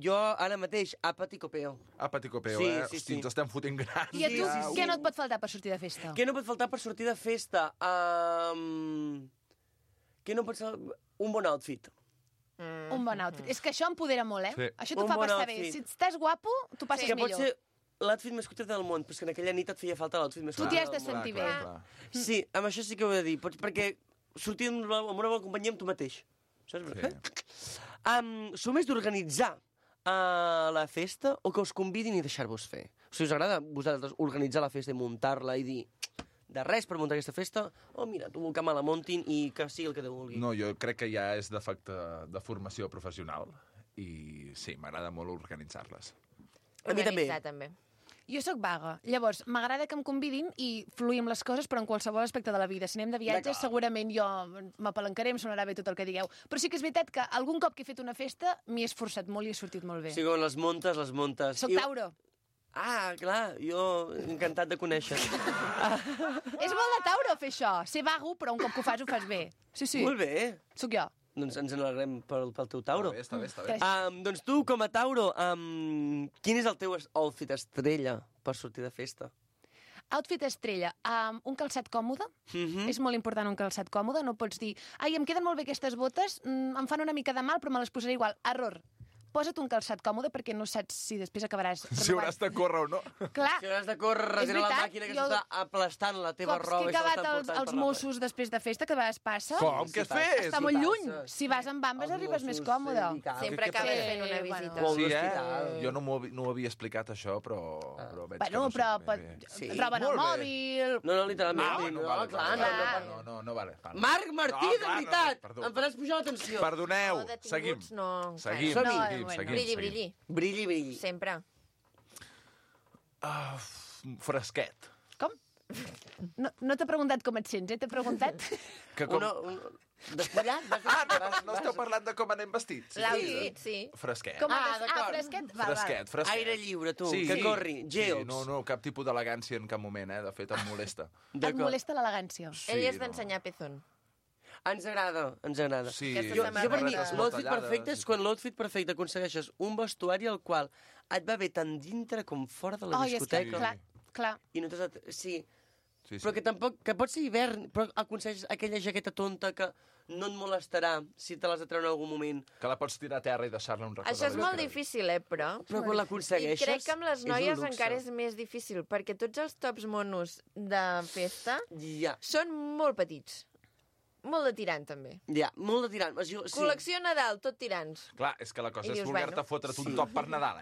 Speaker 11: Jo, ara mateix, àpat i copeo.
Speaker 10: Àpat i copeo,
Speaker 11: Sí,
Speaker 10: eh?
Speaker 11: sí,
Speaker 10: Hosti,
Speaker 11: sí.
Speaker 10: ens estem fotent grans.
Speaker 2: I a tu,
Speaker 11: Sí, sí.
Speaker 2: què no et pot faltar per sortir de festa?
Speaker 11: Què no pot faltar per sortir de festa? Què no pot ser... Un bon outfit.
Speaker 2: Un bon outfit. És que això empodera molt, eh?
Speaker 10: Sí.
Speaker 2: Això t'ho
Speaker 11: Un
Speaker 2: fa
Speaker 11: bon
Speaker 2: passar bé.
Speaker 11: outfit.
Speaker 2: Si estàs guapo, t'ho passes
Speaker 11: Que pot
Speaker 2: millor.
Speaker 11: ser l'outfit més cutre del món, però és que en aquella nit et feia falta l'outfit més
Speaker 2: Tu
Speaker 11: cutre
Speaker 2: t'hi has de
Speaker 11: del món.
Speaker 2: sentir bé.
Speaker 11: Sí, amb això sí que ho he de dir, perquè sortir amb una bona companyia amb tu mateix. Saps?
Speaker 10: Sí.
Speaker 11: Sou més d'organitzar la festa o que us convidin i deixar-vos fer? O sigui, us agrada vosaltres organitzar la festa i muntar-la i dir de res per muntar aquesta festa, o mira, tu que me la montin i que sigui el que Déu vulgui.
Speaker 10: No, jo crec que ja és defecte de formació professional i sí, m'agrada molt organitzar-les.
Speaker 11: A mi també.
Speaker 1: Organitzar, també.
Speaker 2: Jo sóc vaga. Llavors, m'agrada que em convidin i fluir amb les coses, però en qualsevol aspecte de la vida. Si anem de viatges,
Speaker 11: D'acord.
Speaker 2: segurament jo m'apalancaré, em sonarà bé tot el que digueu. Però sí que és veritat que algun cop que he fet una festa m'hi he esforçat molt i he sortit molt bé.
Speaker 11: O sigui, quan les montes, les montes.
Speaker 2: Soc Tauro.
Speaker 11: Ah, clar, jo encantat de conèixer.
Speaker 2: És molt de Tauro fer això. Ser vago, però un cop que ho fas bé. Sí, sí.
Speaker 11: Molt bé.
Speaker 2: Sóc jo.
Speaker 11: Doncs ens n'alegrem pel teu Tauro.
Speaker 10: Està bé, està bé.
Speaker 11: Doncs tu, com a Tauro, quin és el teu outfit estrella per sortir de festa?
Speaker 2: Outfit estrella. Un calçat còmode.
Speaker 11: Mhm.
Speaker 2: És molt important un calçat còmode. No pots dir, ai, em queden molt bé aquestes botes, em fan una mica de mal, però me les posaré igual. Error. posa't un calçat còmode perquè no saps si després acabaràs
Speaker 10: Si hauràs de córrer o no.
Speaker 2: Clar,
Speaker 11: Si hauràs de córrer darrere la
Speaker 2: veritat,
Speaker 11: màquina que
Speaker 2: jo-
Speaker 11: s'està aplastant la teva
Speaker 2: cops
Speaker 11: roba
Speaker 2: que he
Speaker 11: i se
Speaker 2: acabat
Speaker 11: l'estan portant
Speaker 2: els
Speaker 11: per la
Speaker 2: Mossos després de festa, que a vegades passa...
Speaker 10: Com? Què
Speaker 11: Sí,
Speaker 10: fes?
Speaker 2: Està molt lluny. Si vas amb bambes
Speaker 11: Els
Speaker 2: arribes més
Speaker 11: Mossos,
Speaker 2: còmode.
Speaker 11: i cal.
Speaker 1: Sempre
Speaker 10: què
Speaker 1: acabes
Speaker 10: passa?
Speaker 1: fent una
Speaker 2: Bueno.
Speaker 1: visita.
Speaker 11: O
Speaker 10: Sí,
Speaker 11: l'hospital.
Speaker 10: Jo no ho havia explicat, això, però veig que
Speaker 2: Bueno,
Speaker 10: no sé
Speaker 2: però
Speaker 10: ben bé.
Speaker 11: Sí.
Speaker 2: et roben el
Speaker 10: Molt bé.
Speaker 2: mòbil...
Speaker 11: No, literalment.
Speaker 10: No,
Speaker 11: no,
Speaker 10: vale,
Speaker 11: clar,
Speaker 10: vale. No, vale.
Speaker 11: Marc Martí, de
Speaker 10: clar,
Speaker 11: veritat!
Speaker 10: perdó.
Speaker 11: Em faràs pujar l'atenció.
Speaker 10: Perdoneu,
Speaker 1: No, detinguts,
Speaker 10: seguim.
Speaker 1: no, encara.
Speaker 10: Seguim,
Speaker 11: Som-hi.
Speaker 10: seguim,
Speaker 2: Bueno.
Speaker 10: seguim.
Speaker 1: Brilli,
Speaker 10: seguim.
Speaker 1: brilli.
Speaker 11: Brilli, brilli.
Speaker 1: Sempre.
Speaker 10: Fresquet.
Speaker 2: Com? No t'he preguntat com et sents, T'he preguntat...
Speaker 10: Que com...
Speaker 11: Despullat?
Speaker 10: No esteu parlant de com anem vestits?
Speaker 1: L'outfit, sí.
Speaker 10: Fresquet.
Speaker 2: Com
Speaker 11: d'acord.
Speaker 2: fresquet?
Speaker 10: Fresquet, fresquet.
Speaker 11: Aire lliure, tu, que corri,
Speaker 10: Sí,
Speaker 11: geox.
Speaker 10: no, cap tipus d'elegància en cap moment, De fet, em molesta.
Speaker 2: Et molesta l'elegància.
Speaker 1: Ell és d'ensenyar pezón.
Speaker 11: Ens agrada, ens agrada.
Speaker 10: Sí,
Speaker 1: Aquesta
Speaker 11: Jo
Speaker 1: samarreta.
Speaker 11: per mi,
Speaker 1: Barretes
Speaker 11: l'outfit perfecte és quan l'outfit perfecte aconsegueixes un vestuari al qual et va bé tant dintre com fora de la
Speaker 2: Ai, és que,
Speaker 11: discoteca.
Speaker 2: clar.
Speaker 11: I no t'has... Sí,
Speaker 10: Sí,
Speaker 11: però que tampoc... Que pot ser hivern, però aconsegueixes aquella jaqueta tonta que no et molestarà si te l'has de treure en algun moment.
Speaker 10: Que la pots tirar a terra i deixar-la un record.
Speaker 1: Això és molt difícil, però...
Speaker 11: Però quan
Speaker 1: I
Speaker 11: l'aconsegueixes...
Speaker 1: crec que amb les
Speaker 11: és un
Speaker 1: noies
Speaker 11: luxe.
Speaker 1: encara és més difícil, perquè tots els tops monos de festa
Speaker 11: Ja,
Speaker 1: són molt petits. Molt de tirant, també.
Speaker 11: ja, molt de tirant. Sí.
Speaker 1: Col·lecció Nadal, tot tirants.
Speaker 10: Clar, és que la cosa
Speaker 1: I
Speaker 10: és
Speaker 1: dius,
Speaker 10: voler-te
Speaker 1: bueno.
Speaker 10: fotre't un top per Nadal,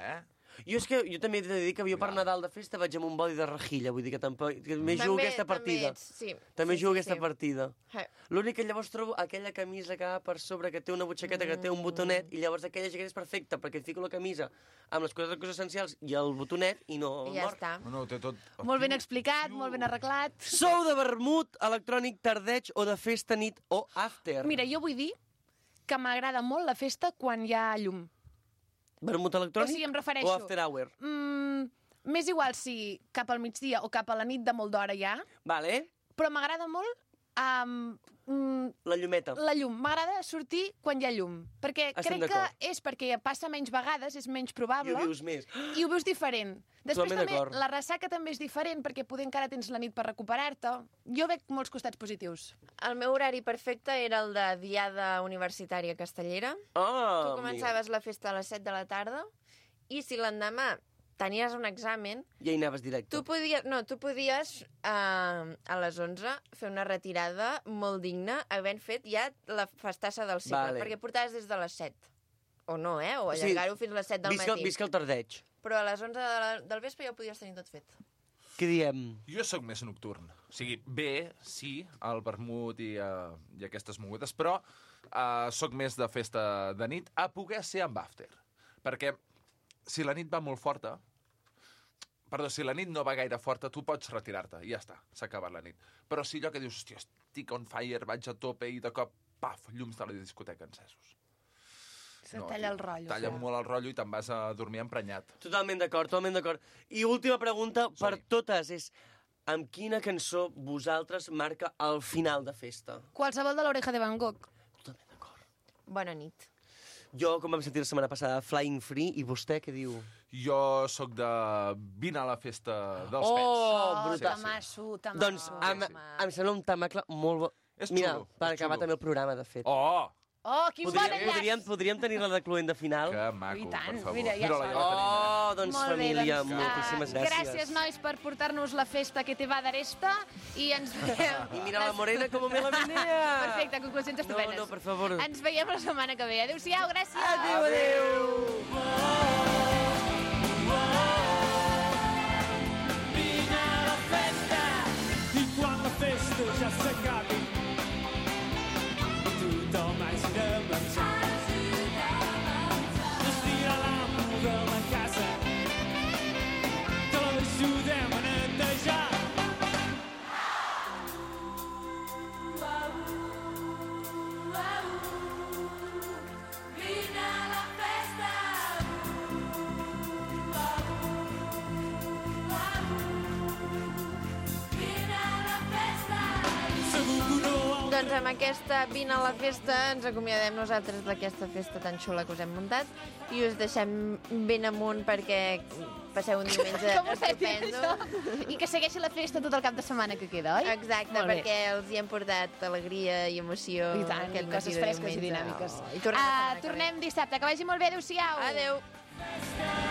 Speaker 11: Jo és que jo també he de dir que jo per Nadal de festa vaig amb un body de rejilla, vull dir que tampoc... Que també jugo aquesta partida.
Speaker 1: Sí.
Speaker 11: També
Speaker 1: Sí,
Speaker 11: jugo
Speaker 1: sí,
Speaker 11: aquesta
Speaker 1: sí.
Speaker 11: partida.
Speaker 1: Eh.
Speaker 11: L'únic que llavors trobo aquella camisa que va per sobre, que té una butxaqueta, que té un botonet, i llavors aquella jaqueta és perfecta, perquè et fico la camisa amb les coses essencials i el botonet, i no
Speaker 1: I ja
Speaker 11: mor.
Speaker 1: està.
Speaker 10: No, té tot...
Speaker 2: Molt ben explicat, molt ben arreglat.
Speaker 11: Sou de vermut, electrònic, tardeig o de festa, nit o after?
Speaker 2: Mira, jo vull dir que m'agrada molt la festa quan hi ha llum.
Speaker 11: Vermut electrònic
Speaker 2: O sigui, em refereixo-
Speaker 11: o after hour?
Speaker 2: M'és igual si cap al migdia o cap a la nit de molt d'hora hi ha,
Speaker 11: Vale?
Speaker 2: però m'agrada molt
Speaker 11: La llumeta.
Speaker 2: la llum. M'agrada sortir quan hi ha llum. Perquè
Speaker 11: Estem
Speaker 2: crec que
Speaker 11: d'acord.
Speaker 2: és perquè passa menys vegades, és menys
Speaker 11: I
Speaker 2: probable.
Speaker 11: ho vius més.
Speaker 2: I ho veus diferent. Després
Speaker 11: Totalment
Speaker 2: també,
Speaker 11: d'acord.
Speaker 2: la ressaca també és diferent, perquè poder encara tens la nit per recuperar-te. Jo veig molts costats positius.
Speaker 1: El meu horari perfecte era el de Diada Universitària Castellera.
Speaker 11: Ah,
Speaker 1: Tu començaves la festa a les 7 de la tarda i si l'endemà tenies un examen,
Speaker 11: Ja hi anaves directe.
Speaker 1: tu podies a les 11 fer una retirada molt digna havent fet ja la festassa del cicle,
Speaker 11: Vale.
Speaker 1: perquè portaves des de les 7. O no, o
Speaker 11: O sigui,
Speaker 1: allargar-ho fins a les 7 del matí.
Speaker 11: Visca el tardeig.
Speaker 1: Però a les 11 del vespre ja ho podies tenir tot fet.
Speaker 11: Què diem?
Speaker 10: Jo sóc més nocturn. O sigui, bé, sí, el vermut i aquestes mogudes, però sóc més de festa de nit a poder ser amb after. Perquè si la nit va molt forta, si la nit no va gaire forta, tu pots retirar-te i ja està, s'ha acabat la nit. Però si allò que dius, hòstia, estic on fire, vaig a tope i de cop, paf, llums de la discoteca encesos.
Speaker 2: Se talla el rotllo.
Speaker 10: Talla molt el rotllo i te'n vas a dormir emprenyat.
Speaker 11: Totalment d'acord, totalment d'acord. I última pregunta per
Speaker 10: Som-hi.
Speaker 11: totes és amb quina cançó vosaltres marca el final de festa?
Speaker 2: Qualsevol de l'Oreja de Van Gogh.
Speaker 11: Totalment d'acord.
Speaker 1: Bona nit.
Speaker 11: Jo, com vam sentir la setmana passada, Flying Free, i vostè què diu?
Speaker 10: Jo sóc de vine a la festa dels
Speaker 11: Oh,
Speaker 10: pets.
Speaker 11: brutal.
Speaker 2: Tamasso.
Speaker 11: Doncs em sembla un tamacle molt bo.
Speaker 10: És
Speaker 11: Mira,
Speaker 10: xulo,
Speaker 11: per
Speaker 10: és
Speaker 11: acabar
Speaker 10: xulo.
Speaker 11: també el programa, de fet.
Speaker 10: Oh,
Speaker 2: Oh, quin bon enllaç!
Speaker 11: Podríem tenir-la de cluent de final?
Speaker 10: que maco,
Speaker 2: I tant,
Speaker 10: per favor.
Speaker 2: mira, ja
Speaker 10: Mira-la,
Speaker 2: sona.
Speaker 10: ja la tenim.
Speaker 11: Oh, doncs
Speaker 2: Molt bé,
Speaker 11: família,
Speaker 2: doncs,
Speaker 11: moltíssimes gràcies.
Speaker 2: Gràcies, nois, per portar-nos la festa que te va d'aresta i ens veiem...
Speaker 11: I mira la morena com me la menea.
Speaker 2: Perfecte, conclusions estupendes.
Speaker 11: No, per favor.
Speaker 2: Ens veiem la setmana que ve. Adéu-siau, gràcies.
Speaker 11: Adéu, adéu.
Speaker 5: Vine a la festa i quan la festa ja s'acabi tothom hagi de marxar. Estira l'amo de la casa que l'ajudem a netejar.
Speaker 3: Vine a la festa.
Speaker 1: Doncs amb aquesta Vine a la festa ens acomiadem nosaltres d'aquesta festa tan xula que us hem muntat i us deixem ben amunt perquè passeu un diumenge
Speaker 12: Com ho saps dir,
Speaker 1: estupendo.
Speaker 12: això? I que segueixi la festa tot el cap de setmana que queda, oi?
Speaker 1: Exacte,
Speaker 12: Molt bé.
Speaker 1: perquè els hi hem portat alegria i emoció.
Speaker 12: I tant,
Speaker 1: aquest
Speaker 12: i coses
Speaker 1: matí de
Speaker 12: fresques i
Speaker 1: diumenge.
Speaker 12: dinàmiques.
Speaker 1: Oh, I tornem la setmana que ve.
Speaker 12: Tornem dissabte. Que vagi molt bé. Adéu-siau.
Speaker 1: Adéu.